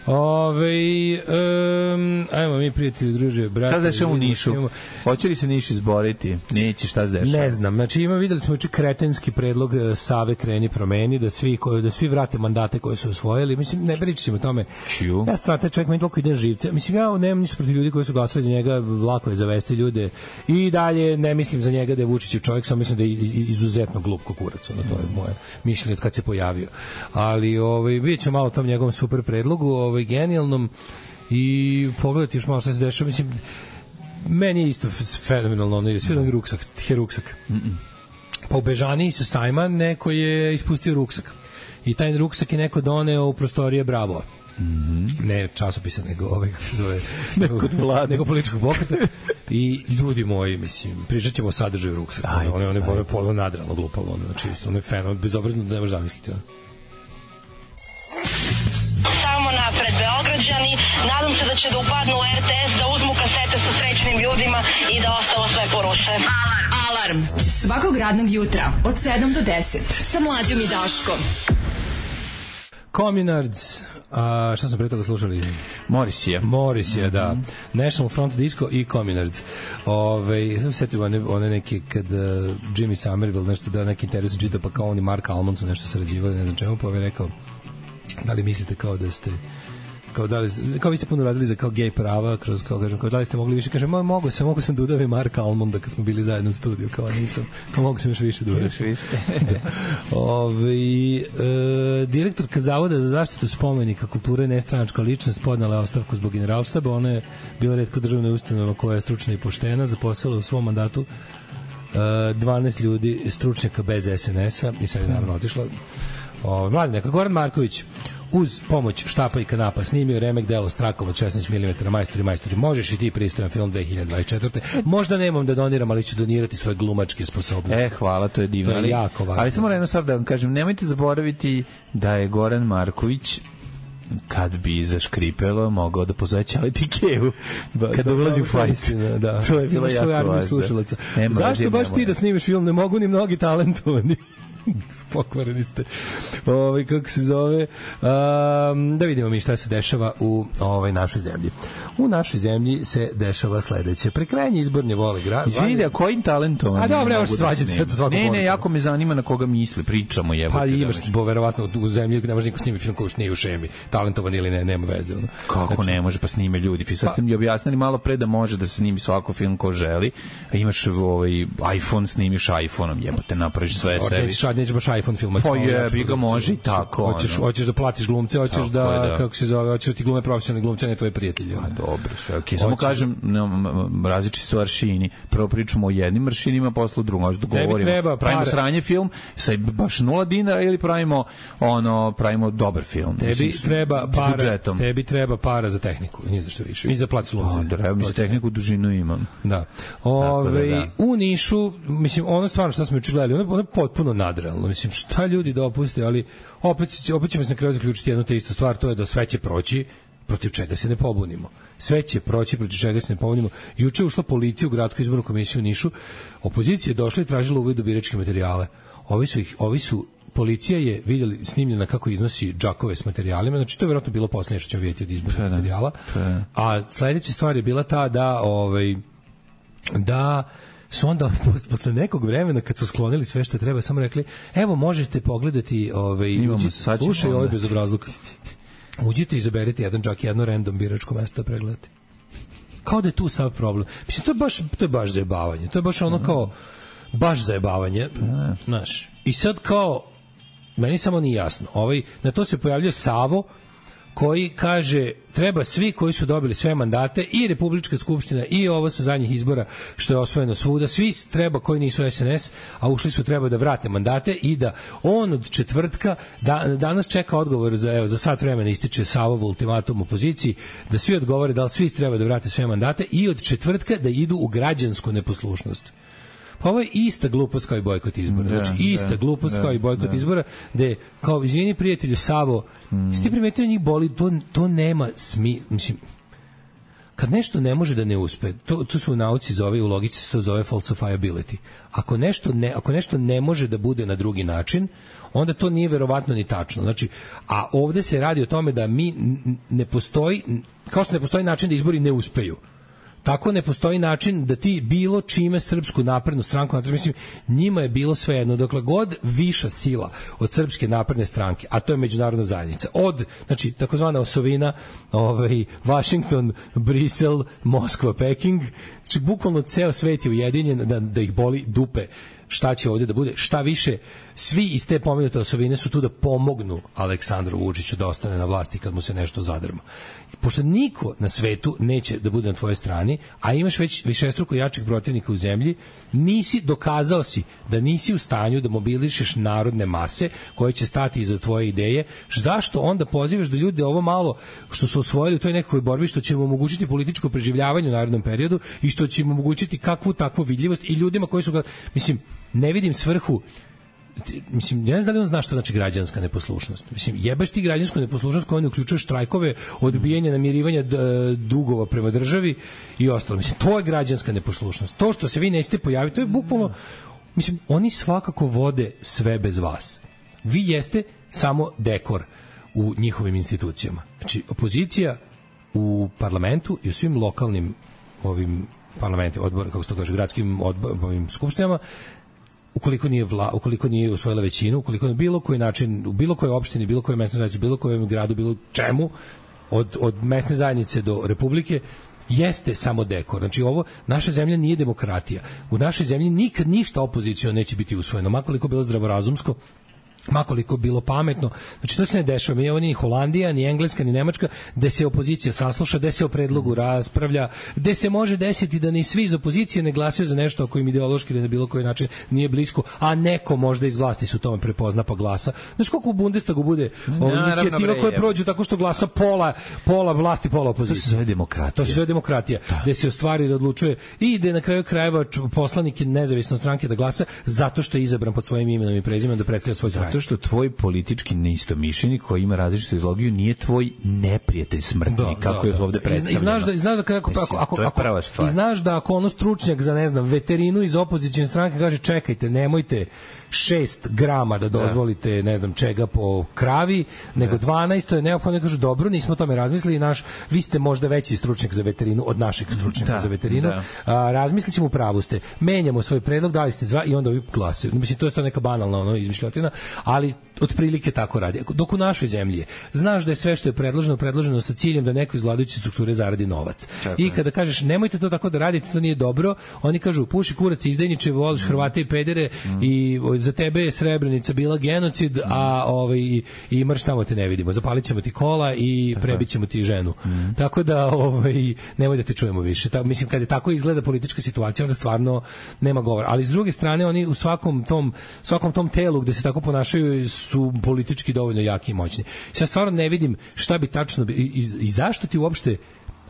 Ove, um, ajmo mi prijatelji, druže, brate. Šta se dešava u Nišu? Imamo... Hoće li se Niš izboriti? Neće, šta se dešava? Ne znam. Znači, ima, videli smo juče kretenski predlog Save Kreni promeni, da svi, da svi vrate mandate koje su osvojili. Mislim, ne pričamo o tome. Čiju? Ja stvarno, taj čovjek meni toliko ide živce. Mislim, ja nemam ništa protiv ljudi koji su glasali za njega, lako je zavesti ljude. I dalje ne mislim za njega da je Vučić čovjek, samo mislim da je izuzetno glup kukurac. Ono, to je moje mišljenje od kad se pojavio. Ali, ovaj, vidjet ćemo malo tom njegovom super predlogu, ovaj, genijalnom, i pogledati još malo šta se dešava. Mislim, meni je isto fenomenalno, ono, svi onaj ruksak, tje ruksak. Mm -mm. Pa u Bežaniji sa sajma neko je ispustio ruksak. I taj ruksak je neko doneo u prostorije Bravo. Mm -hmm. Ne časopisa, nego ovaj, kako se zove, nego, nego političkog pokreta. I ljudi moji, mislim, pričat ćemo o sadržaju ruksaka. One, one, one polo nadrano glupalo. Ono, znači, ono je fenomen, bezobrazno da ne možeš zamisliti. Ono. Samo napred Beograđani, nadam se da će da upadnu u R T S, da uzmu kasete sa srećnim ljudima i da ostalo sve poruše. Alarm! Alarm! Alarm svakog radnog jutra od sedam do deset sa Mlađom i Daškom. Communards, a šta smo pre toga slušali? Morrissey. Morrissey, mm-hmm. da. National Front Disco i Communards. Ove, sam setio one, one neke kad uh, Jimmy Somerville nešto da neki intervju sam čitao, pa kao oni Mark Almond su nešto sarađivali, ne znam čemu, pa je rekao da li mislite kao da ste kao da li, kao vi ste puno radili za kao gej prava, kroz kao kažem, kao da li ste mogli više, kažem, mogu sam, mogu sam da udavim Marka Almonda kad smo bili zajedno u studiju, kao nisam, kao mogu sam još više da uradim. Više. da. Ove, e, direktorka Zavoda za zaštitu spomenika kulture, nestranačka ličnost, podnala je ostavku zbog generalštaba. Ona je bila retko državna ustanova koja je stručna i poštena, zaposlala u svom mandatu e, dvanaest ljudi, stručnjaka bez es en es-a i sad je naravno otišla. Mladi neka, Goran Marković uz pomoć štapa i kanapa snimio remek delo Strakov od šesnaest milimetara Majstori, majstori. Možeš i ti pristojan film dve hiljade dvadeset četvrte. Možda nemam da doniram, ali ću donirati svoje glumačke sposobnosti. E, hvala, to je divno. To je jako važno. Ali samo jedno stvar da vam kažem, nemojte zaboraviti da je Goran Marković kad bi zaškripelo mogao da pozove Ćaleti Kevu kada ulazi u fajt. Da. To je bilo jako važno. Zašto baš ti da snimiš film? Ne mogu ni mnogi talentovani. Pokvareni ste. Ovaj kako se zove? Um, da vidimo mi šta se dešava u ovaj našoj zemlji. U našoj zemlji se dešava sledeće. Prekrajanje izborne vole grad. Izvidi, a kojim talentom? A dobro, evo se svađati sa svakom. Ne, ne, jako me zanima na koga misli, pričamo jebote. Pa imaš bo verovatno u zemlji ne može niko snimiti film koji nije u šemi, talentovan ili ne, nema veze. Ono. Kako znači, ne može, pa snime ljudi. Sad pa, mi objasnili malo pre da može da se snimi svako film ko želi. A imaš ovaj iPhone, snimiš iPhoneom, jebote, napraviš sve sebi. Sad neće baš iPhone filmati. Pa je, bi ga može i tako. Hoćeš, hoćeš da platiš glumce, hoćeš da, da, kako se zove, hoćeš da ti glume profesionalni glumci, ne tvoji prijatelji. A dobro, sve okej. Samo kažem, različiti su aršini. Prvo pričamo o jednim aršinima, posle o drugom. Hoćeš da govorimo. Pravimo sranje film sa baš nula dinara ili pravimo ono, pravimo dobar film. Tebi treba para, tebi treba para za tehniku, ni za što više. I za plac glumca. Da, treba mi za tehniku dužinu imam. Da. Ove, u Nišu, mislim, ono stvarno što smo juče gledali, ono je potpuno nadrealno. Mislim, šta ljudi dopuste, ali opet, opet ćemo se na kraju zaključiti jednu te istu stvar, to je da sve će proći, protiv čega se ne pobunimo. Sve će proći, protiv čega se ne pobunimo. Juče je ušla policija u gradsku izbornu komisiju u Nišu, opozicija je došla i tražila uvid u biračke materijale. Ovi su, ih, ovi su policija je vidjeli snimljena kako iznosi džakove s materijalima, znači to je vjerojatno bilo poslednje što ćemo vidjeti od izbornog materijala. A sledeća stvar je bila ta da ovaj, da su onda posle nekog vremena kad su sklonili sve što treba, samo rekli, evo možete pogledati ovaj, uđi, slušaj ovaj bezobrazluk. Uđite i izaberite jedan džak, jedno random biračko mesto da pregledate. Kao da je tu sav problem. Mislim, to je baš, to je baš zajebavanje. To je baš ono kao, baš zajebavanje. Znaš. I sad kao, meni samo nije jasno. Ovaj, na to se pojavljuje Savo, koji kaže treba svi koji su dobili sve mandate i Republička skupština i ovo sa zadnjih izbora što je osvojeno svuda, svi treba koji nisu es en es, a ušli su treba da vrate mandate i da on od četvrtka da, danas čeka odgovor za, evo, za sat vremena ističe Savov ultimatum opoziciji da svi odgovore da li svi treba da vrate sve mandate i od četvrtka da idu u građansku neposlušnost. Pa ovo je ista glupost kao i bojkot izbora. Da, znači, ista da, glupost da, kao i bojkot da. izbora, gde, kao, izvini prijatelju Savo, mm. ste primetili njih boli, to, to nema smi... Mislim, kad nešto ne može da ne uspe, to, to su u nauci zove, u logici se to zove falsifiability. Ako nešto, ne, ako nešto ne može da bude na drugi način, onda to nije verovatno ni tačno. Znači, a ovde se radi o tome da mi ne postoji, kao što ne postoji način da izbori ne uspeju, tako ne postoji način da ti bilo čime Srpsku naprednu stranku, znači mislim njima je bilo svejedno, dokle god viša sila od Srpske napredne stranke, a to je međunarodna zajednica, od znači takozvana osovina, ovaj Washington, Brisel, Moskva, Peking, znači bukvalno ceo svet je ujedinjen da, da ih boli dupe šta će ovdje da bude, šta više, svi iz te pomenute osovine su tu da pomognu Aleksandru Vučiću da ostane na vlasti kad mu se nešto zadrma. Pošto niko na svetu neće da bude na tvojoj strani, a imaš već višestruko jačih protivnika u zemlji, nisi, dokazao si da nisi u stanju da mobilišeš narodne mase koje će stati iza tvoje ideje, zašto onda pozivaš da ljudi ovo malo što su osvojili u toj nekakvoj borbi, što će im omogućiti političko preživljavanje u narednom periodu i što će im omogućiti kakvu takvu vidljivost i ljudima koji su ga, mislim, ne vidim svrhu mislim, ja ne znam da li on zna šta znači građanska neposlušnost. Mislim, jebeš ti građansku neposlušnost koja ne uključuje štrajkove, odbijanje namirivanja dugova prema državi i ostalo. Mislim, to je građanska neposlušnost. To što se vi nećete pojaviti, to je bukvalno, mislim, oni svakako vode sve bez vas. Vi jeste samo dekor u njihovim institucijama. Znači, opozicija u parlamentu i u svim lokalnim ovim parlamentima, odbor, kako se to kaže, gradskim odborovim skupštinama, ukoliko nije vla, ukoliko nije usvojila većinu, ukoliko na bilo koji način, u bilo kojoj opštini, bilo kojoj mesnoj zajednici, bilo kojem gradu, bilo čemu, od, od mesne zajednice do republike, jeste samo dekor. Znači, ovo, naša zemlja nije demokratija. U našoj zemlji nikad ništa opozicijno neće biti usvojeno, makoliko bilo zdravorazumsko, makoliko bilo pametno. Znači, to se ne dešava. Mi je ovo ni Holandija, ni Engleska, ni Nemačka, gde se opozicija sasluša, gde se o predlogu raspravlja, gde se može desiti da ni svi iz opozicije ne glasaju za nešto ako im ideološki ili na bilo koji način nije blisko, a neko možda iz vlasti se u tome prepozna pa glasa. Znaš koliko u Bundestagu bude inicijativa koje prođu tako što glasa pola, pola vlasti, pola opozicije. To se zove demokratija. To se zove demokratija, da. Gde se o stvari da odlučuje i ide na kraju krajeva poslanik nezavisne stranke da glasa zato što je izabran pod svojim imenom i prezimenom da predstavlja svoj kraj. Zato što tvoj politički neistomišljenik koji ima različitu ideologiju nije tvoj neprijatelj smrtni, da, kako da, je ovde predstavljeno. I znaš da, i znaš da kako, Mislim, ako, ako, ako, i znaš da ako ono stručnjak za, ne znam, veterinu iz opozicijne stranke kaže čekajte, nemojte šest grama da dozvolite, da. ne znam čega po kravi, nego da. dvanaest, to je neophodno, kažu dobro, nismo o tome razmislili, naš, vi ste možda veći stručnjak za veterinu od našeg stručnjaka da. za veterinu, da. a, razmislit ćemo, pravu ste, menjamo svoj predlog, dali ste zva i onda ovi glasaju. Mislim, to je sad neka banalna ono, izmišljotina, ali otprilike tako radi. Dok u našoj zemlji je, znaš da je sve što je predloženo, predloženo sa ciljem da neko iz vladajuće strukture zaradi novac. Čakaj. I kada kažeš nemojte to tako da radite, to nije dobro, oni kažu puši kurac, izdajniče, voliš mm. Hrvate i pedere mm. i za tebe je Srebrenica bila genocid, mm. a ovaj i, i mrš tamo te ne vidimo. Zapalićemo ti kola i prebićemo ti ženu. Mm. Tako da ovaj nemoj da te čujemo više. Ta, mislim kad je tako izgleda politička situacija, onda stvarno nema govora. Ali s druge strane oni u svakom tom svakom tom telu gde se tako ponašaju su politički dovoljno jaki i moćni. Sad stvarno ne vidim šta bi tačno i, i, i zašto ti uopšte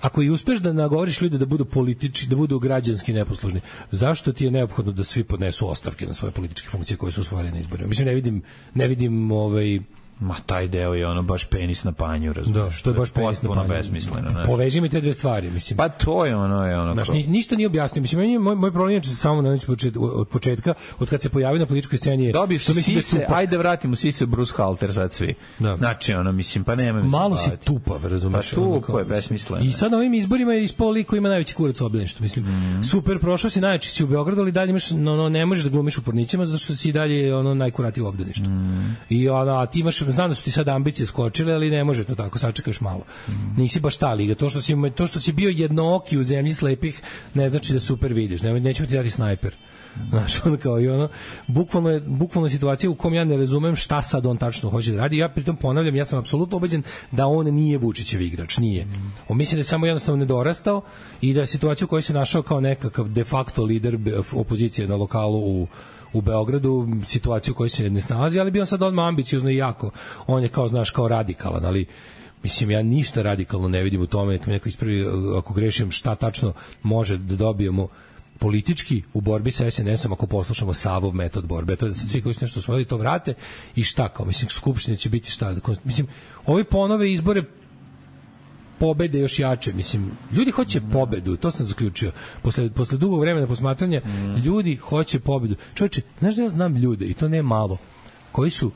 ako i uspeš da nagovoriš ljude da budu politički, da budu građanski neposlušni, zašto ti je neophodno da svi podnesu ostavke na svoje političke funkcije koje su osvojili na izborima? Mislim, ne vidim, ne vidim ovaj Ma taj deo je ono baš penis na panju, razumiješ? Da, što je baš penis na panju. Besmisleno, znači. Poveži mi te dve stvari, mislim. Pa to je ono, je ono. Znači, ništa nije objasnio. Mislim, meni, moj, moj problem je samo na od početka, od kad se pojavio na političkoj sceni je... Dobiješ što mislim sise, da ajde vratimo sise Bruce Halter sad svi. Da. Znači, ono, mislim, pa nema... Malo si tupav, razumiješ? Pa tupo je, besmisleno. I sad na ovim izborima je ispao lik koji ima najveći kurac u obdaništu, mislim. Mm. Super, prošao si najjači si u Beogradu, ali dalje imaš, no, no, ne možeš da glumiš u Pornićima, zato što si dalje ono, najkuratiji u obdaništu. Mm. I ono, a ti imaš, znam da su ti sad ambicije skočile, ali ne može to tako, sačekaš malo. Mm. Nisi baš ta liga. To što si, to što si bio jednooki u zemlji slepih ne znači da super vidiš. Ne, nećemo ti dati snajper. Znaš, ono kao i ono, bukvalno je, bukvalno je situacija u kom ja ne razumem šta sad on tačno hoće da radi. Ja pritom ponavljam, ja sam apsolutno ubeđen da on nije Vučićev igrač, nije. On misli da je samo jednostavno nedorastao i da je situacija u kojoj se našao kao nekakav de facto lider opozicije na lokalu u u Beogradu, situaciju u kojoj se ne snalazi, ali bio on sad odmah ambiciozno i jako. On je kao, znaš, kao radikalan, ali mislim, ja ništa radikalno ne vidim u tome, nek mi neko ispravi, ako grešim, šta tačno može da dobijemo politički u borbi sa es en esom ako poslušamo Savov metod borbe. To je da se svi koji su nešto osvojili to vrate i šta kao, mislim, skupštine će biti šta. Mislim, ovi ponove izbore pobede još jače, mislim, ljudi hoće pobedu, to sam zaključio. Posle, posle dugog vremena posmatranja, mm. ljudi hoće pobedu. Čovječe, znaš da ja znam ljude, i to ne malo, koji su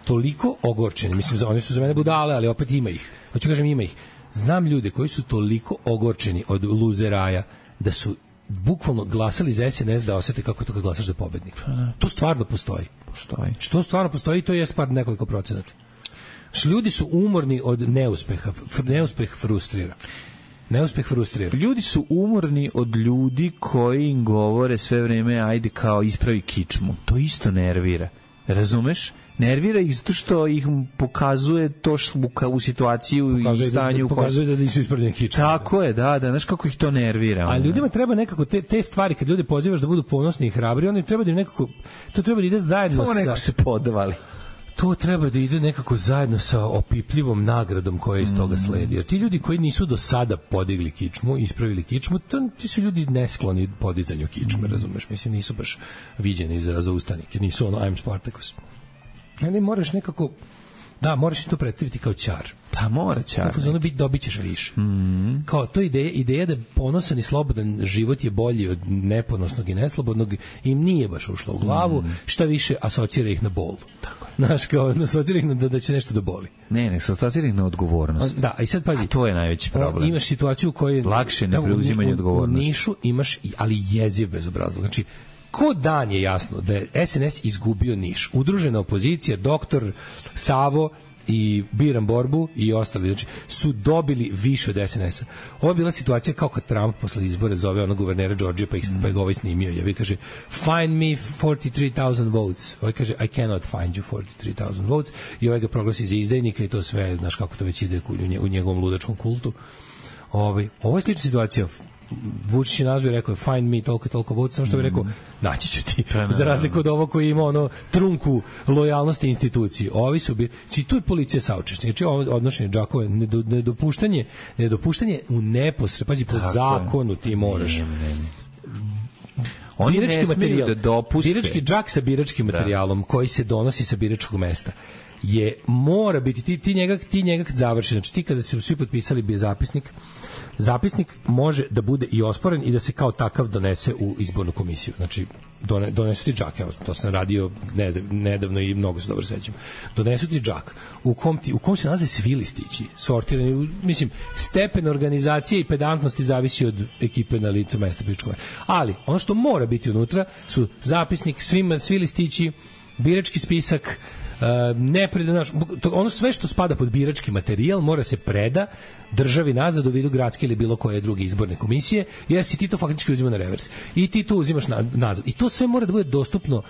toliko ogorčeni, mislim, oni su za mene budale, ali opet ima ih. Hoću kažem, ima ih. Znam ljude koji su toliko ogorčeni od luzeraja, da su bukvalno glasali za es en es da osete kako je to kad glasaš za pobednika. To stvarno postoji. Postoji. Što stvarno postoji, to je par nekoliko procenata. Ljudi su umorni od neuspeha. Neuspeh frustrira. Neuspeh frustrira. Ljudi su umorni od ljudi koji im govore sve vreme ajde kao ispravi kičmu. To isto nervira. Razumeš? Nervira ih zato što ih pokazuje to što u situaciju pokazuje i stanju. Da, pokazuje da nisu ispravljeni kičmu. Tako je, da, da. Znaš kako ih to nervira. A ljudima treba nekako te, te stvari, kad ljude pozivaš da budu ponosni i hrabri, oni treba da im nekako, to treba da ide zajedno to sa... neko se podvali. to treba da ide nekako zajedno sa opipljivom nagradom koja iz toga sledi. Jer ti ljudi koji nisu do sada podigli kičmu, ispravili kičmu, to, ti su ljudi neskloni podizanju kičme, razumeš? Mislim, nisu baš viđeni za, za ustanike, nisu ono I'm Spartacus. Ali moraš nekako, da, moraš to predstaviti kao ćar. Pa mora ćar. Ono biti, dobit ćeš više. Mm. Kao to ideja, ideja da ponosan i slobodan život je bolji od neponosnog i neslobodnog im nije baš ušlo u glavu, mm. šta više asocira ih na bol. Tako. Znaš, kao asocira ih na da, da će nešto da boli. Ne, ne, asocira ih na odgovornost. Da, i sad pazi. A to je najveći problem. Imaš situaciju u kojoj lakše ne preuzimanje odgovornosti. U Nišu imaš, ali jeziv bezobrazlog. Znači, ko dan je jasno da je S N S izgubio Niš. Udružena opozicija, doktor Savo i Biram Borbu i ostali, znači, su dobili više od S N S-a. Ovo je bila situacija kao kad Trump posle izbora zove onog guvernera Georgije, pa, ih, pa ga ovaj snimio. Ja bi kaže, find me forty-three thousand votes. Ovaj kaže, I cannot find you forty-three thousand votes. I ovaj ga proglasi za izdajnika i to sve, znaš kako to već ide u njegovom ludačkom kultu. Ovaj, ovo je slična situacija. Vučić je nazvao i rekao find me toliko toliko votes, samo što bi rekao naći ću ti, za razliku od ovo koji ima ono trunku lojalnosti instituciji. Ovi su bi, či tu je policija saučešnik, znači ovo odnošenje džakova, nedopuštanje, nedopuštanje u neposred, pazi, po zakonu ti moraš. Ne, ne, ne. Oni birački materijal, da dopuste. Birački džak sa biračkim materijalom da. Koji se donosi sa biračkog mesta je, mora biti, ti, ti njega, ti njega kad završi, znači ti kada se svi potpisali bi zapisnik, zapisnik može da bude i osporen i da se kao takav donese u izbornu komisiju. Znači, done, donesu ti džak, evo, to sam radio ne, nedavno i mnogo se dobro sećam. Donesu ti džak u kom, ti, u kom se nalaze svi listići, sortirani, mislim, stepen organizacije i pedantnosti zavisi od ekipe na licu mesta biračkog mesta. Ali, ono što mora biti unutra su zapisnik, svima, svi listići, birački spisak, Uh, ne preda, naš, ono sve što spada pod birački materijal mora se preda državi nazad u vidu gradske ili bilo koje druge izborne komisije, jer si ti to faktički uzima na revers i ti to uzimaš na, nazad i to sve mora da bude dostupno.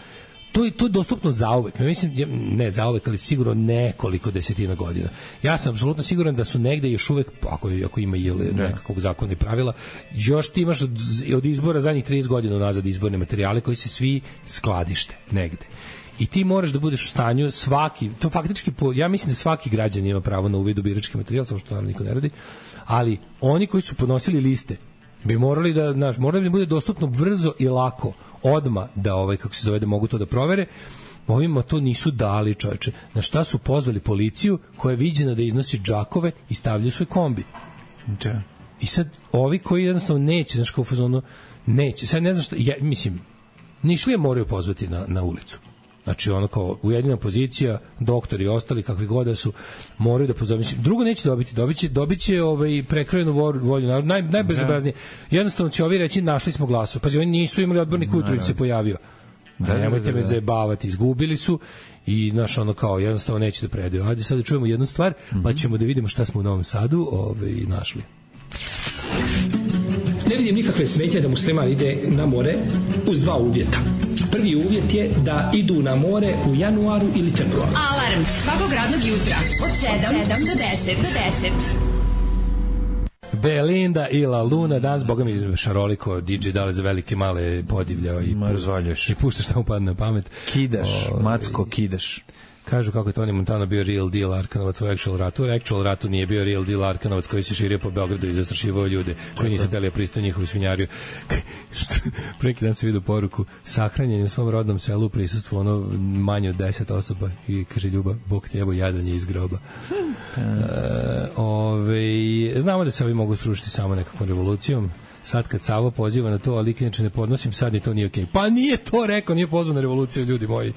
To je, to je dostupno zauvek. Mislim, ne zauvek, ali sigurno nekoliko desetina godina. Ja sam apsolutno siguran da su negde još uvek, ako, ako ima i nekakvog zakona i pravila, još ti imaš od, od izbora zadnjih trideset godina nazad izborne materijale koji se svi skladište negde. I ti moraš da budeš u stanju svaki, to faktički, po, ja mislim da svaki građan ima pravo na uvid u birački materijal, samo što naravno niko ne radi, ali oni koji su podnosili liste bi morali da, znaš, morali da bude dostupno brzo i lako, odma da, ovaj, kako se zove, da mogu to da provere. Ovima to nisu dali, čoveče. Na šta su pozvali policiju koja je viđena da iznosi džakove i stavljaju svoj kombi. Da. I sad, ovi koji jednostavno neće, znaš, kao u fazonu, neće, sad ne znam što, ja, mislim, Nišlije moraju pozvati na, na ulicu. Znači, ono kao ujedinjena pozicija, doktori i ostali, kakvi god da su, moraju da pozove. Drugo neće dobiti, dobiće, dobiće ovaj, prekrojenu volju naroda, naj, najbezobraznije. Jednostavno će ovi reći, našli smo glasove. Pazi, oni nisu imali odbornik ujutru im se pojavio. Da, da, nemojte da, da, me zajebavati, izgubili su i, znaš, ono kao, jednostavno neće da predaju. Hajde sad da čujemo jednu stvar, mm-hmm. pa ćemo da vidimo šta smo u Novom Sadu ovaj, našli. Ne vidim nikakve smetnje da musliman ide na more uz dva uvjeta. Prvi uvjet je da idu na more u januaru ili februaru. Alarm svakog radnog jutra od sedam do deset. Belinda i La Luna, danas, boga mi, šaroliko, D J dale za velike male podivljao i, pu, i puštaš šta mu padne na pamet. Kidaš, o, macko, kidaš. Kažu kako je Tony Montana bio real deal Arkanovac u Actual ratu. U Actual ratu nije bio real deal Arkanovac koji se širio po Beogradu i zastrašivao ljude koji nisu hteli pristaju njihovu svinjariju. Preki dan se vidio poruku, sahranjen u svom rodnom selu u prisustvu ono manje od deset osoba i kaže Ljuba, Bog te evo jadanje iz groba. e, ove, znamo da se ovi mogu srušiti samo nekakvom revolucijom. Sad kad Savo poziva na to, ali inače ne podnosim, sad ni to nije okej. Okay. Pa nije to rekao, nije pozvao na revoluciju, ljudi moji.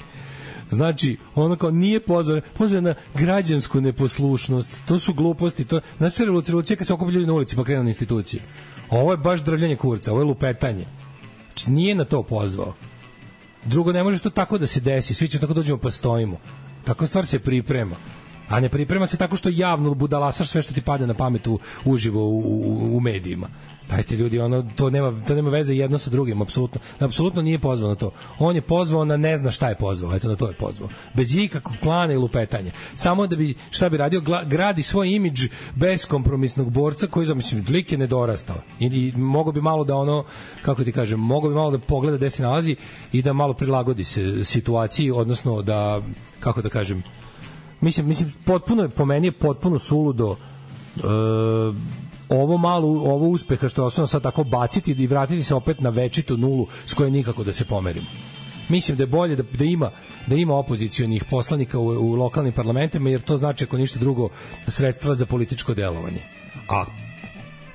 Znači, ono kao nije pozvao, pozvao na građansku neposlušnost. To su gluposti. To, znači, revolucija kad se okupi ljudi na ulici pa krenu na institucije. Ovo je baš drvljanje kurca, ovo je lupetanje. Znači, nije na to pozvao. Drugo, ne može to tako da se desi. Svi će tako dođemo pa stojimo. Takva stvar se priprema. A ne priprema se tako što javno budalasaš sve što ti pade na pamet u, uživo u, u, u medijima. Dajte ljudi, ono, to nema, to nema veze jedno sa drugim, apsolutno. Apsolutno nije pozvao na to. On je pozvao na ne zna šta je pozvao, eto na to je pozvao. Bez ikakvog plana i lupetanja. Samo da bi, šta bi radio, gradi svoj imidž beskompromisnog borca koji, mislim, lik je nedorastao. I, i mogo bi malo da ono, kako ti kažem, mogo bi malo da pogleda gde se nalazi i da malo prilagodi se situaciji, odnosno da, kako da kažem, mislim, mislim potpuno je, po meni je potpuno suludo e, ovo malo, ovo uspeha što je osnovno sad tako baciti i vratiti se opet na večitu nulu s koje nikako da se pomerimo. Mislim da je bolje da, da ima da ima opozicionih poslanika u, u lokalnim parlamentima, jer to znači, ako ništa drugo, sredstva za političko delovanje. A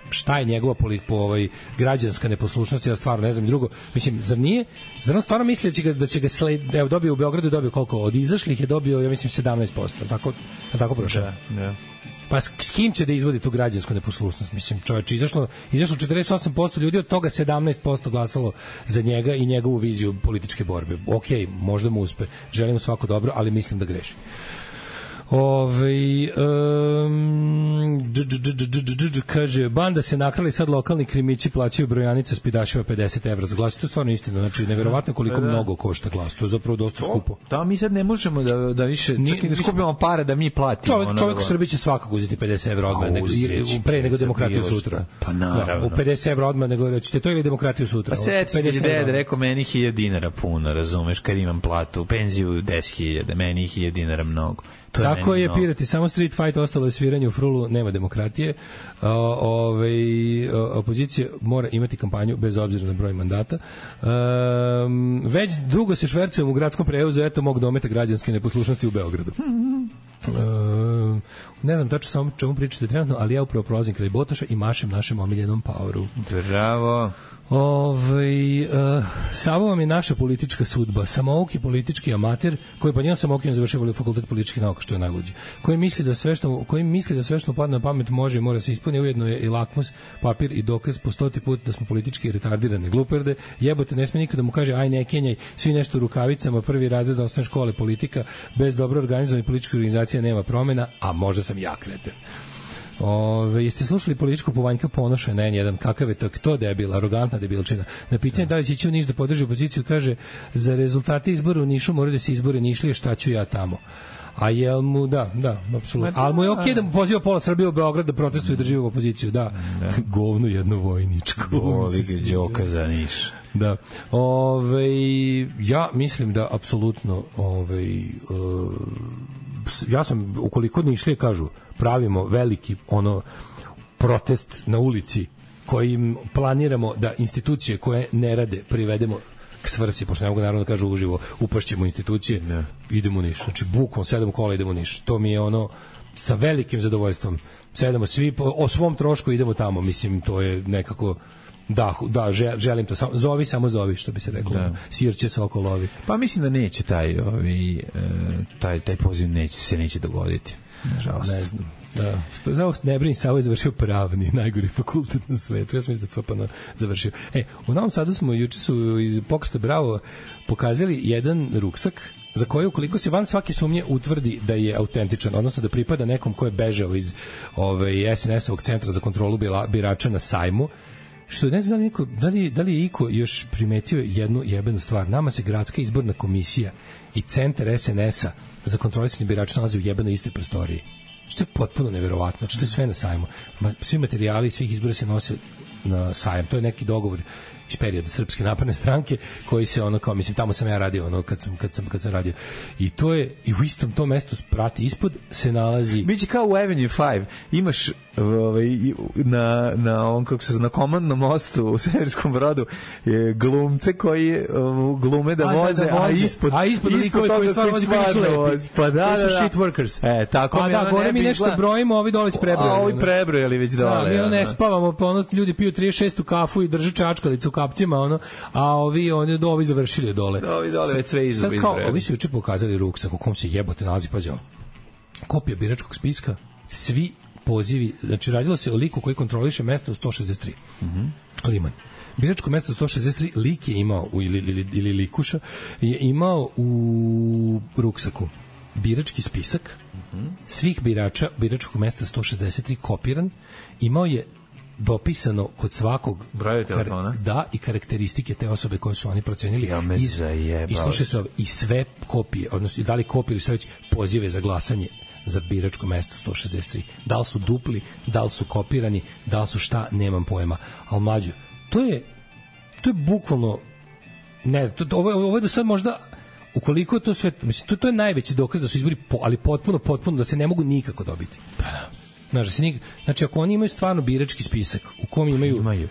šta je njegova polit, po ovaj građanska neposlušnost, ja stvarno ne znam. Drugo, mislim, zar nije, zar on stvarno misli da će ga, da će ga sled, evo, dobio u Beogradu, dobio koliko, od izašlih je dobio, ja mislim, sedamnaest posto, tako, tako prošao. Da, da. Pa s, s kim će da izvodi tu građansku neposlušnost? Mislim, čovječ, izašlo, izašlo četrdeset osam posto ljudi, od toga sedamnaest posto glasalo za njega i njegovu viziju političke borbe. Okej, možda mu uspe, želim mu svako dobro, ali mislim da greši. Ove, um, dž, dž, dž, dž, dž, kaže, banda se nakrali, sad lokalni krimići plaćaju brojanice s pidašima pedeset evra za glas. To je stvarno istina, znači neverovatno koliko da, mnogo košta glas, to je zapravo dosta skupo. Da, mi sad ne možemo da, da više, čak i da skupimo pare da mi platimo. Čovjek, čovjek u Srbiji će svakako uzeti pedeset evra odmah, nego, pre nego demokratiju sutra. Pa naravno. Da, u pedeset evra odmah, nego ćete to ili demokratiju sutra. Pa sedam hiljada, rekao, meni hiljadu dinara puno, razumeš, kad imam platu, penziju deset hiljada, meni hiljadu dinara mnogo. Je tako je, pirati, samo street fight, ostalo je sviranje u frulu, nema demokratije. O, ove, opozicija mora imati kampanju bez obzira na broj mandata. Um, već dugo se švercujem u gradskom prevozu, eto mog dometa građanske neposlušnosti u Beogradu. Um, ne znam tačno samo čemu pričate trenutno, ali ja upravo prolazim kraj Botoša i mašem našem omiljenom Poweru. Bravo. Ovaj uh, Savo vam je naša politička sudba. Samouki politički amater koji pa njemu Samouki završio fakultet političkih nauka, što je najluđe. Koji misli da sve što koji misli da sve što padne na pamet može i mora se ispuni, ujedno je i lakmus papir i dokaz po stoti put da smo politički retardirane gluperde. Jebote, ne sme nikada da mu kaže aj ne kenjaj, svi nešto u rukavicama, prvi razred osnovne škole politika, bez dobro organizovane političke organizacije nema promena, a možda sam ja kreten. Ove, jeste slušali političku Povanjka Ponoša na en jedan, kakav je to, to debil, arogantna debilčina. Na pitanje da li će ići u Niš da podrži opoziciju, kaže, za rezultate izbora u Nišu moraju da se izbore Nišlije, šta ću ja tamo. A jel mu, da, da, apsolutno. Ali mu je okej da mu poziva pola Srbije u Beograd da protestuje i drži u opoziciju, da. da. Govno jedno vojničko. Voli ga Đoka za Niš. Da. Ove, ja mislim da apsolutno ove, uh, ja sam, ukoliko Nišlije kažu pravimo veliki ono protest na ulici kojim planiramo da institucije koje ne rade privedemo k svrsi, pošto ne mogu naravno da kažu uživo upašćemo institucije, ne. Idemo u Niš, znači bukom sedam kola idemo u Niš, to mi je ono sa velikim zadovoljstvom, sedamo svi o svom trošku idemo tamo, mislim to je nekako da, da, želim to, zovi samo zovi, što bi se reklo, da. Sirće se oko lovi. Pa mislim da neće taj, ovi, taj, taj poziv neće, se neće dogoditi. Nažalost. Ne znam. Da. Za ovo ne brini, Savo je završio pravni, najgori fakultet na svetu. Ja sam mislim da F P N završio. E, u Novom Sadu smo, juče su iz Pokreta Bravo pokazali jedan ruksak za koji ukoliko se van svake sumnje utvrdi da je autentičan, odnosno da pripada nekom ko je bežao iz ove, es en es-ovog centra za kontrolu birača na sajmu, što ne znam da li, niko, da, li, da li je Iko još primetio jednu jebenu stvar. Nama se gradska izborna komisija i centar es en es-a za kontrolisanje birača nalazi u jebenoj istoj prostoriji. Što je potpuno neverovatno. Znači, to je sve na sajmu. Svi materijali svih izbora se nose na sajam. To je neki dogovor iz perioda Srpske napredne stranke koji se ono kao, mislim, tamo sam ja radio ono kad sam, kad sam, kad sam radio. I to je, i u istom tom mestu prati ispod se nalazi... Biće kao u Avenue pet. Imaš ovaj, na, na, on, kako se, na komandnom mostu u Severskom Brodu je glumce koji uh, glume da voze, a, da, da voze. a ispod, a ispod, ispod koji, koji stvarno vozi, koji su lepi. Pa da, da, da. Shit workers. E, tako pa da, gore mi nešto izgleda... brojimo, ovi dole prebrojali. A ovi prebrojali već dole. Da, mi ono ne spavamo, pa ono ljudi piju trideset šestu kafu i drže čačkalicu u kapcima, ono, a ovi, oni, ovi završili dole. Da, ovi dole već sve izbrojali. Sad kao, ovi su juče pokazali ruksak u kom se jebote nalazi, pazi ovo. Kopija biračkog spiska, svi pozivi, znači radilo se o liku koji kontroliše mesto u sto šezdeset tri. Mhm. Liman. Biračko mesto sto šezdeset tri lik je imao, ili, ili, ili likuša, je imao u ruksaku birački spisak uh-huh. svih birača biračkog mesta sto šezdeset tri kopiran, imao je dopisano kod svakog broja telefona. Kar, da, i karakteristike te osobe koje su oni procenili. Ja me zajebao. I slušaj se, i sve kopije, odnosno da li kopije ili sve već pozive za glasanje za biračko mesto sto šezdeset tri. Da li su dupli, da li su kopirani, da li su šta, nemam pojma. Al mlađo, to je to je bukvalno ne znam, to, ovo, ovo je do sad možda ukoliko to sve, mislim, to, to je najveći dokaz da su izbori, po, ali potpuno, potpuno da se ne mogu nikako dobiti. Pa da. Znači, da se nik, znači, ako oni imaju stvarno birački spisak u kom imaju... Imaju.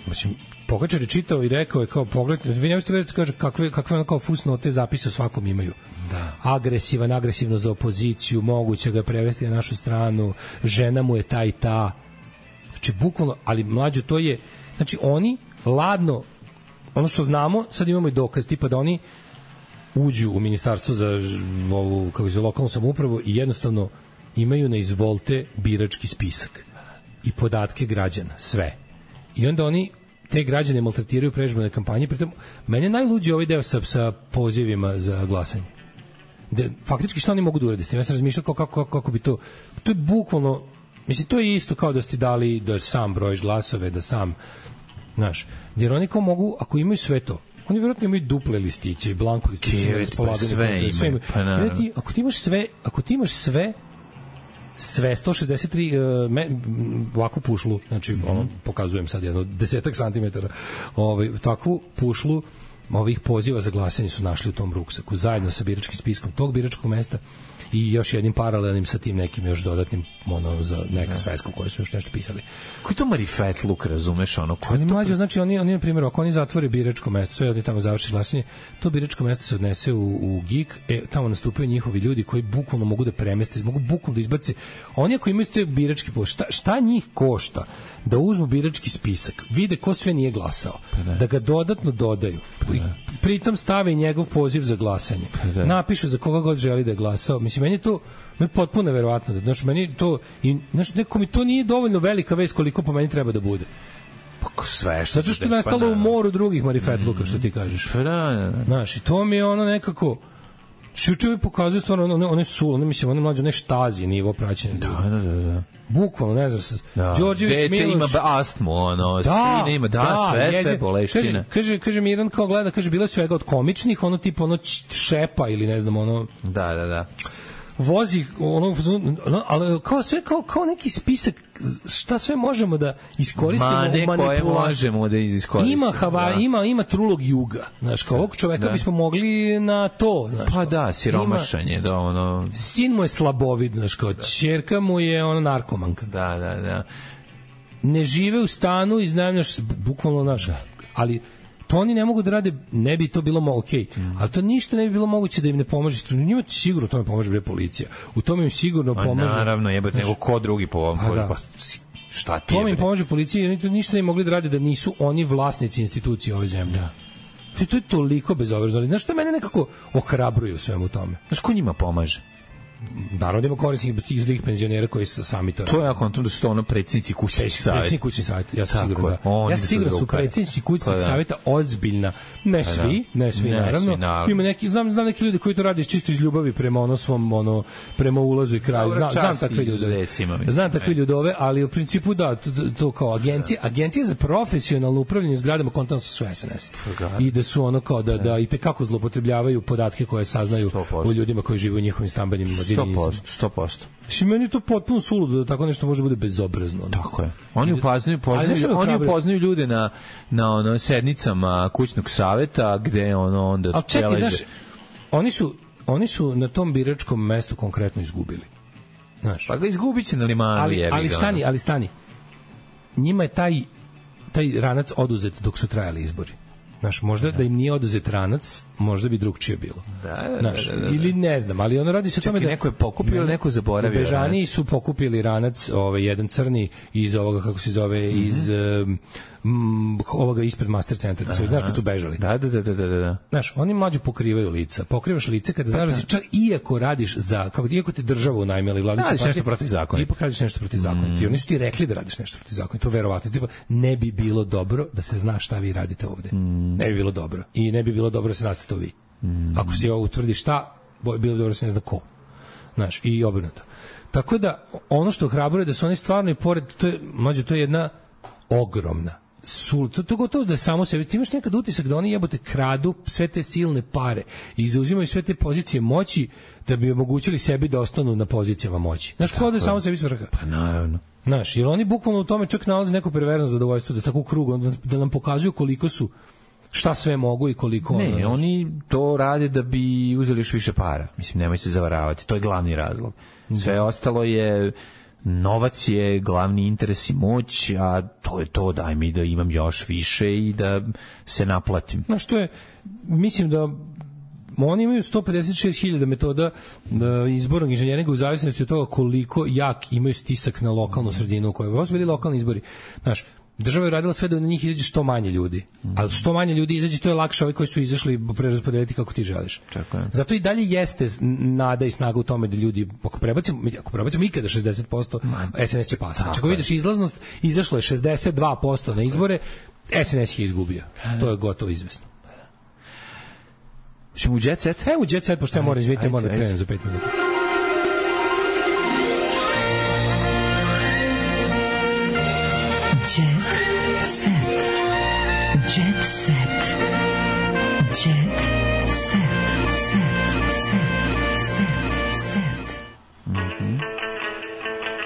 Mislim, Pogačar je čitao i rekao je kao, pogledajte, vi ne možete veriti, kaže, kakve, kakve ono kao fusnote zapise o svakom imaju. Da. Agresivan, agresivno za opoziciju, moguće ga prevesti na našu stranu, žena mu je ta i ta. Znači, bukvalno, ali mlađo, to je, znači, oni ladno, ono što znamo, sad imamo i dokaz, tipa da oni uđu u ministarstvo za ovu, kako se lokalnu samoupravu i jednostavno imaju na izvolte birački spisak i podatke građana, sve. I onda oni te građane maltretiraju predizborne kampanje, pritom mene najluđi ovaj deo sa, sa pozivima za glasanje. De, faktički šta oni mogu da urade s tim? Ja sam razmišljao kako, kako, kako bi to... To je bukvalno... Mislim, to je isto kao da ste dali da sam brojiš glasove, da sam... Znaš, jer oni kao mogu, ako imaju sve to, oni vjerojatno imaju duple listiće i blanko listiće na raspolaganju. Sve imaju. Pa ti, ako ti imaš sve, ako ti imaš sve, sve sto šezdeset tri uh, me, ovakvu pušlu, znači mm-hmm. ono, pokazujem sad jedno desetak santimetara, ovaj, takvu pušlu ovih poziva za glasanje su našli u tom ruksaku, zajedno sa biračkim spiskom tog biračkog mesta i još jednim paralelnim sa tim nekim još dodatnim ono za neka sveska u kojoj su još nešto pisali. Koji to marifetluk, razumeš, ono koji oni mlađe, znači oni oni na primjer ako oni zatvore biračko mesto, sve oni tamo završi glasanje, to biračko mesto se odnese u u G I K, e tamo nastupaju njihovi ljudi koji bukvalno mogu da premeste, mogu bukvalno da izbace. Oni ako imaju te birački post, šta, šta njih košta da uzmu birački spisak, vide ko sve nije glasao, da. da ga dodatno dodaju. Da. Pritom stave i njegov poziv za glasanje. Da. Napišu za koga god želi da je glasao. Mislim, meni je to meni je potpuno neverovatno. Znači, meni to, i, znači, neko mi to nije dovoljno velika vest koliko po meni treba da bude. Pa sve što... Zato što je nastalo pa, u moru drugih marifetluka, što ti kažeš. Pa da, da, da. Znaš, i to mi je ono nekako... Šučevi pokazuju stvarno, one, one su, one, mislim, one mlađe, one štazi nivo praćenja. Da, da, da, da. Bukvalno, ne znam, da. Đorđević Dete Miloš... ima astmu, ono, da, sine ima, da, da sve, jeze, sve boleštine. Kaže, kaže, kaže Miran kao gleda, kaže, bilo je svega od komičnih, ono tipa, ono šepa ili ne znam, ono... Da, da, da. Vozi, ono, ono ali kao sve, kao, kao neki spisak šta sve možemo da iskoristimo Ma, u manipulaciju. možemo da iskoristimo. Ima, hava, da. ima, ima trulog juga. Znaš, kao ovog čoveka da. bismo mogli na to. Znaš, pa da, siromašanje. Ima, da, ono... Sin mu je slabovid, znaš, kao da. Ćerka mu je ono narkomanka. Da, da, da. Ne žive u stanu i znajemljaš bukvalno naš. Ali to oni ne mogu da rade, ne bi to bilo moguće, okay. mm. ali to ništa ne bi bilo moguće da im ne pomaže. Njima sigurno tome pomaže bre policija. U tome im sigurno pomaže. A naravno, jebate, nego ko drugi po ovom. Pa, da. Pa, šta ti je? Tome im pomaže policija, jer ništa ne mogli da rade da nisu oni vlasnici institucije ove zemlje. Da. To je toliko bezobrazno. Znaš što mene nekako ohrabruje u svemu tome? Znaš ko njima pomaže? Naravno ima korisnih tih zlih penzionera koji su sami to. To je ako da su to ono predsjednici kućnih savjeta. Predsjednici kućnih savjeta, ja sam siguran da. Ja sam siguran su predsjednici kućnih pa, da. savjeta ozbiljna. Ne svi, ne svi ne naravno. Svi, naravno. Ima neki znam znam neki ljudi koji to rade čisto iz ljubavi prema ono svom ono prema ulazu i kraju. Znam, znam takve ljude. Znam takve ljude, ali u principu da to, to kao agencije, agencije za profesionalno upravljanje zgradama kontantno su sve S N S. I da su ono kao da da i te kako zloupotrebljavaju podatke koje saznaju o ljudima koji žive u njihovim stambenim sto posto, sto posto. Što meni je to potpuno suludo da tako nešto može bude bezobrazno. Tako je. Oni upoznaju, poznaju, oni upoznaju ljude na na ono sednicama kućnog saveta gde ono onda ali čekaj, znaš, oni su oni su na tom biračkom mestu konkretno izgubili. Znaš. Pa ga izgubiće na limanu, ali, jebi ali ga, stani, ali stani. Njima je taj taj ranac oduzet dok su trajali izbori. Znaš, možda da. da im nije oduzet ranac, možda bi drugčije bilo. Da, da, znaš, da, da, da. ili ne znam, ali ono radi se o tome da... neko je pokupio ili neko zaboravio. Bežani su pokupili ranac, ovaj, jedan crni iz ovoga, kako se zove, mm-hmm. iz um, ovoga ispred Master centra, znaš kad su bežali. Da, da, da, da, da. Znaš, oni mlađe pokrivaju lica. Pokrivaš lice kada znaš da si čak iako radiš za, kako iako te državu unajmili vladajući partije, nešto protiv zakona. Ipak radiš nešto protiv zakona. Mm. Ti oni su ti rekli da radiš nešto protiv zakona. To verovatno. Tipa, ne bi bilo dobro da se zna šta vi radite ovde. Mm. Ne bi bilo dobro. I ne bi bilo dobro da se znate to vi. Mm. Ako se ovo utvrdi šta, bilo bi dobro da se ne zna ko. Znaš, i obrnuto. Tako da, ono što ohrabruje da su oni stvarno i pored, to je, mlađe, to je jedna ogromna. Sul, to, to gotovo da je samo sebi. Ti imaš nekad utisak da oni jebote kradu sve te silne pare i zauzimaju sve te pozicije moći da bi omogućili sebi da ostanu na pozicijama moći. Znaš, kao da je samo sebi svrha. Pa naravno. Znaš, jer oni bukvalno u tome čak nalaze neko perverzno zadovoljstvo, da tako u krugu, da nam pokazuju koliko su, šta sve mogu i koliko... Ne, ono, oni to rade da bi uzeli još više para. Mislim, nemoj se zavaravati, to je glavni razlog. Sve da. Ostalo je... Novac je glavni interes i moć, a to je to, daj mi da imam još više i da se naplatim. Znaš, to je, mislim da oni imaju sto pedeset šest hiljada metoda izbornog inženjeringa u zavisnosti od toga koliko jak imaju stisak na lokalnu sredinu u kojoj su bili lokalni izbori. Znaš, država je radila sve da na njih izađe što manje ljudi. Ali što manje ljudi izađe, to je lakše ovi koji su izašli preraspodeliti kako ti želiš. Tako je. Zato i dalje jeste nada i snaga u tome da ljudi, ako prebacimo, ako prebacimo ikada šezdeset posto, S N S će pasti. Znači, ako vidiš izlaznost, izašlo je šezdeset dva posto na izbore, S N S je izgubio. To je gotovo izvesno. Ćemo u jet set? Evo u jet set, pošto ja moram izvijeti, moram da krenem za pet minuta.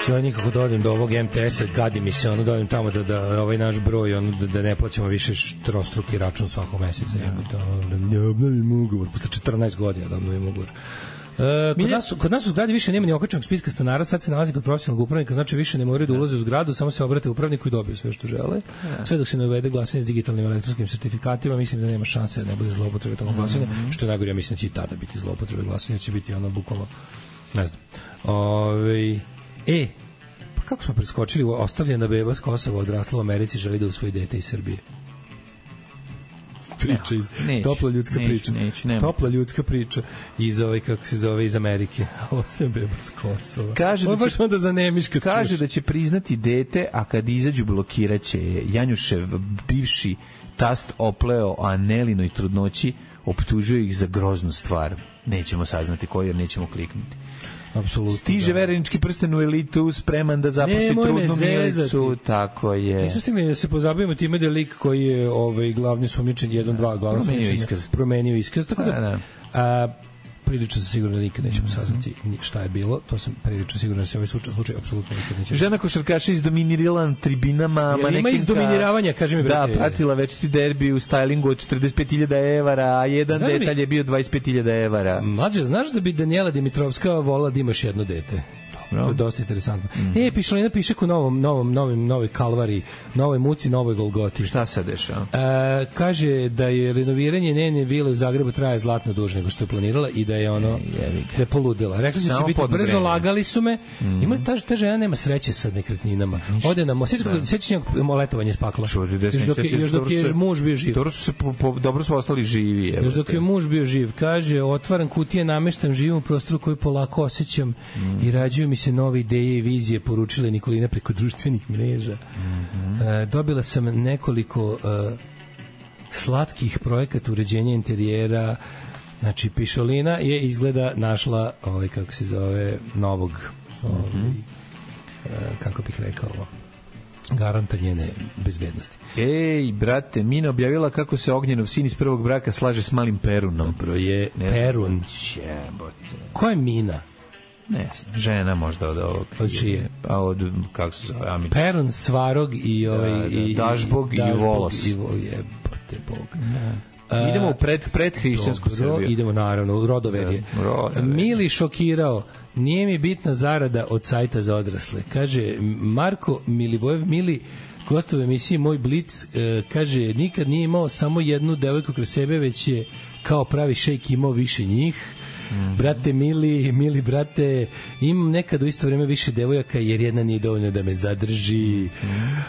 Ja nikako da odem do ovog M T S-a, gadi mi se, ono, da odem tamo da, da ovaj naš broj, ono, da, da ne plaćamo više trostruki račun svakog meseca, jebote, ono, da ne obnovim ugovor, posle četrnaest godina da obnovim ugovor. E, kod, nas, kod nas u zgradi više nema ni okačenog spiska stanara, sad se nalazi kod profesionalnog upravnika, znači više ne moraju da ulaze u zgradu, samo se obrate upravniku i dobiju sve što žele. Sve dok se ne uvede glasanje s digitalnim elektronskim sertifikatima, mislim da nema šanse da ne bude zloupotrebe tog glasanja, što je najgore, ja mislim da će i tada biti zloupotrebe glasanja, će biti ono bukvalno, ne znam. Ove, e, pa kako smo preskočili, ostavljena beba s Kosova odrasla u Americi, želi da usvoji dete iz Srbije. Priča iz, neću, topla ljudska neću, priča. Neću, neću, topla ljudska priča iz ove, kako se zove, iz Amerike. Ostavljena beba s Kosova. Kaže ovo da baš onda zanemiš kad kaže čuš. Da će priznati dete, a kad izađu blokiraće je. Janjušev bivši tast opleo Anelinoj trudnoći, optužuje ih za groznu stvar. Nećemo saznati koji, jer nećemo kliknuti. Apsolutno. Stiže da. Verenički prsten u elitu, spreman da zaposli trudnu milicu, tako je. Nismo stigli da se pozabavimo time da je lik koji je ovaj, glavni sumnjičan, jedan, dva, glavni promenio sumnjičan, iskaz. promenio iskaz, tako da, da, da. A, prilično sam siguran da nikad nećemo saznati šta je bilo, to sam prilično siguran da se ovaj slučaj apsolutno nikad nećemo. Žena košarkaša izdominirala na tribinama, manekinka. Ima izdominiravanja, kaži mi brate. Da, pratila večiti derbi u stylingu od četrdeset pet hiljada evra, a jedan znaš detalj mi, je bio dvadeset pet hiljada evra. Mlađe, znaš da bi Danijela Dimitrovska volila da imaš jedno dete? To je dosta interesantno. Mm. E, Pišolina piše u novom, novom, novim, novoj kalvari, novoj muci, novoj Golgoti. Šta se dešava? E, kaže da je renoviranje njene vile u Zagrebu traje zlatno duže nego što je planirala i da je ono da je poludela. Rekli su da će biti brzo, lagali su me. Mm. Ima ta, ta žena nema sreće sa nekretninama. Ode na sećanje letovanje spakla. Još dok je, još dok je muž bio živ. Dobro su se po, po, dobro su ostali živi. Evo još dok je muž bio živ. Kaže, otvaram kutije, nameštam, živim u prostoru koji polako osjećam mm. i rađuju mi se nove ideje i vizije, poručila Nikolina preko društvenih mreža. Mm-hmm. E, dobila sam nekoliko e, slatkih projekata uređenja interijera. Znači, Pišolina je izgleda našla ovaj, kako se zove, novog ovaj, mm-hmm. e, kako bih rekao ovo, garanta njene bezbednosti. Ej, brate, Mina objavila kako se Ognjenov sin iz prvog braka slaže s malim Perunom. Dobro je, ne, Perun. Jebote. Ko je Mina? Ne, žena možda od ovog. Od čije? Pa od, kako se zove, Amin. Perun, Svarog i ovaj... Da, da, i, Dažbog i, Dažbog Volos. I jebote Bog. Da. Uh, idemo u pred, pred hrišćansku Srbiju. Idemo naravno, u rodoverje. Da, rodoverje. Mili šokirao, nije mi bitna zarada od sajta za odrasle. Kaže, Marko Milivojev Mili, gostovo emisiji Moj Blic, eh, kaže, nikad nije imao samo jednu devojku kroz sebe, već je kao pravi šejk imao više njih. Mm. Brate mili, mili brate, imam nekad u isto vreme više devojaka jer jedna nije dovoljno da me zadrži. Mm.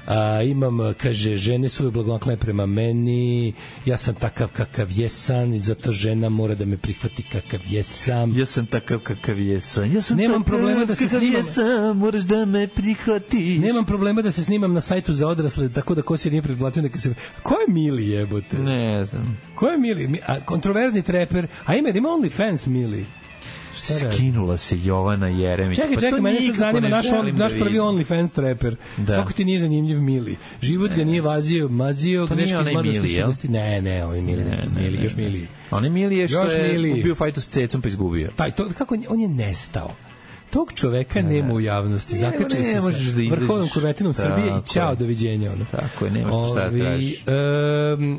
A, imam, kaže, žene su blagonaklone prema meni, ja sam takav kakav jesam i zato žena mora da me prihvati kakav jesam. Ja sam takav kakav jesam. Ja sam Nemam problema da se snimam. Jesam, moraš da me prihvatiš. Nemam problema da se snimam na sajtu za odrasle, tako da ko se nije pretplatio neka se... Ko je Mili jebote? Ne znam. Ko je Mili? A, kontroverzni treper. A ima, ima OnlyFans Mili. Skinula se Jovana Jeremić. Čekaj, pa čekaj, mene sad zanima naš, on, naš da prvi OnlyFans trapper. Da. Kako ti nije zanimljiv Mili? Život ga nije vazio, mazio, to greške iz mladosti jel? suvosti. Ne, ne, on je Mili, ne, ne, Mili, još Mili. On je Mili je što još je Mili. bio fajtu s cecom pa izgubio. Taj, to, kako on je nestao. Tog čoveka ne, nema u javnosti. Zakačili se sa da vrhovnom kurvetinom Srbije i ćao, doviđenja. Ono. Tako je, nema šta da tražiš. E,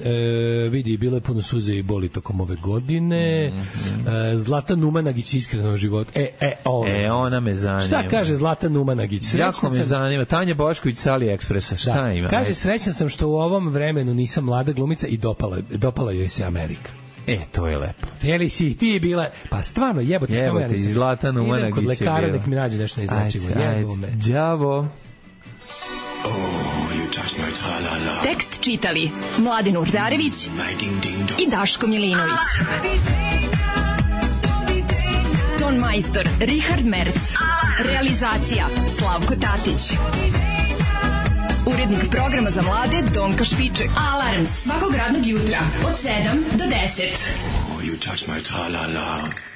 e, vidi, bilo je puno suze i boli tokom ove godine. Mm -hmm. e, Zlata Numanagić iskreno u životu. E, e, ovo. E, ona me zanima. Šta kaže Zlata Numanagić? Srećna jako me sam... zanima. Tanja Bošković sa AliExpressa. Šta da. ima? Kaže, srećna sam što u ovom vremenu nisam mlada glumica i dopala, dopala joj se Amerika. E, to je lepo. Jeli si ti bila, pa stvarno jebote, jebote samo ja nisam. Zlata Numanagić. Idem kod lekara nek mi nađe nešto neizlečivo. Jebo me. Đavo. Oh, you touch my tra-la-la. Tekst čitali Mladin Urdarević i Daško Milinović. Ton majstor Richard Merc. Realizacija Slavko Tatić. Urednik programa za mlade Donka Špiček. Alarms svakog radnog jutra od sedam do deset. Oh, you touch my tra-la-la.